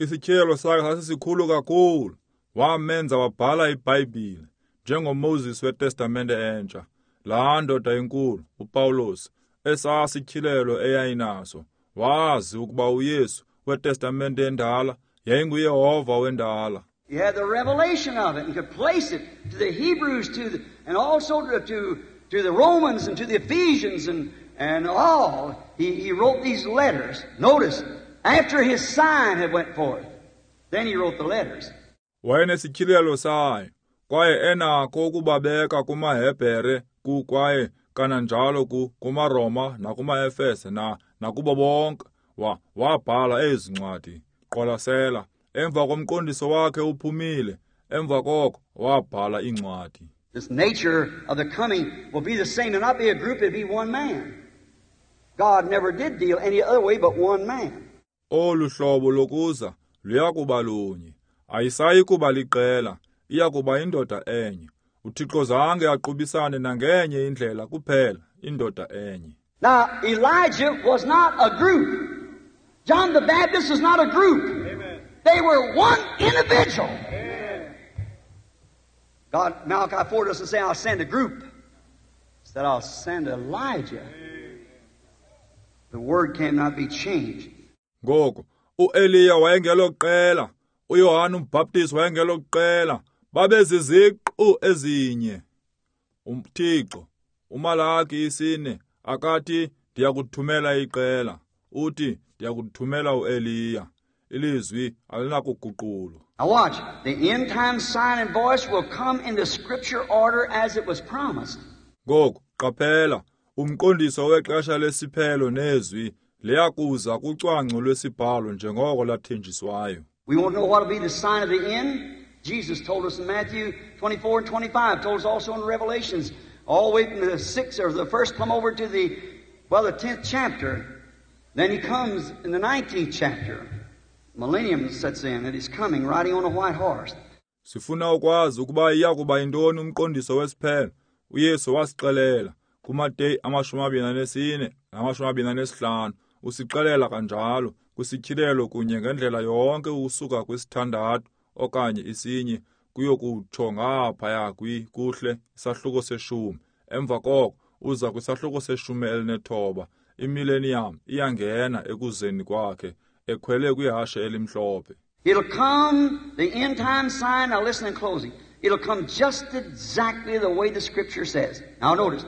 Isityhilelo sakhe sasisikhulu kakhulu, wamenza wabhala iBhayibhile njengoMoses weTestamente entsha. Laa ndoda inkulu, uPawulos, esasityhilelo eyayinaso, wazi ukuba uYesu weTestamente endala yayinguYehova wendala. He had the revelation of it and could place it to the Hebrews, to the, and also to, to, to the Romans and to the Ephesians and, and all. He, he wrote these letters. Notice, after his sign had went forth, then he wrote the letters. Wayenesityhilelo sayo, kwaye enakho ukubabeka kumaHebhere, ku kwaye kananjalo ku kumaRoma nakumaEfese na nakubo bonke. Wa wabhala ezi ncwadi. Qwalasela, emva komqondiso wakhe uphumile, emva koko wabhala incwadi. This nature of the coming will be the same. It'll not be a group, it'll be one man. God never did deal any other way but one man. Olu hlobo lokuza luyakuba lunye. Ayisayi kuba liqela, iyakuba indoda enye. UThixo zange aqubisane nangenye indlela kuphela, indoda enye. Now, Elijah was not a group. John the Baptist was not a group. Amen. They were one individual. Amen. God, Malachi four doesn't say, I'll send a group. He said, I'll send Elijah. Amen. The word cannot be changed. Ngoku, uEliya wayengelo qela, uYohane uMbhaptizi wayengelo qela, babeziziqu Nkqu ezinye. UThixo uMalaki isine akathi ndiyakuthumela iqela, uthi ndiyakuthumela uEliya. Ilizwi alinakuguqulwa. Now watch, the end time sign and voice will come in the scripture order as it was promised. Ngoku qaphela, umqondiso wexesha lesiphelo nezwi liyakuza kucwangco lwesibhalo njengoko lathenjiswayo. We won't know what will be the sign of the end. Jesus told us in Matthew twenty-four and twenty-five, told us also in Revelations, all the way from the sixth or the first plumb over to the, well, the tenth chapter. Then he comes in the nineteenth chapter. Millennium sets in, and he's coming riding on a white horse. Sifuna ukwazi ukuba iyakuba yintoni umqondiso wesiphelo. UYesu wasixelela kuMateyu amashumi amabini anesine namashumi amabini anesihlanu. Usixelela kanjalo kwisityhilelo kunye ngendlela yonke ukusuka kwisithandathu okanye isinye kuyokutsho ngaphaya kwi kuhle isahluko seshumi. Emva koko uza kwisahluko seshumi elinethoba. Imillennium iyangena ekuzeni kwakhe ekhwele kwihashe elimhlophe. It'll come, the end time sign. Now listen in closing. It'll come just exactly the way the Scripture says. Now notice,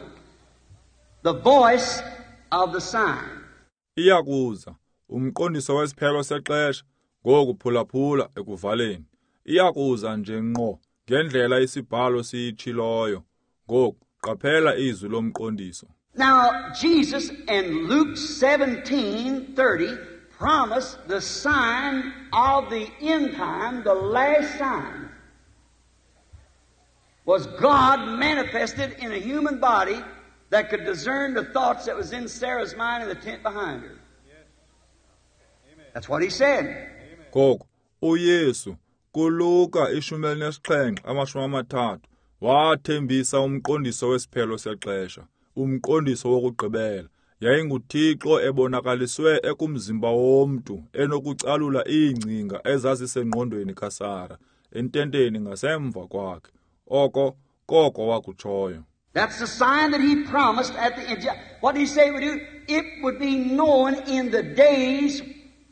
the voice of the sign. Iyakuza umqondiso wesiphelo sexesha ngoku phulaphula ekuvaleni. Iyakuza nje ngqo ngendlela isibhalo siyitshiloyo. Ngoku qaphela izwi lomqondiso. Now Jesus in Luke seventeen thirty promised the sign of the end time, the last sign, was God manifested in a human body that could discern the thoughts that was in Sarah's mind in the tent behind her. That's what he said. Ngoku uYesu kuLuka ishumi elinesixhenxe amashumi amathathu wathembisa umqondiso wesiphelo sexesha, umqondiso wokugqibela. YayinguThixo ebonakaliswe ekumzimba womntu enokucalula iingcinga ezazisengqondweni kaSara ententeni ngasemva kwakhe. Oko koko wakutshoyo. That's the sign that he promised at the end. What did he say it would do? It would be known in the days,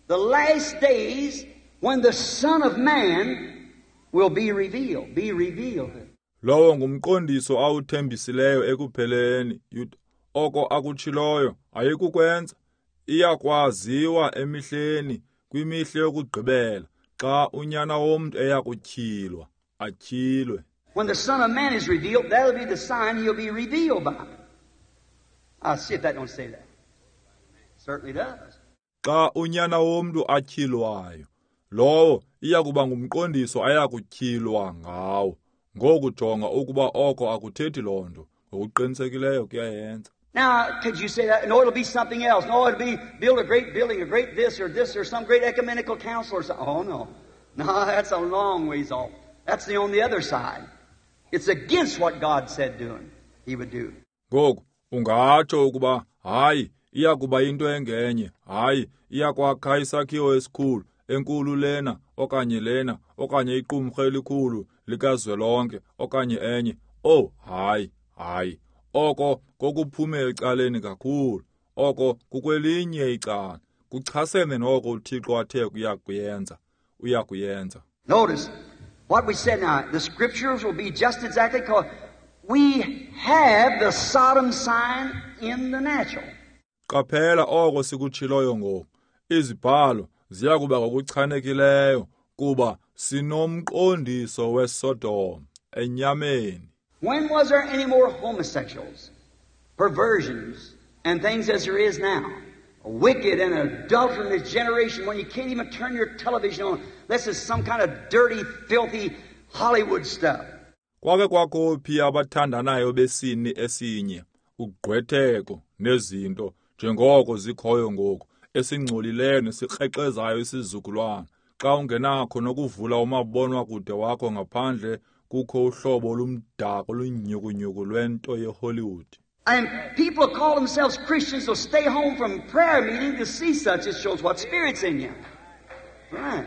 the last days, when the Son of Man will be revealed. Be revealed. Lowo ngumqondiso awuthembisileyo ekupheleni. Oko akutshiloyo ayikukwenza. Iyakwaziwa emihleni kwimihla yokugqibela xa unyana womntu eyakutyhilwa, atyhilwe. When the Son of Man is revealed, that'll be the sign he'll be revealed by. I'll see if that don't say that. Certainly does. Xa unyana womntu atyhilwayo, lowo iyakuba ngumqondiso ayakutyhilwa ngawo. Ngoku jonga ukuba oko akuthethi loo nto. Ngokuqinisekileyo kuyayenza. Now, could you say that? No, it'll be something else. No, it'll be build a great building, a great this or this or some great ecumenical council or something. Oh, no. No, that's a long ways off. That's the on the other side. It's against what God said doing. He would do. Ngoku, ungatsho ukuba, hayi, iyakuba into engenye. Hayi, iyakwakha isakhiwo esikhulu, enkulu lena, okanye lena, okanye iqumrhu elikhulu likazwelonke, okanye enye. Oh, hayi, hayi. Oko kokuphume ecaleni kakhulu. Oko kukwelinye icala. Kuchasene noko uThixo athe uyakuyenza. Uyakuyenza. Notice what we said now. The scriptures will be just exactly called. We have the Sodom sign in the natural. Qaphela oko sikutshiloyo ngoku. Izibhalo ziyakuba ngokuchanekileyo kuba sinomqondiso weSodom enyameni. When was there any more homosexuals, perversions, and things as there is now? A wicked and adulterous generation when you can't even turn your television on. This is some kind of dirty, filthy Hollywood stuff. Kwake kwakho phi abathandanayo besini esinye, ugqwetheko nezinto njengoko zikhoyo ngoku, esingcolileyo nesikrexezayo isizukulwana. Xa ungenakho nokuvula umabonwakude wakho ngaphandle kukho uhlobo olumdaka olunyhukunyhuku lwento yeHollywood. And people call themselves Christians will stay home from prayer meeting to see such. It shows what spirit's in you. Right.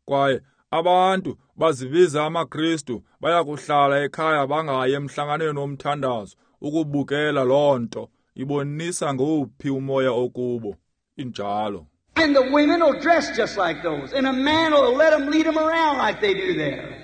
Kwaye abantu bazibiza amaKristu bayakuhlala ekhaya bangayi emhlanganweni womthandazo ukubukela loo nto ibonisa ngowuphi umoya okubo. Injalo. And the women will dress just like those, and a man will let them lead them around like they do there.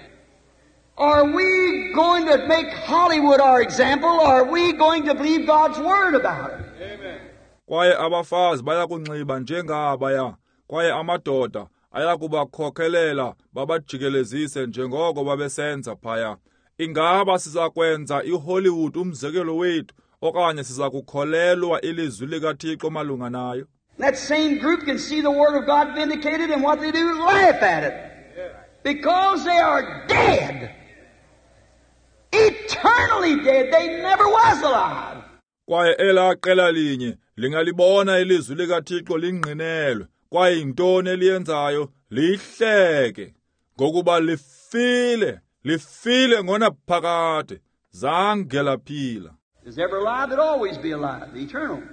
Are we going to make Hollywood our example, or are we going to believe God's Word about it? Amen. Kwaye abafazi bayakunxiba njengabaya, kwaye amadoda ayakubakhokhelela babajikelezise njengoko babesenza phaya. Ingaba siza kwenza iHollywood umzekelo wethu okanye siza kukholelwa ilizwi likaThixo malunga nayo? That same group can see the Word of God vindicated, and what they do, laugh at it. Because they are dead. Eternally dead. They never was alive. Kwaye elaa qela linye lingalibona ilizwi likaThixo lingqinelwe, kwaye yintoni eliyenzayo? Lihleke, ngokuba lifile, lifile ngonaphakade, zange laphila. Is ever alive, it always be alive, the eternal.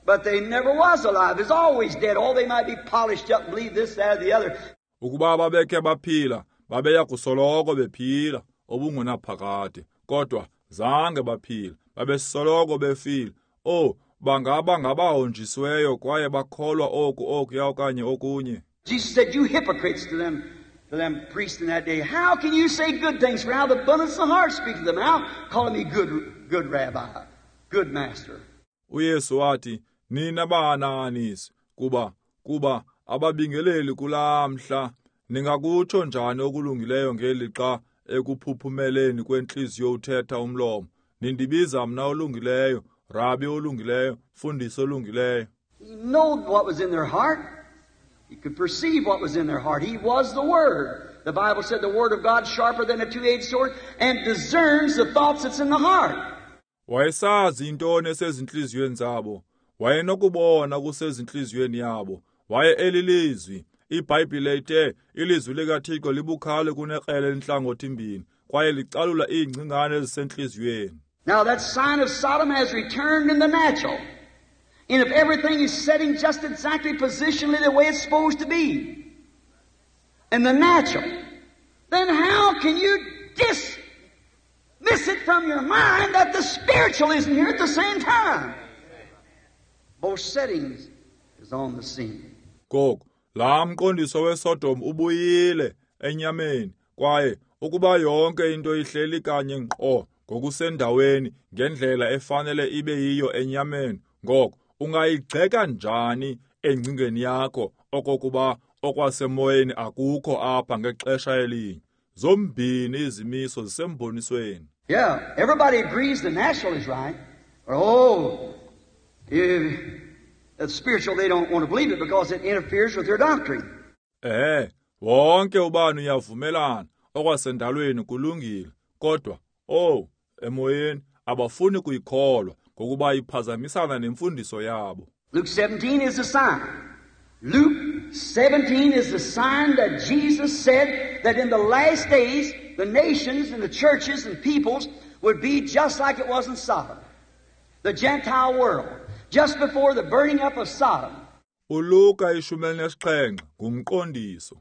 But they never was alive, is always dead. Oh, they might be polished up and believe this, that, or the other. Ukuba babekhe baphila, babeya kusoloko bephila obungunaphakade, kodwa zange baphila, babesoloko befile. Oh, bangaba ngabahonjisiweyo kwaye bakholwa oku okuya okanye okunye. Jesus said, "You hypocrites," to them, to them priests in that day, "How can you say good things? For out of the abundance of the heart speak to them. How calling me good, good rabbi, good master?" UYesu wathi, "Nina bahanahaniso, kuba kuba ababingeleli kulaa mhla, ningakutsho njani okulungileyo ngelixa ekuphuphumeleni kwentliziyo uthetha umlomo? Nindibiza mna olungileyo, rabi olungileyo, mfundisi olungileyo." He knowed what was in their heart. He could perceive what was in their heart. He was the Word. The Bible said the Word of God sharper than a two-edged sword and discerns the thoughts that's in the heart. Wayesazi intoni esezintliziyweni zabo. Wayenokubona kusezintliziyweni yabo. Waye elilizwi. IBhayibhile ithe ilizwi likaThixo libukhali kunekrele elintlangothi mbini, kwaye licalula iingcingane ezisentliziyweni. Now that sign of Sodom has returned in the natural. And if everything is setting just exactly positionally the way it's supposed to be, in the natural, then how can you dismiss it from your mind that the spiritual isn't here at the same time? Both settings is on the scene. Ngoku, laa mqondiso weSodom ubuyile enyameni, kwaye ukuba yonke into ihleli kanye ngqo ngokusendaweni ngendlela efanele ibe yiyo enyameni, ngoko ungayigxeka njani engcingeni yakho okokuba okwasemoyeni akukho apha ngexesha elinye? Zombini izimiso zisembonisweni. Yeah, everybody agrees the natural is right. Oh, if it's spiritual, they don't want to believe it because it interferes with their doctrine. Eh, wonke ubani uyavumelana okwasendalweni kulungile, kodwa oh, emoyeni abafuni kuyikholwa ngokuba iphazamisana nemfundiso yabo. Luke seventeen is the sign. Luke seventeen is the sign that Jesus said that in the last days the nations and the churches and peoples would be just like it was in Sodom, the Gentile world, just before the burning up of Sodom. uLuka ishumi elinesixhenxe ngumqondiso.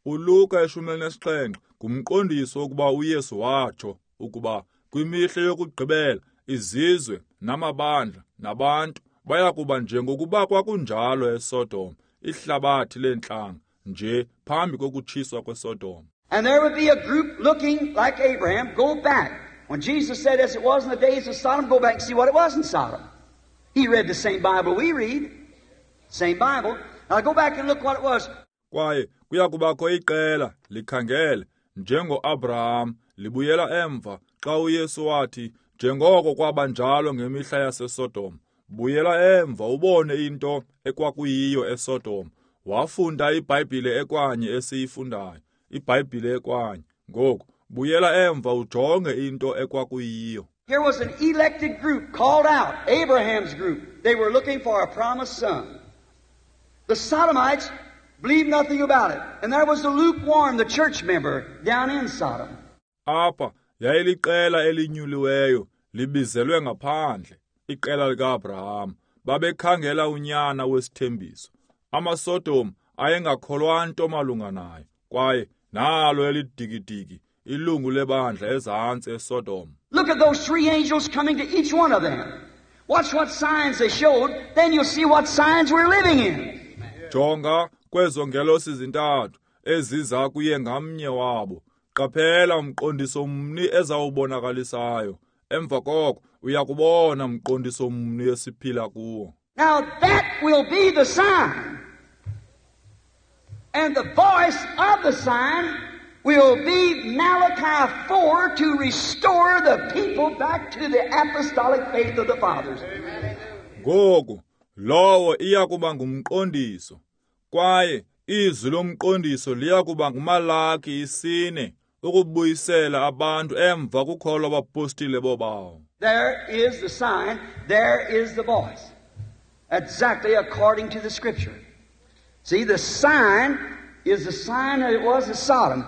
uLuka ishumi elinesixhenxe ngumqondiso ukuba uYesu watsho ukuba kwimihla yokugqibela izizwe namabandla nabantu baya kuba njengokuba kwakunjalo eSodom, ihlabathi leentlanga nje phambi kokutshiswa kweSodom. And there would be a group looking like Abraham, go back. When Jesus said, as it was in the days of Sodom, go back and see what it was in Sodom. He read the same Bible we read. Same Bible. Now go back and look what it was. Kwaye kuya kubakho iqela likhangele njengoAbraham libuyela emva xa uYesu wathi njengoko kwaba njalo ngemihla yaseSodom, buyela emva ubone into ekwakuyiyo eSodom. Wafunda iBhayibhile ekwanye esiyifundayo, iBhayibhile ekwanye. Ngoku buyela emva ujonge into ekwakuyiyo. Here was an elected group called out, Abraham's group. They were looking for a promised son. The Sodomites believed nothing about it. And there was the lukewarm, the church member, down in Sodom. Apha yayiliqela elinyuliweyo libizelwe ngaphandle, iqela likaAbraham. Babekhangela unyana wesithembiso. AmaSodom ayengakholwa nto malunga naye, kwaye nalo elidikidiki ilungu lebandla ezantsi eSodom. Look at those three angels coming to each one of them. Watch what signs they showed, then you'll see what signs we're living in. Jonga kwezo ngelosi zintathu eziza kuye ngamnye wabo. Qaphela umqondiso mni ezawubonakalisayo. Emva koko uyakubona umqondiso mni esiphila kuwo. Now that will be the sign. And the voice of the sign will be Malachi four to restore the people back to the apostolic faith of the fathers. Ngoku lowo iyakuba ngumqondiso, kwaye izwi lomqondiso liyakuba nguMalaki isine ukubuyisela abantu emva kukholo abapostile bobawo. There is the sign, there is the voice. Exactly according to the Scripture. See, the sign is the sign that it was in Sodom.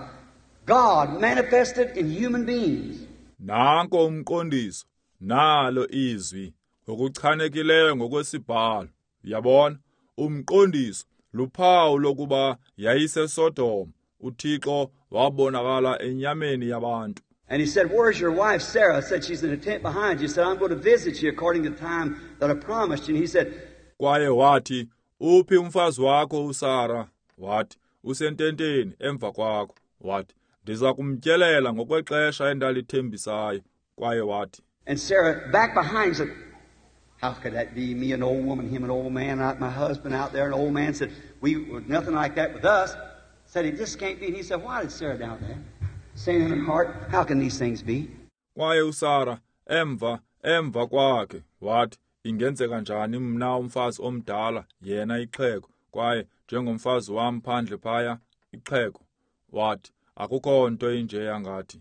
God manifested in human beings. Nanko umqondiso, nalo izwi, ngokuchanekileyo ngokwesibhalo. Uyabona, umqondiso luphawu lokuba yayiseSodom, uThixo wabonakala enyameni yabantu. And he said, "Where's your wife Sarah?" I said, "She's in a tent behind you." He said, "I'm going to visit you according to the time that I promised you." And he said, Kwaye wathi, "Uphi umfazi wakho uSara?" Wathi, "Usententeni emva kwakho." Wathi, "Ndiza kumtyelela ngokwexesha endalithembisayo." Kwaye wathi, And Sarah back behind said, "How could that be? Me, an old woman, him, an old man, not my husband out there." An old man said, "We were nothing like that with us." Said, "It just can't be." And he said, "Why did Sarah doubt that?" Saying in her heart, "How can these things be?" Kwaye uSara emva emva kwakhe wathi, "Ingenzeka njani mna umfazi omdala, yena ixhego, kwaye njengomfazi wam phandle phaya ixhego?" Wathi, "Akukho nto injeya ngathi."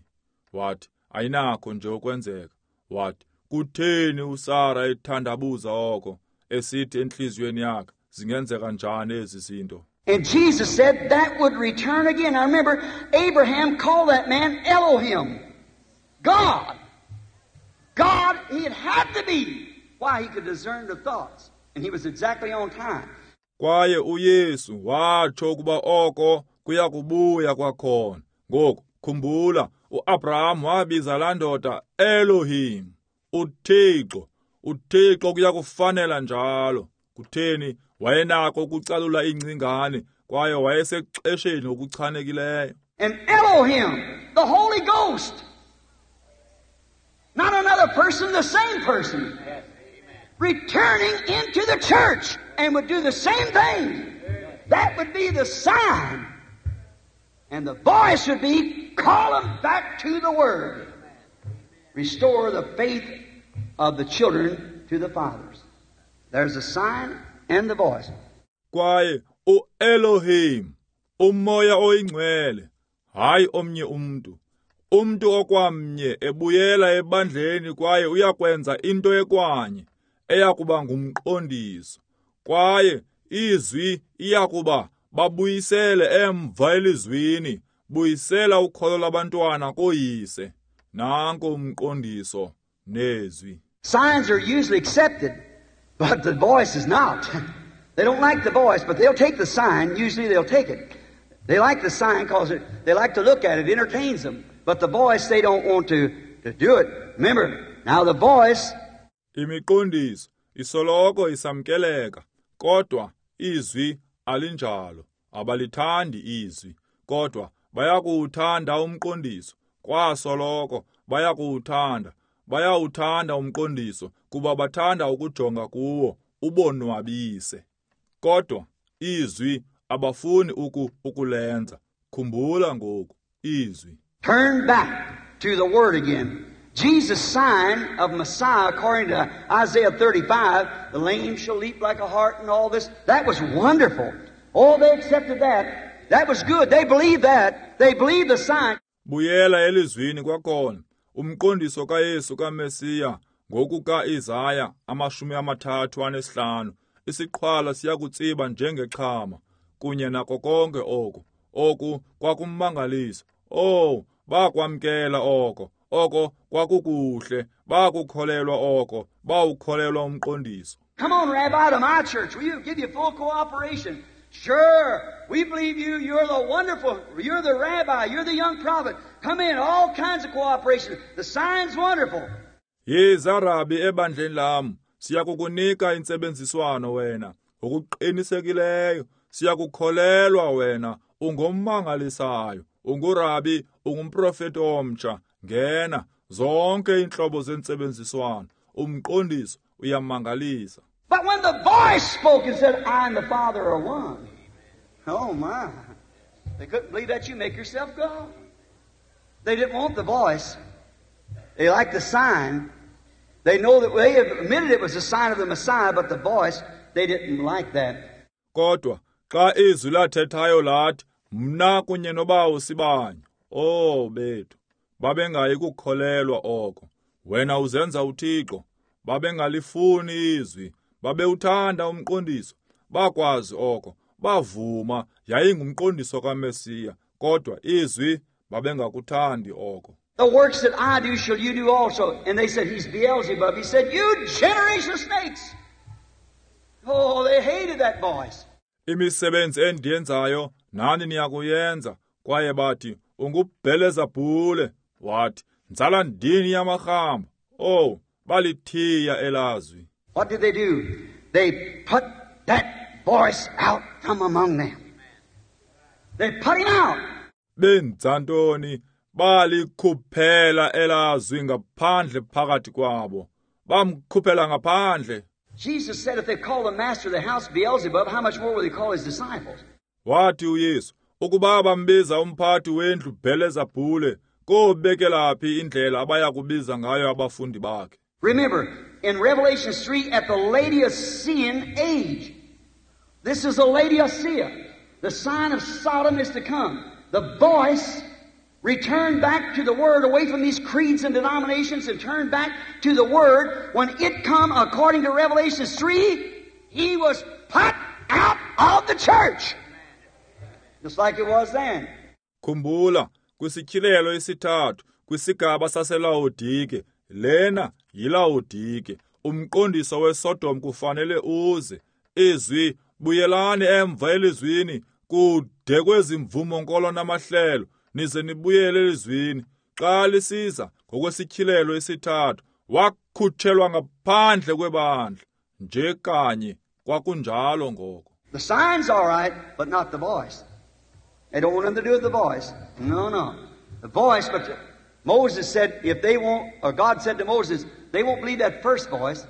Wathi, "Ayinakho nje ukwenzeka." Wathi, "Kutheni uSara ethandabuza oko, esithi entliziyweni yakhe, zingenzeka njani ezi zinto?" And Jesus said that would return again. I remember Abraham called that man Elohim, God. God, he had to be. Why? He could discern the thoughts. And he was exactly on time. Kwaye uYesu watsho ukuba oko kuya kubuya kwakhona. Ngoku khumbula, uAbraham wabiza laa ndoda Elohim, uThixo. uThixo kuya kufanela njalo. Kutheni? Wayenako ukucalula ingcingane, kwaye wayesexesheni okuchanekileyo. And Elohim, the Holy Ghost, not another person, the same person, returning into the church and would do the same thing. That would be the sign. And the voice would be, call them back to the Word. Restore the faith of the children to the fathers. There's a sign and the voice. Kwaye uElohim, uMoya oyiNgcwele, hayi omnye umntu, umntu okwamnye ebuyela ebandleni kwaye uyakwenza into ekwanye eyakuba ngumqondiso. Kwaye izwi iyakuba babuyisele emva elizwini, buyisela ukholo lwabantwana koyise. Nanko umqondiso nezwi. Signs are usually accepted, but the voice is not. They don't like the voice, but they'll take the sign. Usually they'll take it. They like the sign because they like to look at it. It entertains them. But the voice, they don't want to, to do it. Remember, now the voice... Imiqondiso isoloko isamkeleka, kodwa izwi alinjalo. Abalithandi izwi, kodwa bayakuwuthanda umqondiso. Kwasoloko bayakuwuthanda. Bayawuthanda umqondiso kuba bathanda ukujonga kuwo ubonwabise. Kodwa izwi abafuni uku ukulenza. Khumbula ngoku izwi. Turn back to the Word again. Jesus' sign of Messiah, according to Isaiah thirty-five, the lame shall leap like a hart and all this. That was wonderful. Oh, they accepted that. That was good. They believed that. They believed the sign. Buyela elizwini kwakhona. Umqondiso kaYesu kaMesiya ngokuka-Isaya amashumi amathathu anesihlanu. Isiqhwala siyakutsiba njengexhama kunye nako konke oku. Oku kwakummangalisa. Oh, bakwamkela oko. Oko kwakukuhle. Bakukholelwa oko. Bawukholelwa umqondiso. Come on, Rabbi, to my church. We'll give you full cooperation. Sure, we believe you. You're the wonderful, you're the rabbi, you're the young prophet. Come in, all kinds of cooperation. The sign's wonderful. Yiza Rabi ebandleni lam, siyakukunika intsebenziswano wena. Ngokuqinisekileyo, siyakukholelwa wena, ungommangalisayo, ungurabi Ungumprofeti omtsha, ngena. Zonke iintlobo zentsebenziswano. Umqondiso uyamangalisa. But when the voice spoke and said, I and the Father are one. Oh my. They couldn't believe that you make yourself God. They didn't want the voice. They liked the sign. They know that they admitted it was a sign of the Messiah, but the voice, they didn't like that. Kodwa xa izwi lathethayo lathi, mna kunye noBawo sibanye. Oh bethu, babengayi kukholelwa oko. Wena uzenza uThixo. Babengalifuni izwi, babewuthanda umqondiso. Bakwazi oko, bavuma yayingumqondiso kaMesiya, kodwa izwi babengakuthandi oko. The works that I do shall you do also. And they said, he's Beelzebub. He said, you generation of snakes. Oh, they hated that voice. Imisebenzi endiyenzayo nani niyakuyenza. Kwaye bathi, unguBhelezebhule. Wathi, nzala ndini yamarhamba. Oh, balithiya elazwi. What did they do? They put that voice out from among them. They put him out. Benza ntoni? Balikhuphela elazwi ngaphandle phakathi kwabo. Bamkhuphela ngaphandle. Jesus said if they call the master of the house Beelzebub, how much more will they call his disciples? Wathi uYesu, ukuba bambiza umphathi wendlu Bhelezebhule, kobekela phi indlela abaya kubiza ngayo abafundi bakhe? Remember, in Revelation three, at the Laodicean age, this is the Laodicea. The sign of Sodom is to come. The voice returned back to the Word, away from these creeds and denominations, and turned back to the Word. When it come, according to Revelation three, he was put out of the church. Just like it was then. Khumbula, kwisityhilelo isithathu, kwisigaba saseLaodike, lena yiLaodike. Umqondiso weSodom kufanele uze. Izwi, buyelani emva elizwini, kude kwezimvumo nkolo namahlelo, nize nibuyele elizwini. Xa lisiza ngokwesityhilelo isithathu, wakhutshelwa ngaphandle kwebandla. Nje kanye kwakunjalo ngoko. The sign's all right, but not the voice. They don't want them to do with the voice. No, no. The voice, but Moses said, if they won't, or God said to Moses, they won't believe that first voice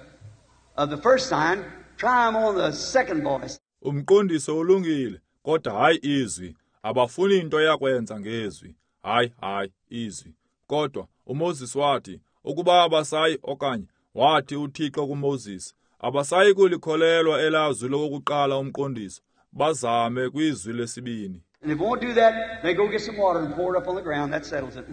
of the first sign, try them on the second voice. Umqondiso ulungile, kodwa hayi izwi. Abafuni into yakwenza ngezwi. Hayi, hayi, izwi. Kodwa uMoses wathi, ukuba abasayi, okanye wathi uThixo kuMoses, abasayi kulikholelwa elazwi lokuqala umqondiso, bazame kwizwi lesibini. And if they won't do that, they go get some water and pour it up on the ground. That settles it.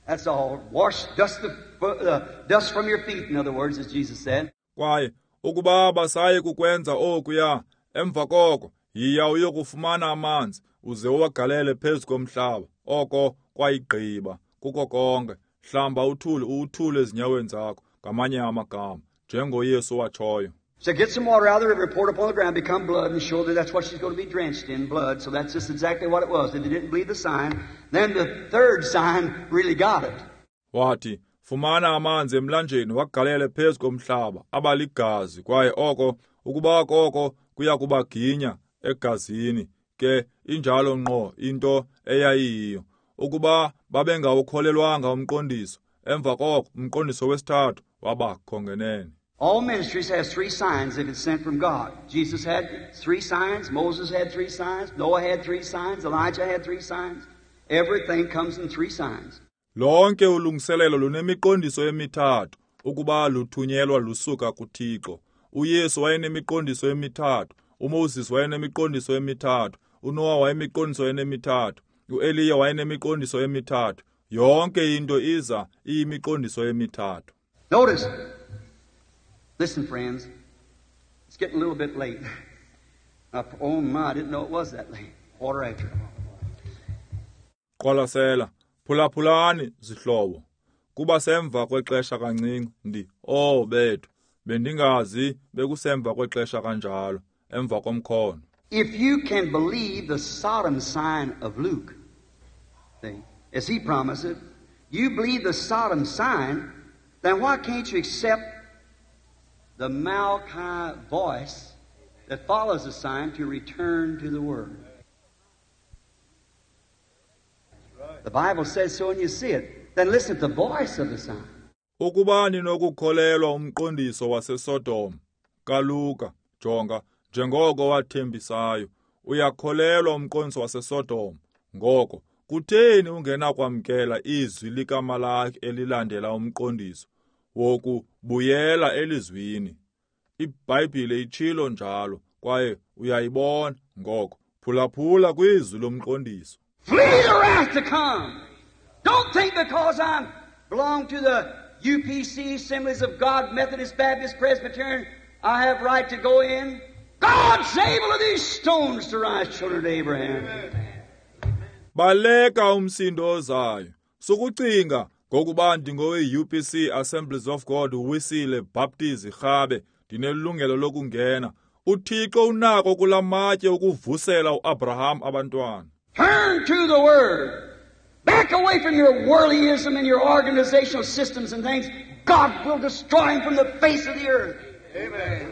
That's all. Wash dust the uh, dust from your feet, in other words, as Jesus said. Kwaye ukuba abasayi kukwenza okuya, emva koko yiya uyokufumana amanzi uze uwagalele phezu komhlaba. Oko kwayigqiba kuko konke. Hlamba uthuli uwuthule ezinyaweni zakho, ngamanye amagama, njengoYesu watshoyo. So get some water out of the river, pour it upon the ground, become blood, and show that that's what she's going to be drenched in, blood. So that's just exactly what it was. If they didn't believe the sign, then the third sign really got it. Wathi, fumana amanzi emlanjeni wagalele phezu komhlaba, abaligazi, kwaye oko ukuba koko kuya kubaginya egazini. Ke injalo ngqo into eyayiyo. Ukuba babengawukholelwanga umqondiso, emva koko umqondiso wesithathu wabakho ngenene. All ministries have three signs if it's sent from God. Jesus had three signs, Moses had three signs, Noah had three signs, Elijah had three signs. Everything comes in three signs. Lonke ulungiselelo lunemiqondiso emithathu ukuba luthunyelwa lusuka kuThixo. uYesu wayenemiqondiso emithathu, uMoses wayenemiqondiso emithathu, uNoah wayemiqondiso emithathu, uEliya wayenemiqondiso emithathu. Yonke into iza iyimiqondiso emithathu. Notice. Listen, friends, it's getting a little bit late. Uh, oh, my, I didn't know it was that late. Quarter after. Qwalasela, phulaphulani, zihlobo. Kuba semva kwexesha kancinci, ndi, oh, bethu, bendingazi bekusemva kwexesha kanjalo, emva komkhono. If you can believe the Sodom sign of Luke, see, as he promised it, you believe the Sodom sign, then why can't you accept the Malachi voice that follows the sign to return to the Word? The Bible says so and you see it. Then listen to the voice of the sign. Ukuba ninokukholelwa umqondiso waseSodom kaLuka, jonga, njengoko wathembisayo, uyakholelwa umqondiso waseSodom. Ngoko kutheni ungenakwamkela izwi likaMalaki elilandela umqondiso wokubuyela elizwini? IBhayibhile itshilo njalo, kwaye uyayibona. Ngoko phulaphula kwizwi lomqondiso. Flee the wrath to come. Don't think because I belong to the U P C, Assemblies of God, Methodist, Baptist, Presbyterian, I have right to go in. God's able of these stones to rise children to Abraham. Baleka umsindo ozayo. Sukucinga ngokuba ndingowe U P C, Assemblies of God, Wisile, Baptist, Rhabe, ndinelungelo lokungena. UThixo unako kulamatye ukuvusela uAbraham abantwana. Turn to the Word. Back away from your worldlyism and your organizational systems and things. God will destroy him from the face of the earth. Amen.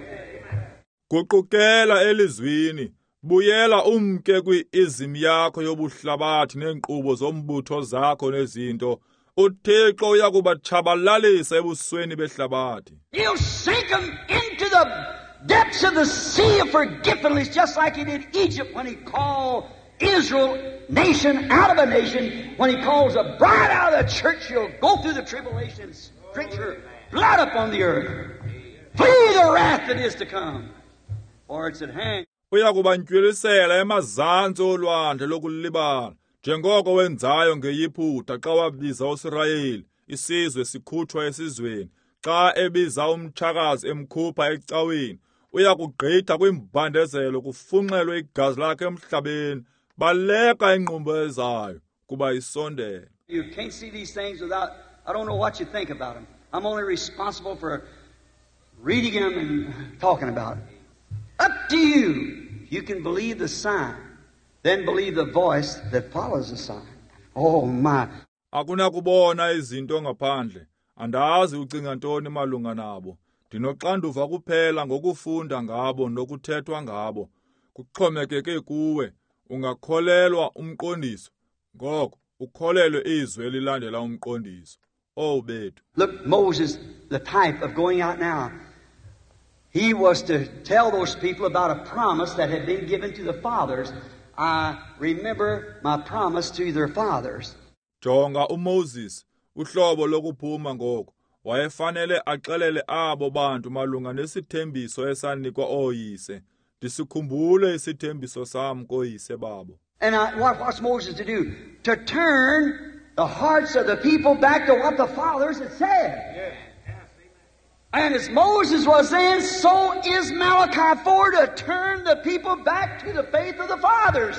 Guqukela elizwini. Buyela umke kwi-izim yakho yobuhlabathi neenkqubo zombutho zakho nezinto. UThixo uyakubatshabalalisa ebusweni behlabathi. He'll sink them into the depths of the sea of forgetfulness, just like he did Egypt when he called Israel nation out of a nation. When he calls a bride out of the church, she'll go through the tribulation and stretch her blood upon the earth. Flee the wrath that is to come, for it's at hand. Uyakubantywilisela emazantsi olwandle lokulibala, njengoko wenzayo ngeYiputa xa wabiza uSirayeli, isizwe sikhutshwa esizweni. Xa ebiza umtshakazi emkhupha ecaweni, uyakugqitha kwimbandezelo kufunxelwe igazi lakhe emhlabeni. Baleka ingqumbo ezayo kuba isondele. You can't see these things without, I don't know what you think about them. I'm only responsible for reading them and talking about it. Up to you. You can believe the sign, then believe the voice that follows the sign. Oh my. Akunakubona izinto ngaphandle. Andazi ucinga ntoni malunga nabo. Ndinoxanduva kuphela ngokufunda ngabo nokuthethwa ngabo. Kuxhomekeke kuwe. Ungakholelwa umqondiso, ngoko ukholelwe izwi elilandela umqondiso. Oh bethu. Look, Moses, the type of going out now. He was to tell those people about a promise that had been given to the fathers. I remember my promise to their fathers. Jonga uMoses, uhlobo lokuphuma ngoko. Wayefanele axelele abo bantu malunga nesithembiso esanikwa ooyise. Ndisikhumbule isithembiso sam koyise babo. And I, what, what's Moses to do? To turn the hearts of the people back to what the fathers had said. Yeah. And as Moses was then, so is Malachi four, to turn the people back to the faith of the fathers.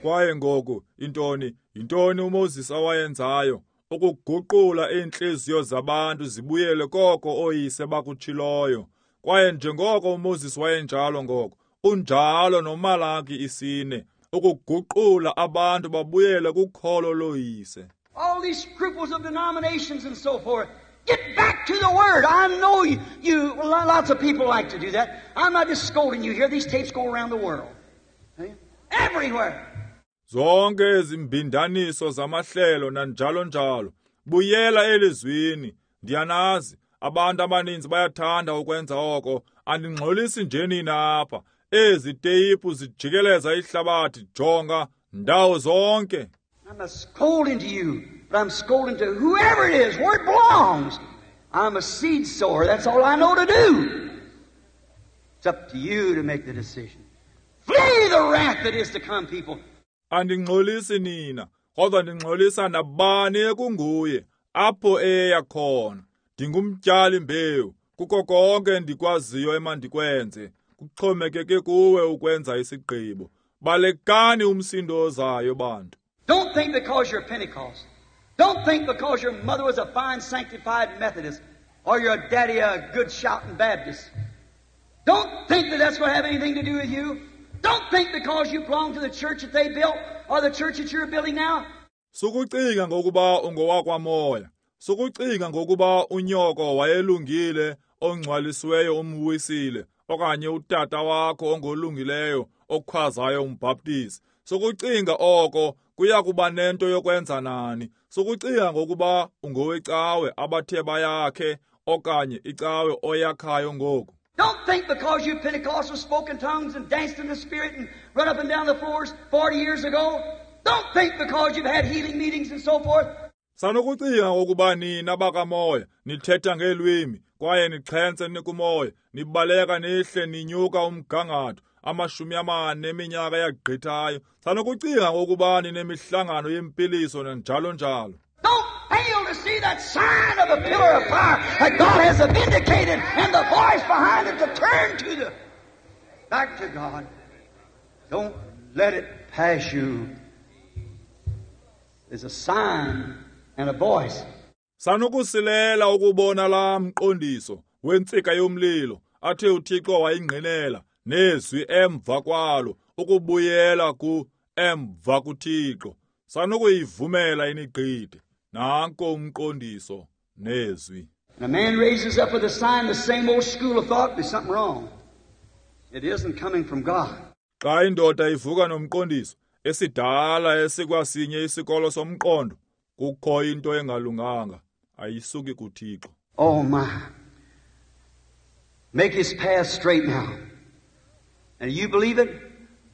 Kwaye ngoku intoni intoni uMoses awayenzayo? Ukuguqula iintliziyo zabantu zibuyele koko ooyise bakutshiloyo. Kwaye njengoko uMoses wayenjalo ngoko, unjalo noMalaki isine, ukuguqula abantu babuyele kukholo loyise. All these scruples of denominations and so forth. Get back to the Word. I know you, you, lots of people like to do that. I'm not just scolding you here. These tapes go around the world. See? Everywhere. Zonke ezimbindaniso zamahlelo nanjalo njalo. Buyela elizwini. Ndiyanazi, abantu abaninzi bayathanda ukwenza oko. Andingxolisi nje nina apha. Ezi teyipu zijikeleza ihlabathi, jonga ndawo zonke. I'm not scolding to you, but I'm scolding to whoever it is, where it belongs. I'm a seed sower. That's all I know to do. It's up to you to make the decision. Flee the wrath that is to come, people. Andingxolisi nina, kodwa ndingxolisa nabani ekunguye, apho eya khona. Ndingumtyali mbewu, kuko konke endikwaziyo emandikwenze. Kuxhomekeke kuwe ukwenza isigqibo. Balekani umsindo ozayo, bantu. Don't think because you're Pentecost. Don't think because your mother was a fine sanctified Methodist or your daddy a good shouting Baptist. Don't think that that's going to have anything to do with you. Don't think because you belong to the church that they built or the church that you're building now. Sukucinga ngokuba ungowakwamoya. Sukucinga ngokuba unyoko wayelungile ongcwalisiweyo umwisile okanye utata wakho ongolungileyo okhwazayo umbhaptizi. Sukucinga oko Kuya kuba nento yokwenza nani. Sukucinga ngokuba ungowecawe abathe bayakhe okanye icawe oyakhayo ngoku. Don't think because you Pentecostals spoke in tongues and danced in the Spirit and run up and down the floors forty years ago. Don't think because you've had healing meetings and so forth. Sanokucinga ngokuba nina bakamoya nithetha ngeelwimi kwaye nixhentse nikumoya nibaleka nihle ninyuka umgangatho amashumi amane eminyaka yagqithayo. Sanokucinga ngokuba ninemihlangano yempiliso njalo njalo. Don't fail to see that sign of a pillar of fire that God has vindicated and the voice behind it to turn to the back to God. Don't let it pass you. There's a sign and a voice. Sanokusilela ukubona la mqondiso wentsika yomlilo athe uThixo wayingqinela nezwi emva kwalo ukubuyela ku emva kuThixo. Sanokuyivumela inigqithe. Nanko umqondiso nezwi. And a man raises up with a sign, the same old school of thought, there's something wrong. It isn't coming from God. Xa indoda ivuka nomqondiso esidala esikwasinye isikolo somqondo, kukho into engalunganga, ayisuki kuThixo. Oh my. Make his path straight now. And you believe it?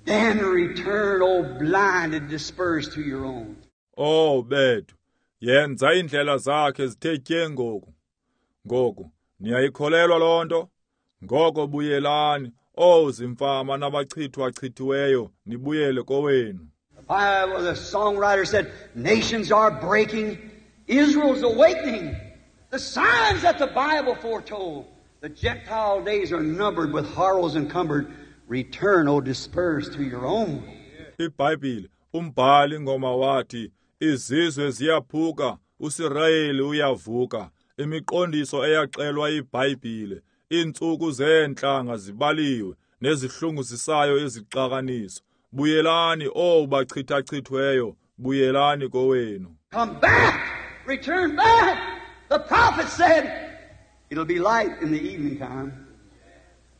Then return, O blind, and disperse to your own. Oh bethu, yenza indlela zakhe zithe tye ngoku. Ngoku niyayikholelwa loo nto? Ngoko buyelani, oh zimfama nabachithwa-chithiweyo, nibuyele kowenu. The Bible, the songwriter said, nations are breaking, Israel's awakening. The signs that the Bible foretold. The Gentile days are numbered with horrors encumbered. Return, O dispersed to your own. IBhayibhile, umbhali ngoma wathi, izizwe ziyaphuka, uSirayeli uyavuka. Imiqondiso eyaxelwa iBhayibhile, iintsuku zeentlanga zibaliwe, nezihlunguzisayo izixakaniso. Buyelani, o bachithachithweyo, buyelani kowenu. Come back, return back. The prophet said, it'll be light in the evening time.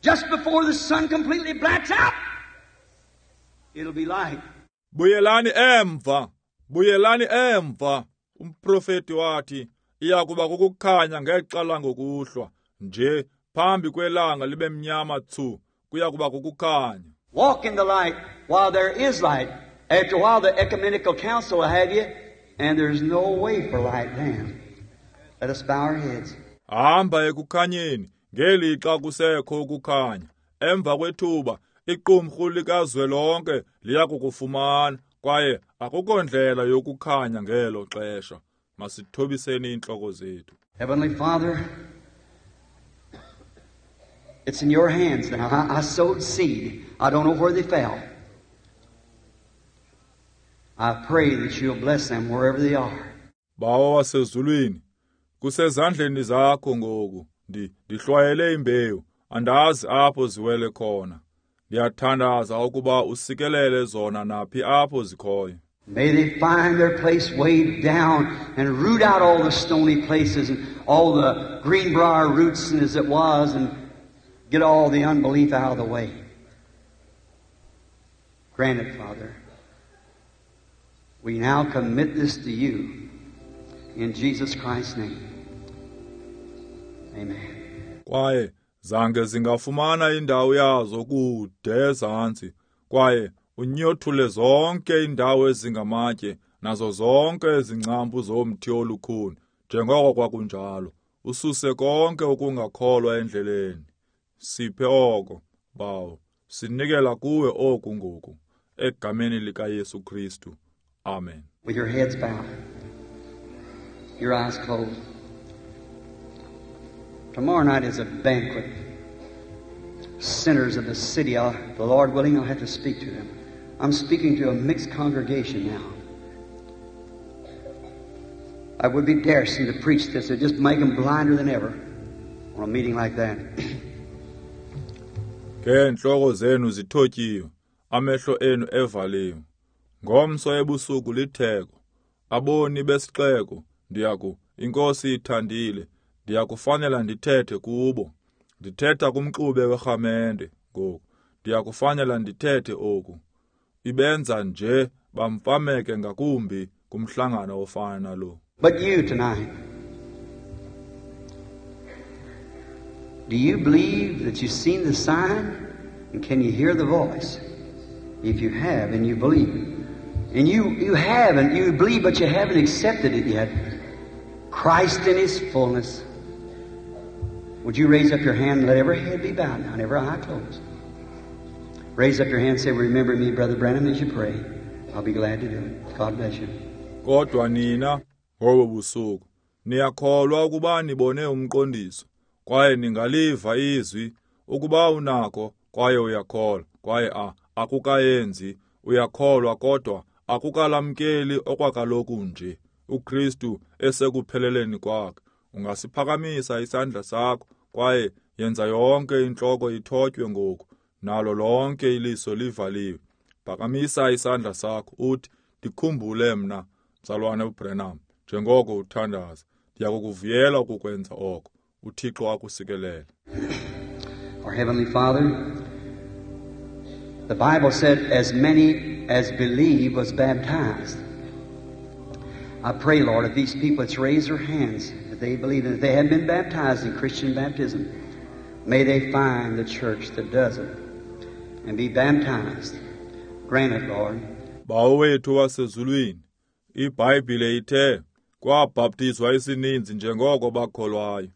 Just before the sun completely blacks out, it'll be light. Buyelani emva, buyelani emva. Umprofeti wathi, iyakuba kukukhanya ngexa langokuhlwa, nje phambi kwelanga libe mnyama tsu, kuyakuba kukukhanya. Walk in the light while there is light. After a while, the ecumenical council will have you, and there's no way for light then. Let us bow our heads. Hamba ekukhanyeni ngelixa kusekho ukukhanya. Emva kwethuba iqumrhu likazwelonke liyakukufumana, kwaye akukho ndlela yokukhanya ngelo xesha. Masithobiseni iintloko zethu. Heavenly Father, it's in your hands now. I, I sowed seed. I don't know where they fell. I pray that you'll bless them wherever they are. Bawo wasezulwini, kusezandleni zakho ngoku. Ndi ndihlwayele imbewu, andazi apho ziwele khona. Ndiyathandaza ukuba usikelele zona naphi apho zikhoyo. May they find their place way down and root out all the stony places and all the greenbrier roots and as it was, and get all the unbelief out of the way. Grant it, Father. We now commit this to you in Jesus Christ's name. Amen. Kwaye zange zingafumana indawo yazo kude ezantsi, kwaye unyothule zonke indawo ezingamatye nazo zonke izingcambu zomthi olukhuni, njengoko kwakunjalo. Ususe konke ukungakholwa endleleni. Siphe oko, Bawo. Sinikela kuwe oku ngoku, egameni likaYesu Kristu. Amen. With your heads bowed, your eyes closed. Tomorrow night is a banquet. Sinners of the city, I'll, the Lord willing, I'll have to speak to them. I'm speaking to a mixed congregation now. I would be daring to preach this. It'd just make them blinder than ever on a meeting like that. Ngeentloko zenu zithotyiwe, amehlo enu evaliwe. Ngomso ebusuku litheko, aboni besixeko, ndiyaku, iNkosi ithandile, ndiyakufanela ndithethe kubo. Ndithetha kumxube werhamente ngoku, ndiyakufanela ndithethe oku. Ibenza nje bamfameke ngakumbi kumhlangano ofana nalo. But you tonight, do you believe that you've seen the sign? And can you hear the voice? If you have and you believe. And you, you haven't, you believe, but you haven't accepted it yet. Christ in His fullness. Would you raise up your hand and let every head be bowed now and every eye closed? Raise up your hand and say, remember me, Brother Branham, as you pray. I'll be glad to do it. God bless you. Kodwa nina ngobo busuku niyakholwa ukuba nibone umqondiso kwaye ningaliva izwi ukuba unako kwaye uyakholwa kwaye a akukayenzi uyakholwa kodwa akukalamkeli okwakaloku nje uKristu esekupheleleni kwakhe. Ungasiphakamisa isandla sakho kwaye yenza yonke intloko ithotywe ngoku nalo lonke iliso livaliwe. Phakamisa isandla sakho uthi ndikhumbule mna mzalwane uBranham njengoko uthandaza. Ndiyakukuvuyela ukukwenza oko. uThixo akusikelele. Our Heavenly Father, the Bible said as many as believe was baptized. I pray, Lord, if these people that's raised their hands, that they believe, and if they haven't been baptized in Christian baptism, may they find the church that does it and be baptized. Grant it, Lord. Bawo wethu wasezulwini, iBhayibhile ithe kwabhaptizwa isininzi njengoko bakholwayo.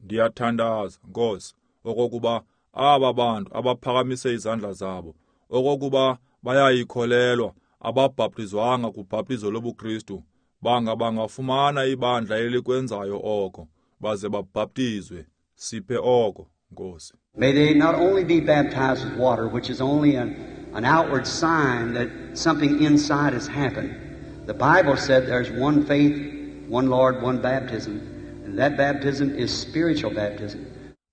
Ndiyathandaza, Nkosi, okokuba aba bantu abaphakamise izandla zabo, okokuba bayayikholelwa, ababhaptizwanga kubhaptizo lobuKristu, banga bangafumana ibandla elikwenzayo oko, baze babhaptizwe. Siphe oko, Nkosi. May they not only be baptized with water, which is only an, an outward sign that something inside has happened. The Bible said there's one faith, one Lord, one baptism. And that baptism is spiritual baptism.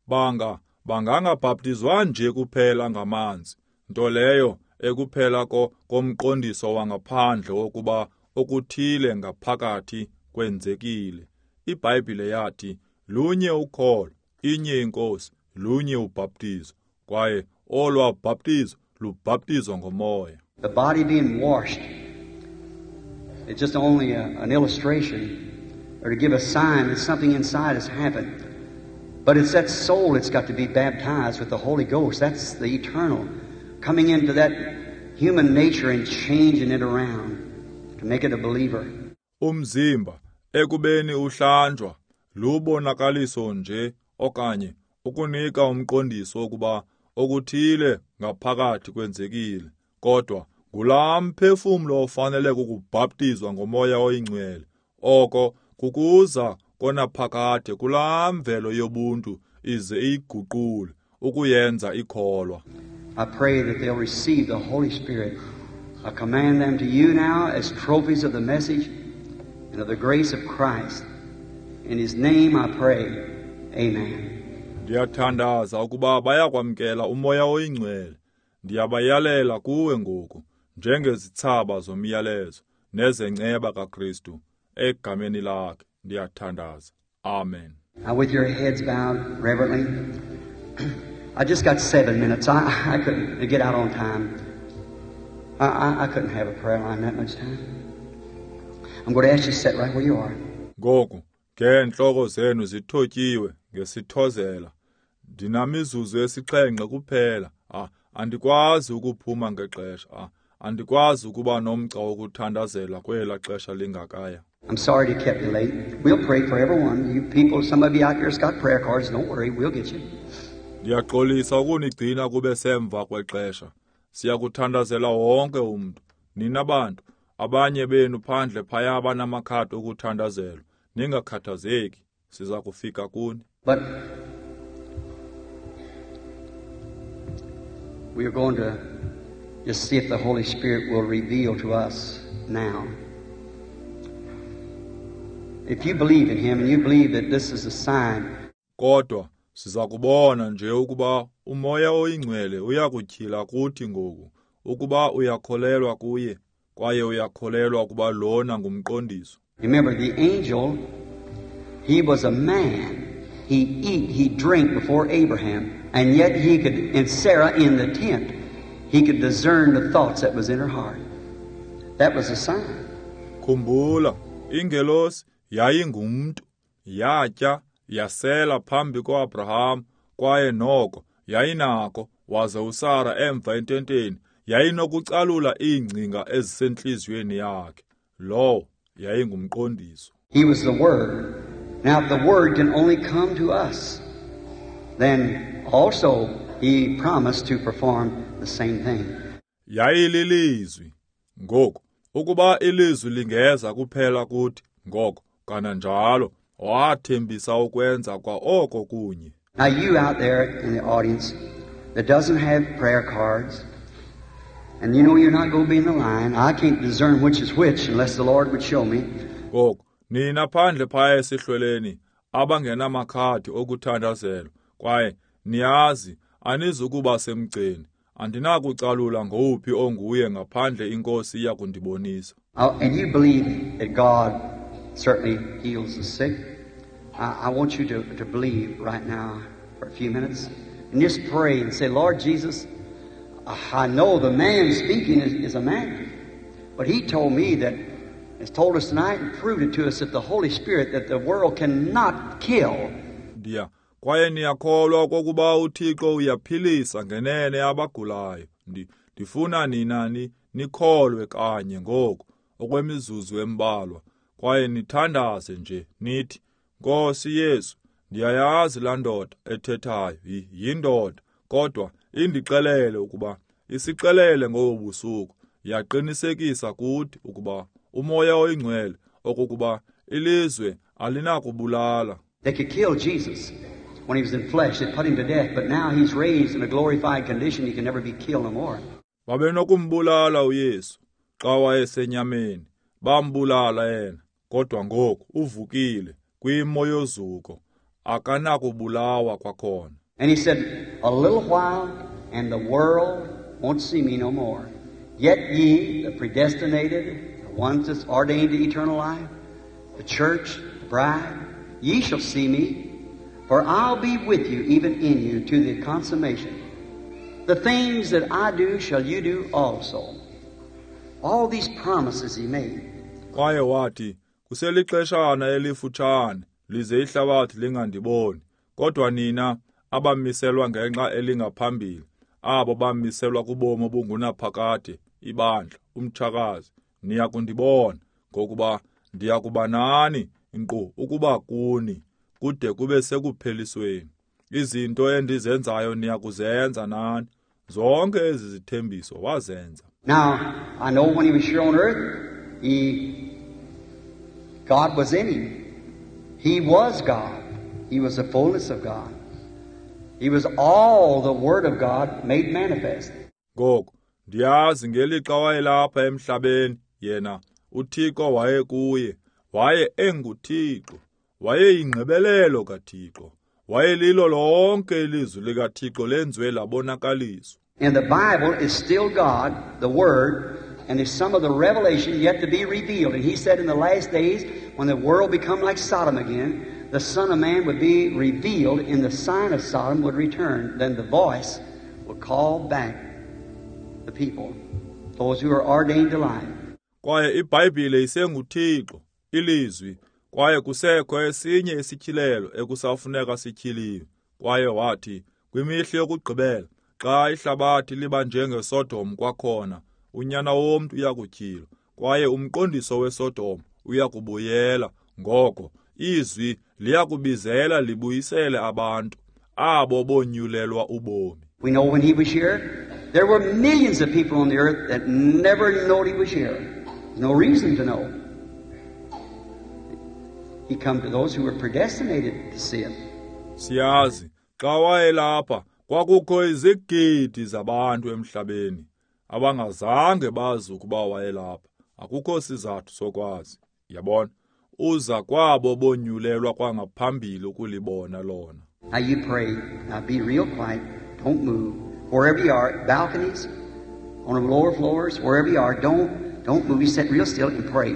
Banga bangangabhaptizwa nje kuphela ngamanzi, nto leyo ekuphela komqondiso wangaphandle wokuba okuthile ngaphakathi kwenzekile. IBhayibhile yathi lunye ukholo, inye inkosi, lunye ubhaptizo, kwaye olwa bhaptizo lubhaptizo ngomoya. The body being washed, it's just only a, an illustration or to give a sign that something inside has happened. But it's that soul that's got to be baptized with the Holy Ghost. That's the eternal coming into that human nature and changing it around to make it a believer. Umzimba ekubeni uhlanjwa lubonakaliso nje okanye ukunika umqondiso ukuba okuthile ngaphakathi kwenzekile, kodwa ngulaa mphefumlo ofanele ukubhaptizwa ngomoya oyingcwele. Oko kukuza konaphakade kulaa mvelo yobuntu ize iyiguqule ukuyenza ikholwa. I pray that they'll receive the Holy Spirit. I command them to you now as trophies of the message and of the grace of Christ. In His name I pray. Amen. Ndiyathandaza ukuba bayakwamkela umoya oyingcwele. Ndiyabayalela kuwe ngoku njengezithsaba zomyalezo nezenceba kaKristu. Egameni lakhe ndiyathandaza. Amen. Now with your heads bowed reverently, I just got seven minutes. I, I couldn't get out on time. I, I, I couldn't have a prayer line that much time. I'm going to ask you to sit right where you are. Ngoku ngeentloko zenu zithotyiwe ngesithozela. Ndinamizuzu esixhenxe kuphela. Ah, andikwazi ukuphuma ngexesha. Ah, andikwazi ukuba nomgca wokuthandazela kwela xesha lingakaya. I'm sorry to keep you late. We'll pray for everyone. You people, some of you out here's got prayer cards. Don't worry, we'll get you. Ndiyaxolisa ukunigcina kube semva kwexesha. Siyakuthandazela wonke umntu. Nina bantu, abanye benu phandle phaya banamakhadi okuthandazelwa. Ningakhathazeki, siza kufika kuni. But we are going to just see if the Holy Spirit will reveal to us now. If you believe in Him and you believe that this is a sign. Kodwa siza kubona nje ukuba umoya oyingcwele uyakutyhila kuthi ngoku ukuba uyakholelwa kuye kwaye uyakholelwa ukuba lona ngumqondiso. Remember, the angel, he was a man. He eat, he drank before Abraham, and yet he could, and Sarah in the tent, he could discern the thoughts that was in her heart. That was a sign. Khumbula, ingelosi yayingumntu, yatya, yasela phambi koAbraham, kwaye noko yayinako, waze uSara emva ententeni yayinokucalula iingcinga ezisentliziyweni yakhe. Lowo yayingumqondiso. He was the Word. Now if the Word can only come to us, then also he promised to perform the same thing. Yayililizwi. Ngoku, ukuba ilizwi lingeza kuphela kuthi, ngoko kananjalo wathembisa ukwenza kwa oko kunye. Now you out there in the audience that doesn't have prayer cards, and you know you're not going to be in the line, I can't discern which is which unless the Lord would show me. Ngoku, nina phandle phaya esihlweleni abangenamakhadi okuthandazelwa, kwaye niyazi anizukuba semgceni, andinakucalula ngowuphi onguye ngaphandle iNkosi iya kundibonisa. Uh, and you believe that God certainly heals the sick. I, I want you to, to believe right now for a few minutes and just pray and say, Lord Jesus, I know the man speaking is, is a man, but he told me that, has told us tonight and proved it to us that the Holy Spirit, that the world cannot kill. Ndiya, kwaye niyakholwa okokuba uThixo uyaphilisa ngenene abagulayo. Ndi, ndifuna nina ni, nikholwe kanye ngoku okwemizuzu embalwa, kwaye nithandaze nje nithi, Nkosi Yesu, ndiyayazi laa ndoda ethethayo yindoda, kodwa indixelele ukuba isixelele ngobu busuku, yaqinisekisa kuthi ukuba uMoya oyiNgcwele okokuba ilizwe alinakubulala. They could kill Jesus when he was in flesh. They put him to death, but now he's raised in a glorified condition. He can never be killed no more. Babenokumbulala uYesu xa wayesenyameni, bambulala yena, kodwa ngoku uvukile kwimo yozuko, akanakubulawa kwakhona. And he said, a little while, and the world won't see me no more. Yet ye, the predestinated, the ones that's ordained to eternal life, the church, the bride, ye shall see me, for I'll be with you, even in you, to the consummation. The things that I do shall you do also. All these promises he made. Kwaye wathi, kuselixeshana elifutshane, lize ihlabathi lingandiboni, kodwa nina abamiselwa ngenxa elingaphambili, abo bamiselwa kubomi obungunaphakade, ibandla, umtshakazi, niya kundibona, ngokuba ndiya kuba nani, nkqu ukuba kuni, kude kube sekuphelisweni. Izinto endizenzayo niya kuzenza nani. Zonke ezi zithembiso wazenza. Now, I know when he was here on earth, he, God was in him. He was God. He was the fullness of God. He was all the Word of God made manifest. Ngoku, ndiyazi ngelixa wayelapha emhlabeni, yena uThixo wayekuye, waye enguThixo, wayeyingqibelelo kaThixo, wayelilo lonke ilizwi likaThixo lenziwe labonakaliswa. And the Bible is still God, the Word, and there's some of the revelation yet to be revealed. And he said in the last days, when the world become like Sodom again, the Son of Man would be revealed, and the sign of Sodom would return. Then the voice would call back the people, those who are ordained to life. Kwaye iBhayibhile isenguThixo, ilizwi, kwaye kusekho esinye isityhilelo ekusafuneka sityhiliwe. Kwaye wathi, kwimihla yokugqibela, xa ihlabathi liba njengeSodom kwakhona, uNyana womntu uyakutyhilwa, kwaye umqondiso weSodom uyakubuyela. Ngoko izwi liyakubizela libuyisele abantu abo bonyulelwa ubomi. We know when he was here, there were millions of people on the earth that never knowed he was here. There's no reason to know. He come to those who were predestinated to see it. Siyazi xa wayelapha kwakukho izigidi zabantu emhlabeni abangazange bazi ukuba wayelapha. Akukho sizathu sokwazi. Yabona, uza kwabo bonyulelwa kwangaphambili ukulibona lona. Now you pray. Now be real quiet. Don't move. Wherever you are, balconies, on the lower floors, wherever you are, don't don't move. You sit real still and pray.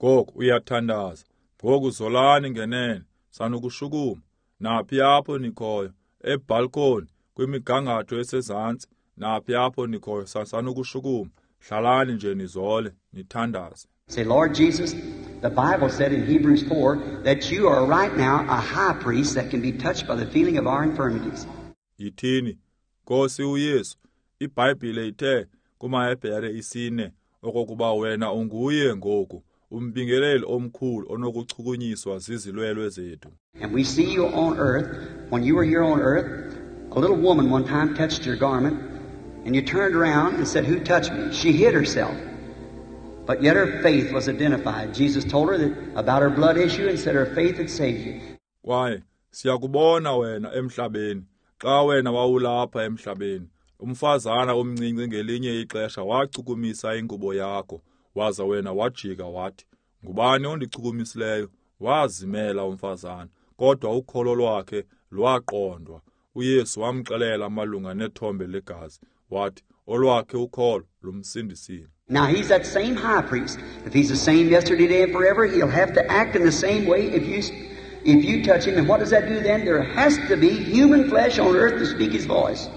Ngoku uyathandaza. Ngoku zolani ngenene, sanukushukuma. Naphi apho nikhoyo, ebalcony, kwimigangatho esezantsi, naphi apho nikhoyo, sanukushukuma. Hlalani nje nizole, nithandaze. Say, Lord Jesus, the Bible said in Hebrews four that you are right now a high priest that can be touched by the feeling of our infirmities. Yithini, Nkosi uYesu, iBhayibhile ithe kumaHebhere isine okokuba wena unguye ngoku umbingeleli omkhulu onokuchukunyiswa zizilwelwe zethu. And we see you on earth. When you were here on earth, a little woman one time touched your garment, and you turned around and said, "Who touched me?" She hid herself. But yet her faith was identified. Jesus told her that about her blood issue and said her faith had saved you. Kwaye siyakubona wena emhlabeni. Xa wena wawulapha emhlabeni, umfazana omncinci ngelinye ixesha wachukumisa ingubo yakho, waza wena wajika wathi, "Ngubani ondichukumisileyo?" Wazimela umfazana, kodwa ukholo lwakhe lwaqondwa. uYesu wamxelela malunga nethombe legazi, wathi olwakhe ukholo lumsindisile. Now he's that same high priest. If he's the same yesterday, today, and forever, he'll have to act in the same way if you if you touch him. And what does that do then? There has to be human flesh on earth to speak his voice.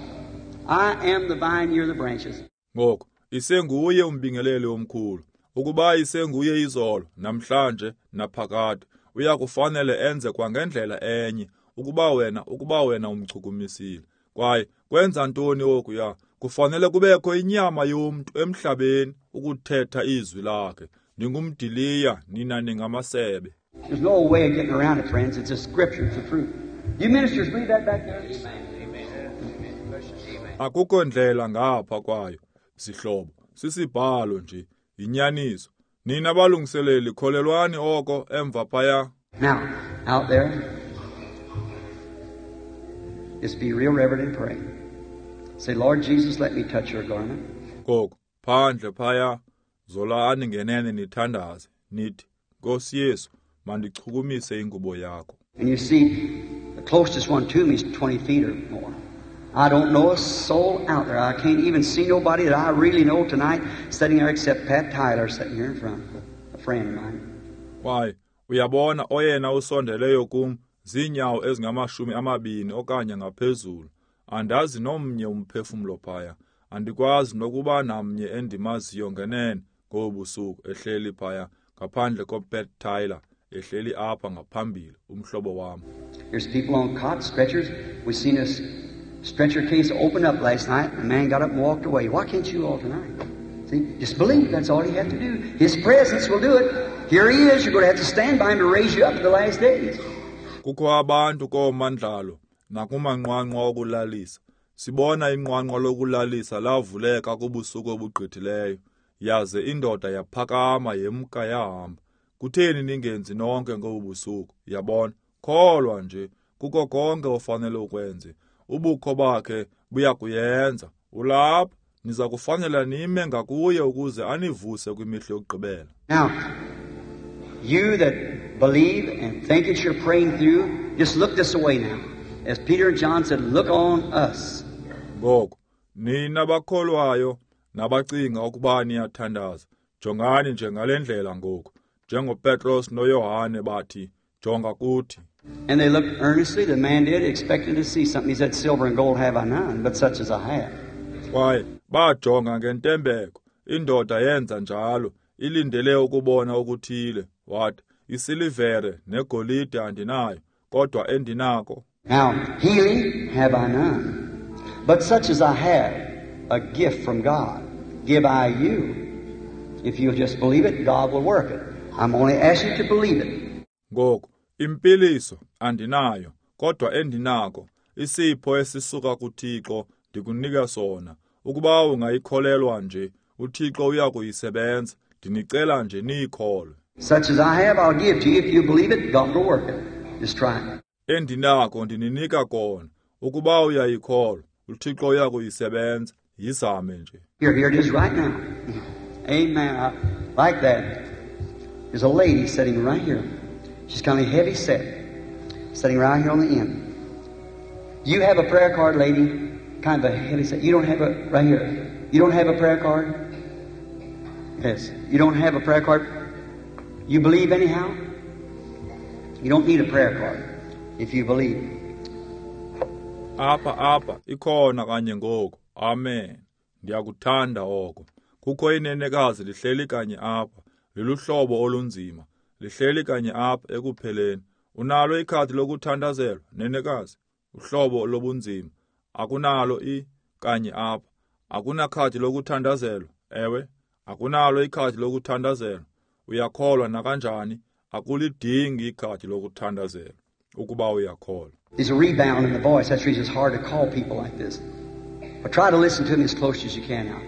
I am the vine, you're the branches. Ngoku isenguye umbingeleli omkhulu. Ukuba isenguye izolo, namhlanje, naphakade, uyakufanele enze kwangendlela enye ukuba wena ukuba wena umchukumisile. Kwaye kwenza ntoni okuya? Kufanele kubekho inyama yomntu emhlabeni ukuthetha izwi lakhe. Ndingumdiliya, nina ningamasebe. There's no way of getting around it, friends. It's a scripture, it's the truth. You ministers believe that back there? Akukho ndlela ngapha kwayo, sihlobo. Sisibhalo nje, yinyaniso. Nina balungiseleli, kholelwani oko emva phaya. Now, out there, just be real reverent and pray. Say, Lord Jesus, let me touch your garment. Ngoku, phandle phaya, zolani ngenene nithandaze, nithi, Nkosi Yesu, mandichukumise ingubo yakho. And you see, the closest one to me is twenty feet or more. I don't know a soul out there. I can't even see nobody that I really know tonight sitting there except Pat Tyler sitting here in front, a friend of mine. Why, uyabona oyena usondeleyo kum ziinyawo ezingamashumi amabini okanye ngaphezulu. Andazi nomnye umphefumlo phaya. Andikwazi nokuba namnye endimaziyo ngenene ngobusuku ehleli phaya ngaphandle koPat Tyler ehleli apha ngaphambili, umhlobo wam. There's people on cot stretchers. We seen this stretcher case open up last night. A man got up and walked away. Why can't you all tonight? See, just believe. That's all you have to do. His presence will do it. Here he is. You're going to have to stand by him to raise you up in the last days. Kukho abantu koomandlalo nakumanqwanqwa okulalisa. Sibona inqwanqwa lokulalisa lavuleka kubusuku obugqithileyo, yaze indoda yaphakama yemka yahamba. Kutheni ningenzi nonke ngobu busuku? Yabona, kholwa nje kuko konke ofanele ukwenze. Ubukho bakhe buyakuyenza. Ulapha, niza kufanela nime ngakuye ukuze anivuse kwimihla yokugqibela. Now, you that believe and think that you're praying through, just look this way now. As Peter and John said, look on us. Ngoku, nina bakholwayo nabacinga ukuba niyathandaza, jongani nje ngale ndlela ngoku. NjengoPetros noYohane bathi, jonga kuthi. And they looked earnestly, the man did, expecting to see something. He said, silver and gold have I none, but such as I have. Kwaye bajonga ngentembeko, indoda yenza njalo, ilindele ukubona okuthile. Wathi, isilivere negolide andinayo, kodwa endinako. Now, healing have I none, but such as I have, a gift from God, give I you. If you'll just believe it, God will work it. I'm only asking you to believe it. Ngoku, impiliso andinayo, kodwa endinako, isipho esisuka kuThixo ndikunika sona. Ukuba ungayikholelwa nje, uThixo uyakuyisebenza. Ndinicela nje niyikholwe. Such as I have, I'll give to you. If you believe it, God will work it. Just try it. Endinako ndininika kona. Ukuba uyayikholwa, uThixo uyakuyisebenza. Yizame nje. Here, here it is right now. Amen. I like that. There's a lady sitting right here. She's kind of heavy set, sitting right here on the end. You have a prayer card, lady? Kind of a heavy set. You don't have a, right here. You don't have a prayer card? Yes. You don't have a prayer card? You believe anyhow? You don't need a prayer card if you believe. Apha, apha, ikhona kanye ngoku. Amen. Ndiyakuthanda oko. Kukho inenekazi lihleli kanye apha, liluhlobo olunzima, lihleli kanye apha ekupheleni. Unalo ikhadi lokuthandazelwa, nenekazi? Uhlobo lobunzima. Akunalo i kanye apha. Akunakhadi lokuthandazelwa? Ewe, akunalo ikhadi lokuthandazelwa. Uyakholwa nakanjani? Akulidingi ikhadi lokuthandazelwa ukuba uyakholwa. There's a rebound in the voice. That's the reason it's hard to call people like this. But try to listen to me as close as you can now.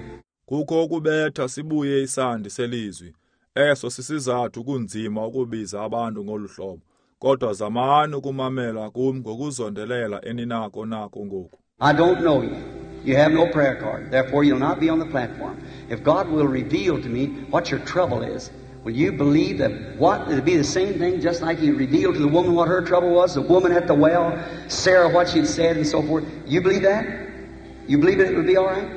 Kukho ukubetha sibuye isandi selizwi. Eso sisizathu kunzima ukubiza abantu ngolu hlobo. Kodwa zamani ukumamela kum ngokuzondelela eninako nako ngoku. I don't know you. You have no prayer card. Therefore, you'll not be on the platform. If God will reveal to me what your trouble is, will you believe that what it'll be the same thing, just like He revealed to the woman what her trouble was, the woman at the well, Sarah what she'd said, and so forth? You believe that? You believe it will be all right?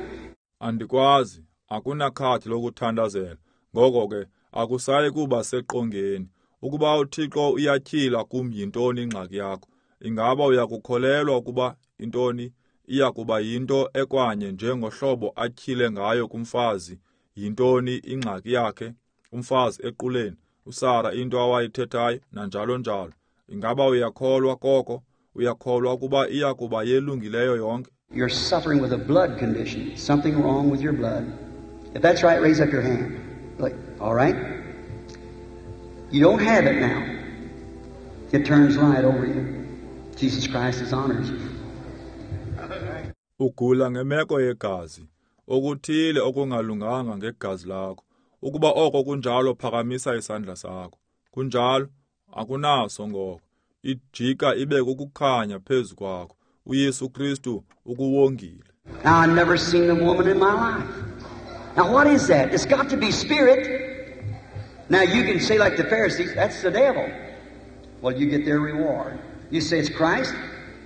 Andikwazi, akunakhadi lokuthandazela. Ngoko ke akusayi kuba seqongeni. Ukuba uThixo uyatyhila kum yintoni ingxaki yakho, ingaba uyakukholelwa ukuba intoni iya kuba yinto ekwanye njengohlobo atyhile ngayo kumfazi yintoni ingxaki yakhe, umfazi equleni, uSara into awayithethayo nanjalo njalo. Ingaba uyakholwa koko? Uyakholwa ukuba iya kuba yelungileyo yonke? You're suffering with a blood condition, something wrong with your blood. If that's right, raise up your hand. Like, all right? You don't have it now. It turns light over you. Jesus Christ has honored you. Ugula ngemeko yegazi, okuthile okungalunganga ngegazi lakho. Ukuba oko kunjalo, phakamisa isandla sakho. Kunjalo, akunaso ngoko. Ijika ibe kukukhanya phezu kwakho. uYesu Kristu ukuwongile. Now, I've never seen a woman in my life. Now, what is that? It's got to be spirit. Now, you can say like the Pharisees, that's the devil. Well, you get their reward. You say it's Christ,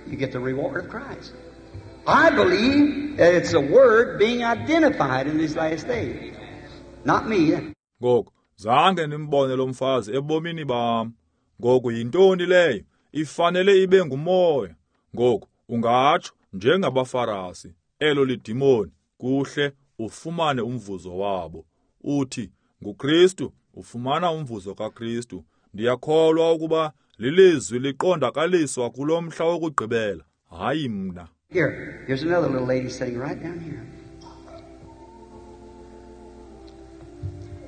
you get the reward of Christ. I believe that it's the Word being identified in these last days. Not me. Ngoku, zange ndimbone lo mfazi ebomini bam. Ngoku yintoni leyo? Ifanele ibe ngumoya. Ngoku ungatsho njengabaFarisi, elo lidimoni, kuhle ufumane umvuzo wabo. Uthi nguKristu, ufumana umvuzo kaKristu. Ndiyakholwa ukuba lilizwi liqondakaliswa kulo mhla wokugqibela, hayi mna. Here, here's another little lady sitting right down here.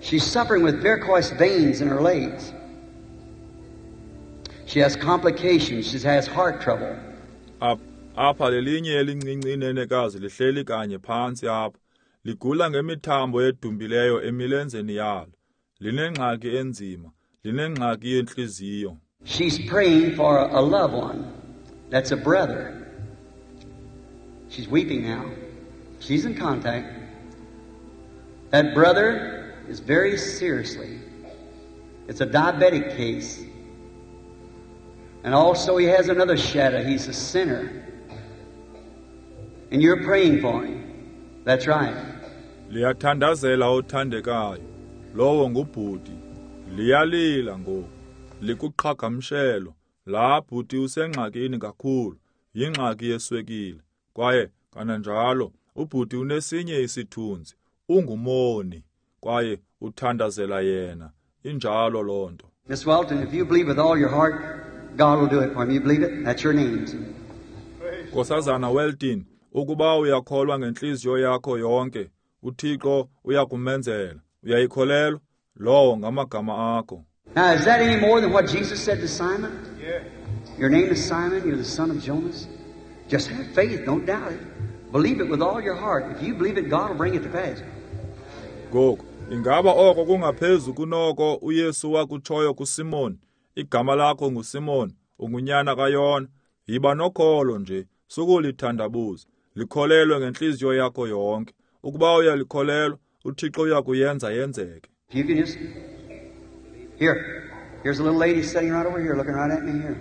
She's suffering with varicose veins in her legs. She has complications. She has heart trouble. Apha lelinye elincinci inenekazi lihleli kanye phantsi apha. Ligula ngemithambo edumbileyo emilenzeni yalo. Linengxaki enzima, linengxaki yentliziyo. She's praying for a loved one. That's a brother. She's weeping now. She's in contact. That brother is very seriously. It's a diabetic case. And also he has another shadow. He's a sinner. And you're praying for him. That's right. Liyathandazela othandekayo. Lowo ngubhuti. Liyalila ngoku. Likuqhagamshelo. La bhuti usengxakini kakhulu. Yingxaki yeswekile. Kwaye kananjalo ubhuti unesinye isithunzi. Ungumoni. Kwaye uthandazela yena. Injalo loo nto. Miss Welton, if you believe with all your heart, God will do it for him. You believe it? That's your names. Nkosazana Welton, ukuba uyakholwa ngentliziyo yakho yonke, uThixo uyakumenzela. Uyayikholelwa? Lowo ngamagama akho. Now, is that any more than what Jesus said to Simon? Yeah. Your name is Simon, you're the son of Jonas. Just have faith, don't doubt it. Believe it with all your heart. If you believe it, God will bring it to pass. Ngoku, ingaba oko kungaphezu kunoko uYesu wakutshoyo kuSimon? Igama lakho nguSimon, ungunyana kaYona. Yiba nokholo nje, sukulithandabuza. Likholelwe ngentliziyo yakho yonke. Ukuba uyalikholelwa, uThixo uyakuyenza yenzeke. You can just Here, here's a little lady sitting right over here, looking right at me here.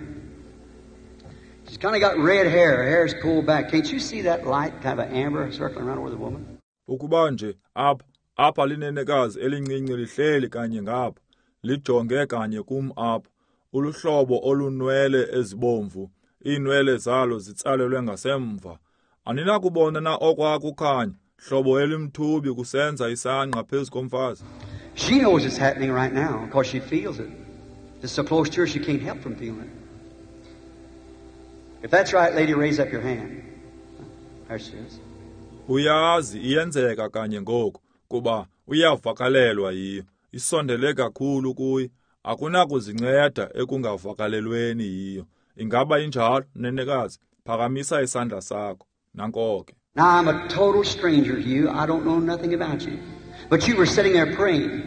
She's kind of got red hair. Her hair's pulled back. Can't you see that light, kind of an amber circling around over the woman? Ukuba nje apha, apha linenekazi elincinci lihleli kanye ngapha, lijonge kanye kum apha. Uluhlobo olunwele ezibomvu, iinwele zalo zitsalelwe ngasemva. Aninakubona na okwakukhanya, Hlobo elimthubi kusenza isangqa phezu komfazi. She knows it's happening right now because she feels it. It's so close to her she can't help from feeling it. If that's right, lady, raise up your hand. There she is. Uyazi iyenzeka kanye ngoku kuba uyavakalelwa yiyo. Isondele kakhulu kuye, akunakuzinceda ekungavakalelweni yiyo. Ingaba injalo, nenekazi? Phakamisa isandla sakho. Nanko ke. Now I'm a total stranger to you. I don't know nothing about you. But you were sitting there praying.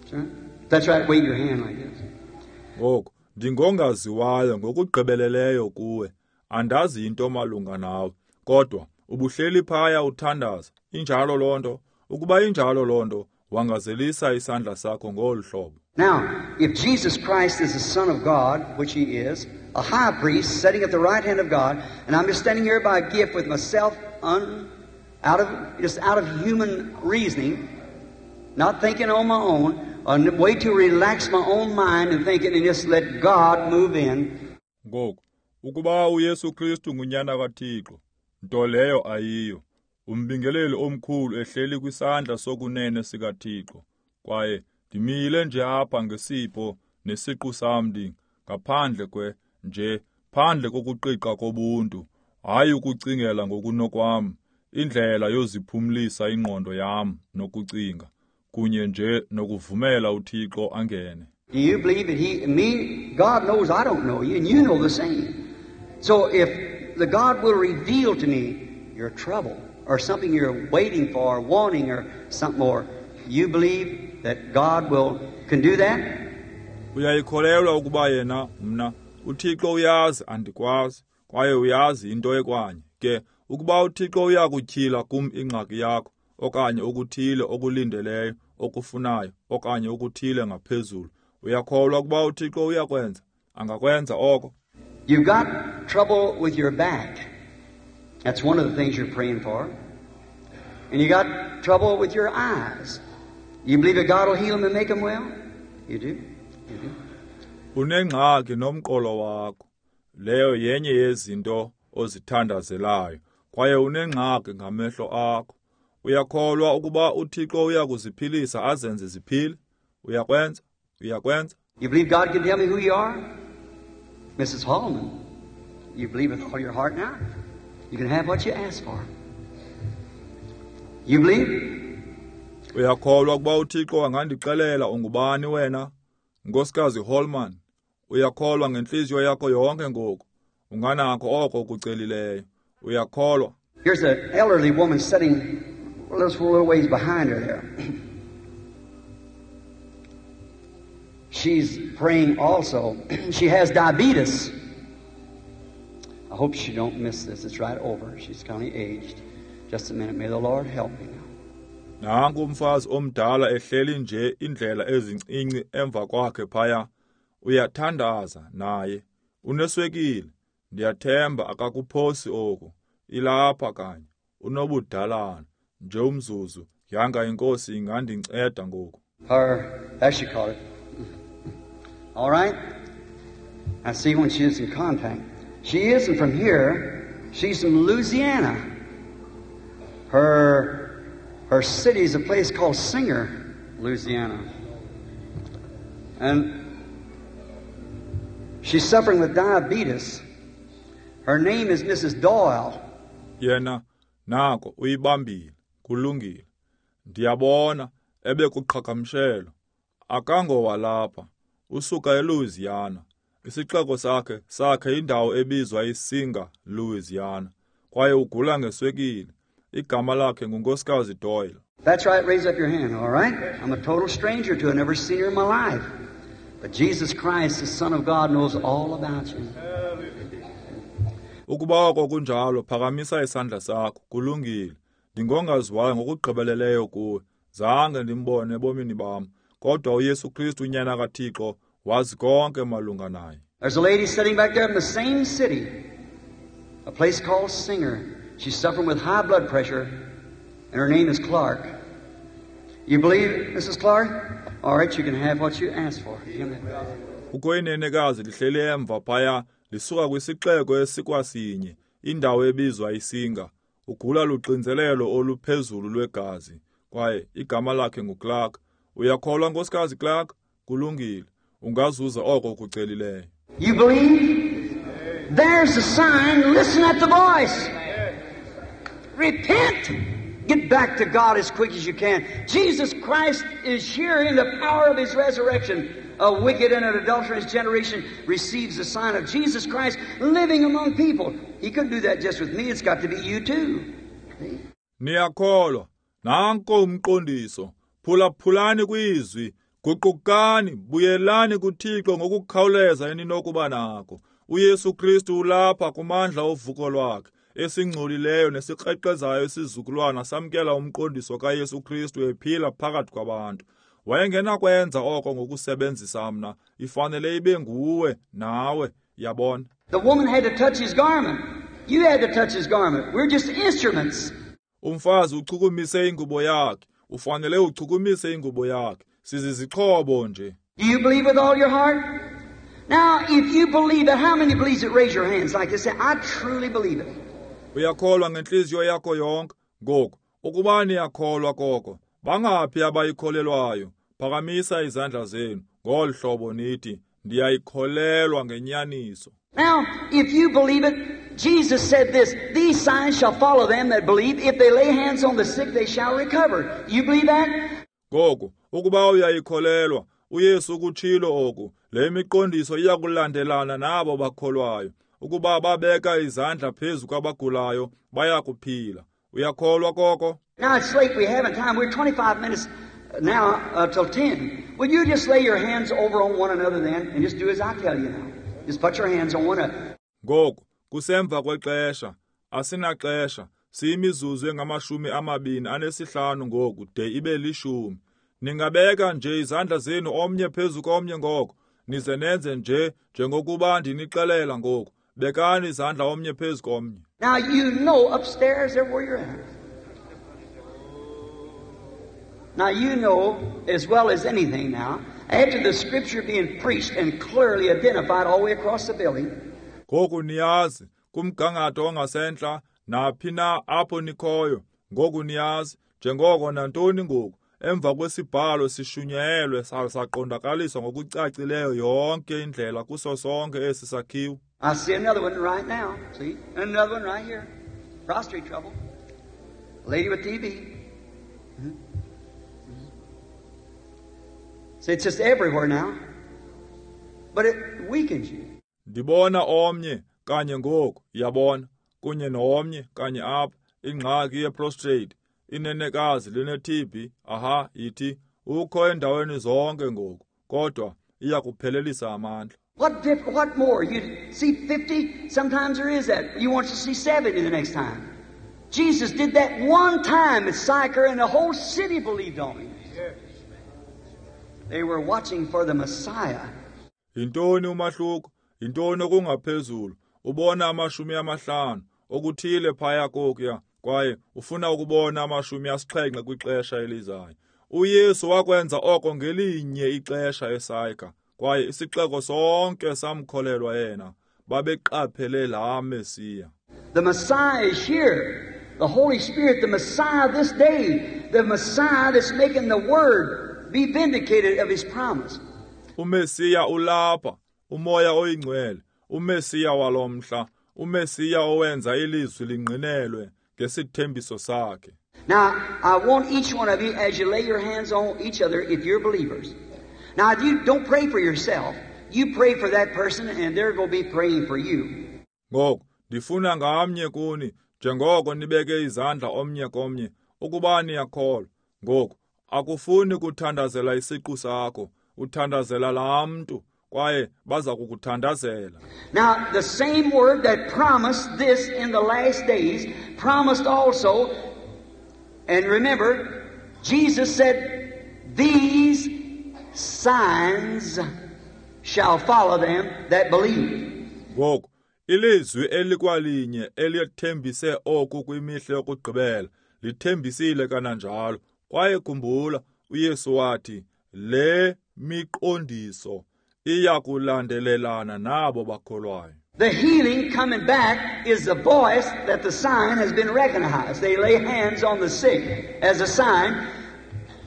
That's right. That's right, wave your hand like this. Ngoku ndingongaziwayo ngokugqibeleleyo kuwe. Andazi into malunga nawe, kodwa ubuhleli phaya uthandaza. Injalo loo nto. Ukuba injalo loo nto, wangazelisa isandla sakho ngolu hlobo. Now, if Jesus Christ is the Son of God, which He is, a high priest sitting at the right hand of God, and I'm just standing here by gift with myself un, out of just out of human reasoning, not thinking on my own, a way to relax my own mind and thinking and just let God move in. Ngoku, ukuba uYesu Kristu ngunyana kaThixo, nto leyo ayiyo, umbingeleli omkhulu ehleli kwisandla sokunene sikaThixo, kwaye ndimile nje apha ngesipho nesiqu sam ndi ngaphandle kwe nje phandle kokuqiqa kobuntu, hayi ukucingela ngokunokwam, indlela yoziphumlisa ingqondo yam nokucinga, kunye nje nokuvumela uThixo angene. Do you believe that he, me, God knows I don't know you, and you know the same. So if the God will reveal to me your trouble, or something you're waiting for, wanting, or something more, you believe that God will can do that? Uyayikholelwa ukuba yena mna uThixo uyazi andikwazi, kwaye uyazi into ekwanye. Ke ukuba uThixo uyakutyhila kum ingxaki yakho, okanye okuthile okulindeleyo, okufunayo, okanye okuthile ngaphezulu, uyakholwa ukuba uThixo uyakwenza? Angakwenza oko. You've got trouble with your back. That's one of the things you're praying for. And you got trouble with your eyes. You believe that God will heal them and make them well? You do? You do. Unengxaki nomqolo wakho. Leyo yenye yezinto ozithandazelayo. Kwaye unengxaki ngamehlo akho. Uyakholwa ukuba uThixo uyakuziphilisa azenze ziphile? Uyakwenza? Uyakwenza? You believe God can tell me who you are? Missus Hallman, you believe with all your heart now? You can have what you ask for. You believe? Uyakholwa ukuba uThixo angandixelela ungubani wena? Nkosikazi Hallman, uyakholwa ngentliziyo yakho yonke ngoku? Unganakho oko ukucelileyo. Uyakholwa? Here's an elderly woman sitting a little ways behind her there. She's praying also. She has diabetes. I hope she don't miss this. It's right over. She's kind of aged. Just a minute. May the Lord help me now. Nanku umfazi omdala ehleli nje indlela ezincinci emva kwakhe phaya. Uyathandaza naye. Uneswekile. Ndiyathemba akakuphosi oku. Ilapha kanye. Unobudalana. Nje umzuzu. Yanga inkosi ingandinceda ngoku. Her, as she called it. All right? I see when she is in contact. She isn't from here. She's from Louisiana. Her, her city is a place called Singer, Louisiana. And she's suffering with diabetes. Her name is Missus Doyle. Yena, nako uyibambile, kulungile. Ndiyabona ebekuqhagamshelo. Akangowalapha, usuka eLouisiana. Isixeko sakhe sakhe indawo ebizwa iSinger, Louisiana. Kwaye ugula ngeswekile. Igama lakhe nguNkosikazi Doyle. That's right, raise up your hand, all right? I'm a total stranger to her, never seen her in my life. But Jesus Christ, the Son of God, knows all about you. Ukuba oko kunjalo, phakamisa isandla sakho, kulungile. Ndingongaziwayo ngokugqibeleleyo kuwe. Zange ndimbone ebomini bam. Kodwa uYesu Kristu unyana kaThixo wazi konke malunga naye. There's a lady sitting back there in the same city, a place called Singer. She's suffering with high blood pressure, and her name is Clark. You believe, Missus Clark? All right, you can have what you asked for. Kukho inenekazi lihleli emva phaya lisuka kwisixeko esikwasinye, indawo ebizwa iSinga. Ugula luxinzelelo oluphezulu lwegazi, kwaye igama lakhe nguClark. Uyakholwa, Nkosikazi Clark? Kulungile. Ungazuza oko ukucelileyo. You believe? There's the sign. Listen at the voice. Repent. Get back to God as quick as you can. Jesus Christ is here in the power of His resurrection. A wicked and an adulterous generation receives the sign of Jesus Christ living among people. He couldn't do that just with me. It's got to be you too. See? Niyakholwa. Nanko umqondiso. Phulaphulani kwizwi. Guqukani, buyelani kuThixo ngokukhawuleza eninokuba nako. UYesu Kristu ulapha kumandla ovuko lwakhe. Esingcolileyo nesikrexezayo isizukulwana samkela umqondiso kaYesu Kristu ephila phakathi kwabantu. Wayengenakwenza oko ngokusebenzisa mna, ifanele ibe nguwe nawe, yabona. The woman had to touch his garment. You had to touch his garment. We're just instruments. Umfazi uchukumise ingubo yakhe. Ufanele uchukumise ingubo yakhe. Sizizixhobo nje. Do you believe with all your heart? Now, if you believe it, how many believes it? Raise your hands like this. Say, I truly believe it. Uyakholwa ngenhliziyo yakho yonke? Ngoku, ukuba niyakholwa koko, bangaphi abayikholelwayo? Phakamisa izandla zenu ngolu hlobo nithi, ndiyayikholelwa ngenyaniso. Now, if you believe it, Jesus said this, these signs shall follow them that believe. If they lay hands on the sick, they shall recover. You believe that? Ngoku, ukuba uyayikholelwa, uYesu ukutshilo oku, le miqondiso iyakulandelana nabo bakholwayo. Ukuba babeka izandla phezu kwabagulayo, bayakuphila. Uyakholwa koko? Now it's late, we haven't time. We're twenty-five minutes now uh, till ten. Will you just lay your hands over on one another then and just do as I tell you now? Just put your hands on one another. Ngoku, kusemva kwexesha, asinaxesha, siyimizuzu engamashumi amabini anesihlanu ngoku de ibe lishumi. Ningabeka nje izandla zenu omnye phezu komnye ngoko, nize nenze nje njengokuba ndinixelela ngoku. Bekani izandla omnye phezu komnye. Now you know upstairs there where you're at. Now you know as well as anything now, after the scripture being preached and clearly identified all the way across the building. Ngoku niyazi kumgangatho ongasentla naphi na apho nikhoyo. Ngoku niyazi njengoko nantoni ngoku emva kwesibhalo sishunyayelwe saqondakaliswa ngokucacileyo yonke indlela kuso sonke esi sakhiwo. I see another one right now. See? Another one right here. Prostrate trouble. Lady with T B. Mm-hmm. See, it's just everywhere now. But it weakens you. Ndibona omnye kanye ngoku, yabona, kunye nomnye kanye apha, ingxaki yeprostrate, inenekazi line-T B, aha, ithi, ukho endaweni zonke ngoku, kodwa iyakuphelelisa amandla. What diff- what more? You see fifty, sometimes there is that. You want to see seventy the next time. Jesus did that one time at Sychar, and the whole city believed on him. They were watching for the Messiah. Yintoni umahluko? Yintoni okungaphezulu? Ubona amashumi amahlanu okuthile phaya kokuya, kwaye ufuna ukubona amashumi asixhenxe kwixesha elizayo. UYesu wakwenza oko ngelinye ixesha eSychar, kwaye isixeko sonke samkholelwa yena. Babeqaphele laa Mesiya. The Messiah is here. The Holy Spirit, the Messiah this day, the Messiah that's making the Word be vindicated of His promise. UMesiya ulapha, uMoya oyiNgcwele, uMesiya walomhla, uMesiya owenza ilizwi lingqinelwe ngesithembiso sakhe. Now, I want each one of you, as you lay your hands on each other, if you're believers. Now, you don't pray for yourself. You pray for that person, and they're going to be praying for you. Ngoku, ndifuna ngamnye kuni, njengoko nibeke izandla omnye komnye, ukuba niyakholwa. Ngoku, akufuni kuthandazela isiqu sakho, uthandazela laa mntu, kwaye baza kukuthandazela. Now, the same word that promised this in the last days, promised also, and remember, Jesus said, these signs shall follow them that believe. Ngoku, ilizwi elikwalinye elithembise oku kwimihla yokugqibela, lithembisile kananjalo. Kwaye khumbula, uYesu wathi, le miqondiso iyakulandelelana nabo bakholwayo. The healing coming back is the voice that the sign has been recognized. They lay hands on the sick as a sign.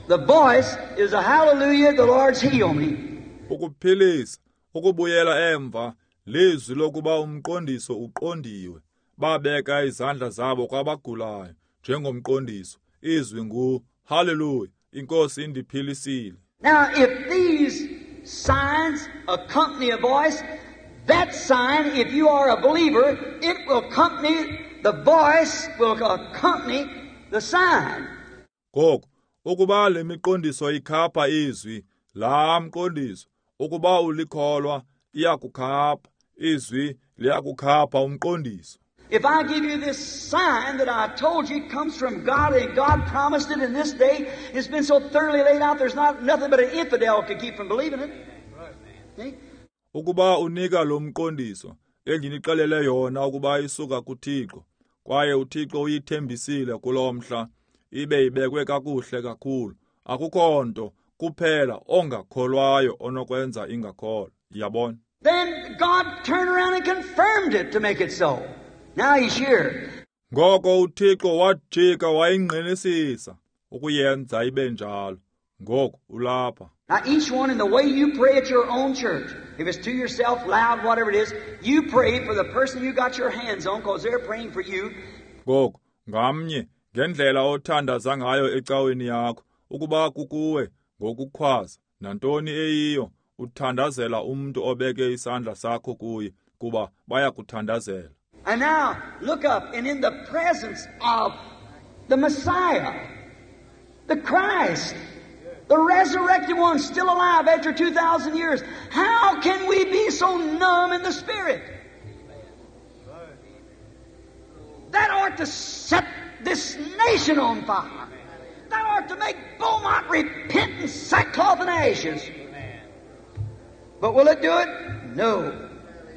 The voice is a hallelujah, the Lord's healed me. Ukuphilisa, ukubuyela emva, lizwi lokuba umqondiso uqondiwe. Babeka izandla zabo kwabagulayo njengomqondiso. Izwi ngu hallelujah, iNkosi indiphilisile. Now if these signs accompany a voice, that sign, if you are a believer, it will accompany the voice, will accompany the sign. Ngoku, ukuba le miqondiso ikhapha izwi, laa mqondiso, ukuba ulikholwa, iyakukhapha izwi, liyakukhapha umqondiso. If I give you this sign that I told you comes from God, and God promised it in this day, it's been so thoroughly laid out, there's not nothing but an infidel could keep from believing it. See? Ukuba unika lo mqondiso endinixelele yona ukuba isuka kuThixo, kwaye uThixo uyithembisile kulo mhla, ibe ibekwe kakuhle kakhulu, akukho nto kuphela ongakholwayo onokwenza ingakholwa. Yabona? Then God turned around and confirmed it to make it so. Now he's here. Ngoko uThixo wajika wayingqinisisa ukuyenza ibe njalo. Ngoku ulapha. Now each one in the way you pray at your own church, if it's to yourself, loud, whatever it is, you pray for the person you got your hands on, because they're praying for you. Ngoku ngamnye ngendlela othandaza ngayo ecaweni yakho, ukuba kukuwe ngokukhwaza nantoni eyiyo, uthandazela umntu obeke isandla sakho kuye, kuba bayakuthandazela. And now look up, and in the presence of the Messiah, the Christ, the resurrected one still alive after two thousand years, how can we be so numb in the Spirit? That ought to set this nation on fire. That ought to make Beaumont repent in sackcloth and ashes. But will it do it? No.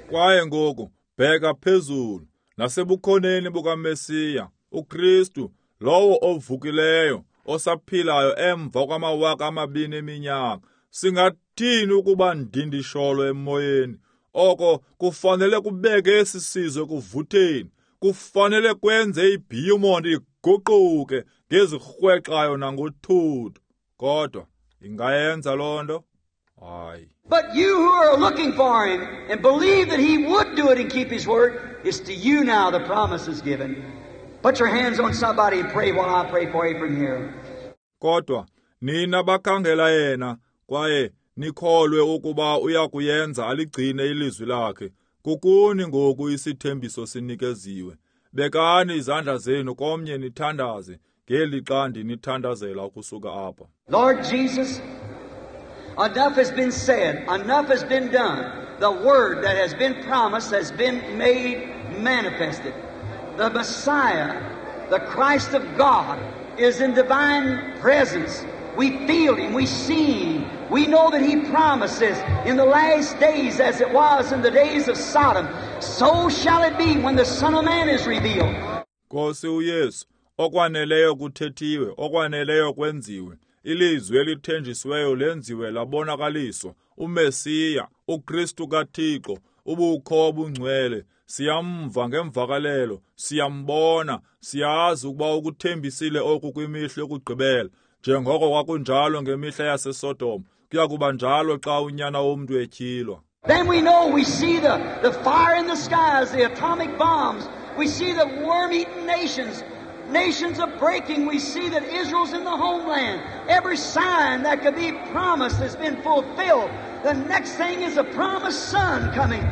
Kwaye ngoku bheka phezulu nasebukhoneni bukaMesiya, uKristu, lowo ovukileyo, osaphilayo emva kwamawaka amabini eminyaka. Singathini ukuba ndindisholo emoyeni? Oko kufanele kubeke esi sizwe kuvutheni, kufanele kwenze iBeaumont iguquke ngezirhwexayo nangothuthu. Kodwa ingayenza loo nto? Hayi. But you who are looking for him and believe that he would do it and keep his word, it's to you now the promise is given. Put your hands on somebody and pray while I pray for you from here. Kodwa nina bakhangela yena kwaye nikholwe ukuba uyakuyenza aligcine ilizwi lakhe. Kukuni ngoku isithembiso sinikeziwe. Bekani izandla zenu komnye nithandaze ngelixa ndinithandazela ukusuka apha. Lord Jesus, enough has been said, enough has been done. The word that has been promised has been made manifested. The Messiah, the Christ of God, is in divine presence. We feel Him, we see Him. We know that He promises in the last days, as it was in the days of Sodom, so shall it be when the Son of Man is revealed. Nkosi uYesu, okwaneleyo kuthethiwe, okwaneleyo kwenziwe. Ilizwi elithenjisiweyo lenziwe labonakaliswa. uMesiya, uKristu kaThixo, ubukho obungcwele. Siyamva ngemvakalelo, siyambona, siyazi ukuba ukuthembisile oku kwimihla yokugqibela. Njengoko kwakunjalo ngemihla yaseSodom, kuya kuba njalo xa unyana womntu etyhilwa. Then we know, we see the, the fire in the skies, the atomic bombs. We see the worm-eaten nations, nations of breaking. We see that Israel's in the homeland. Every sign that could be promised has been fulfilled. The next thing is a promised son coming.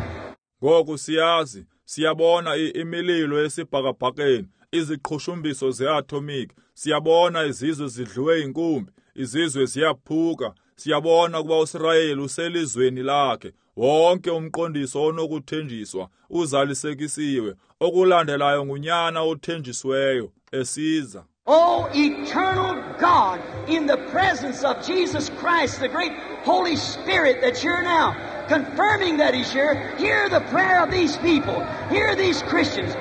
Ngoku siyazi, siyabona imililo esibhakabhakeni, iziqhushumbiso ze-atomic. Siyabona izizwe zidliwe inkumbi, izizwe ziyaphuka. Siyabona ukuba uSirayeli uselizweni lakhe. Wonke umqondiso onokuthenjiswa uzalisekisiwe. Okulandelayo ngunyana othenjisiweyo esiza. Oh, eternal God, in the presence of Jesus Christ, the great Holy Spirit that's here now, confirming that He's here, hear the prayer of these people, hear these Christians.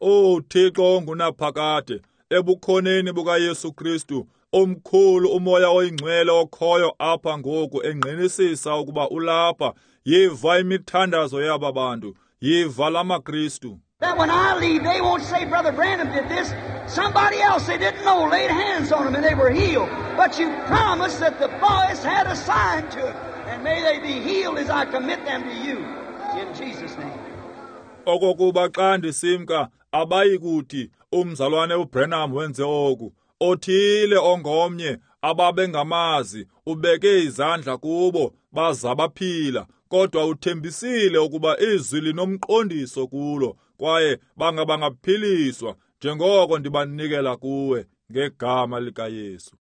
Oh, Thixo ongunaphakade, ebukhoneni bukaYesu Kristu, omkhulu umoya oyingcwele okhoyo apha ngoku engqinisisa ukuba ulapha. Yiva imithandazo yaba bantu, Yiva la maKristu. That when I leave, they won't say, Brother Branham did this. Somebody else they didn't know laid hands on them and they were healed. But you promised that the voice had a sign to it. And may they be healed as I commit them to you. In Jesus' name. Okokuba xa ndisimka abayi kuthi umzalwane uBranham wenze oku. Othile ongomnye ababengamazi ubeke izandla kubo baza baphila, kodwa uthembisile ukuba izwi linomqondiso kulo kwaye bangabangaphiliswa njengoko ndibanikela kuwe ngegama likaYesu.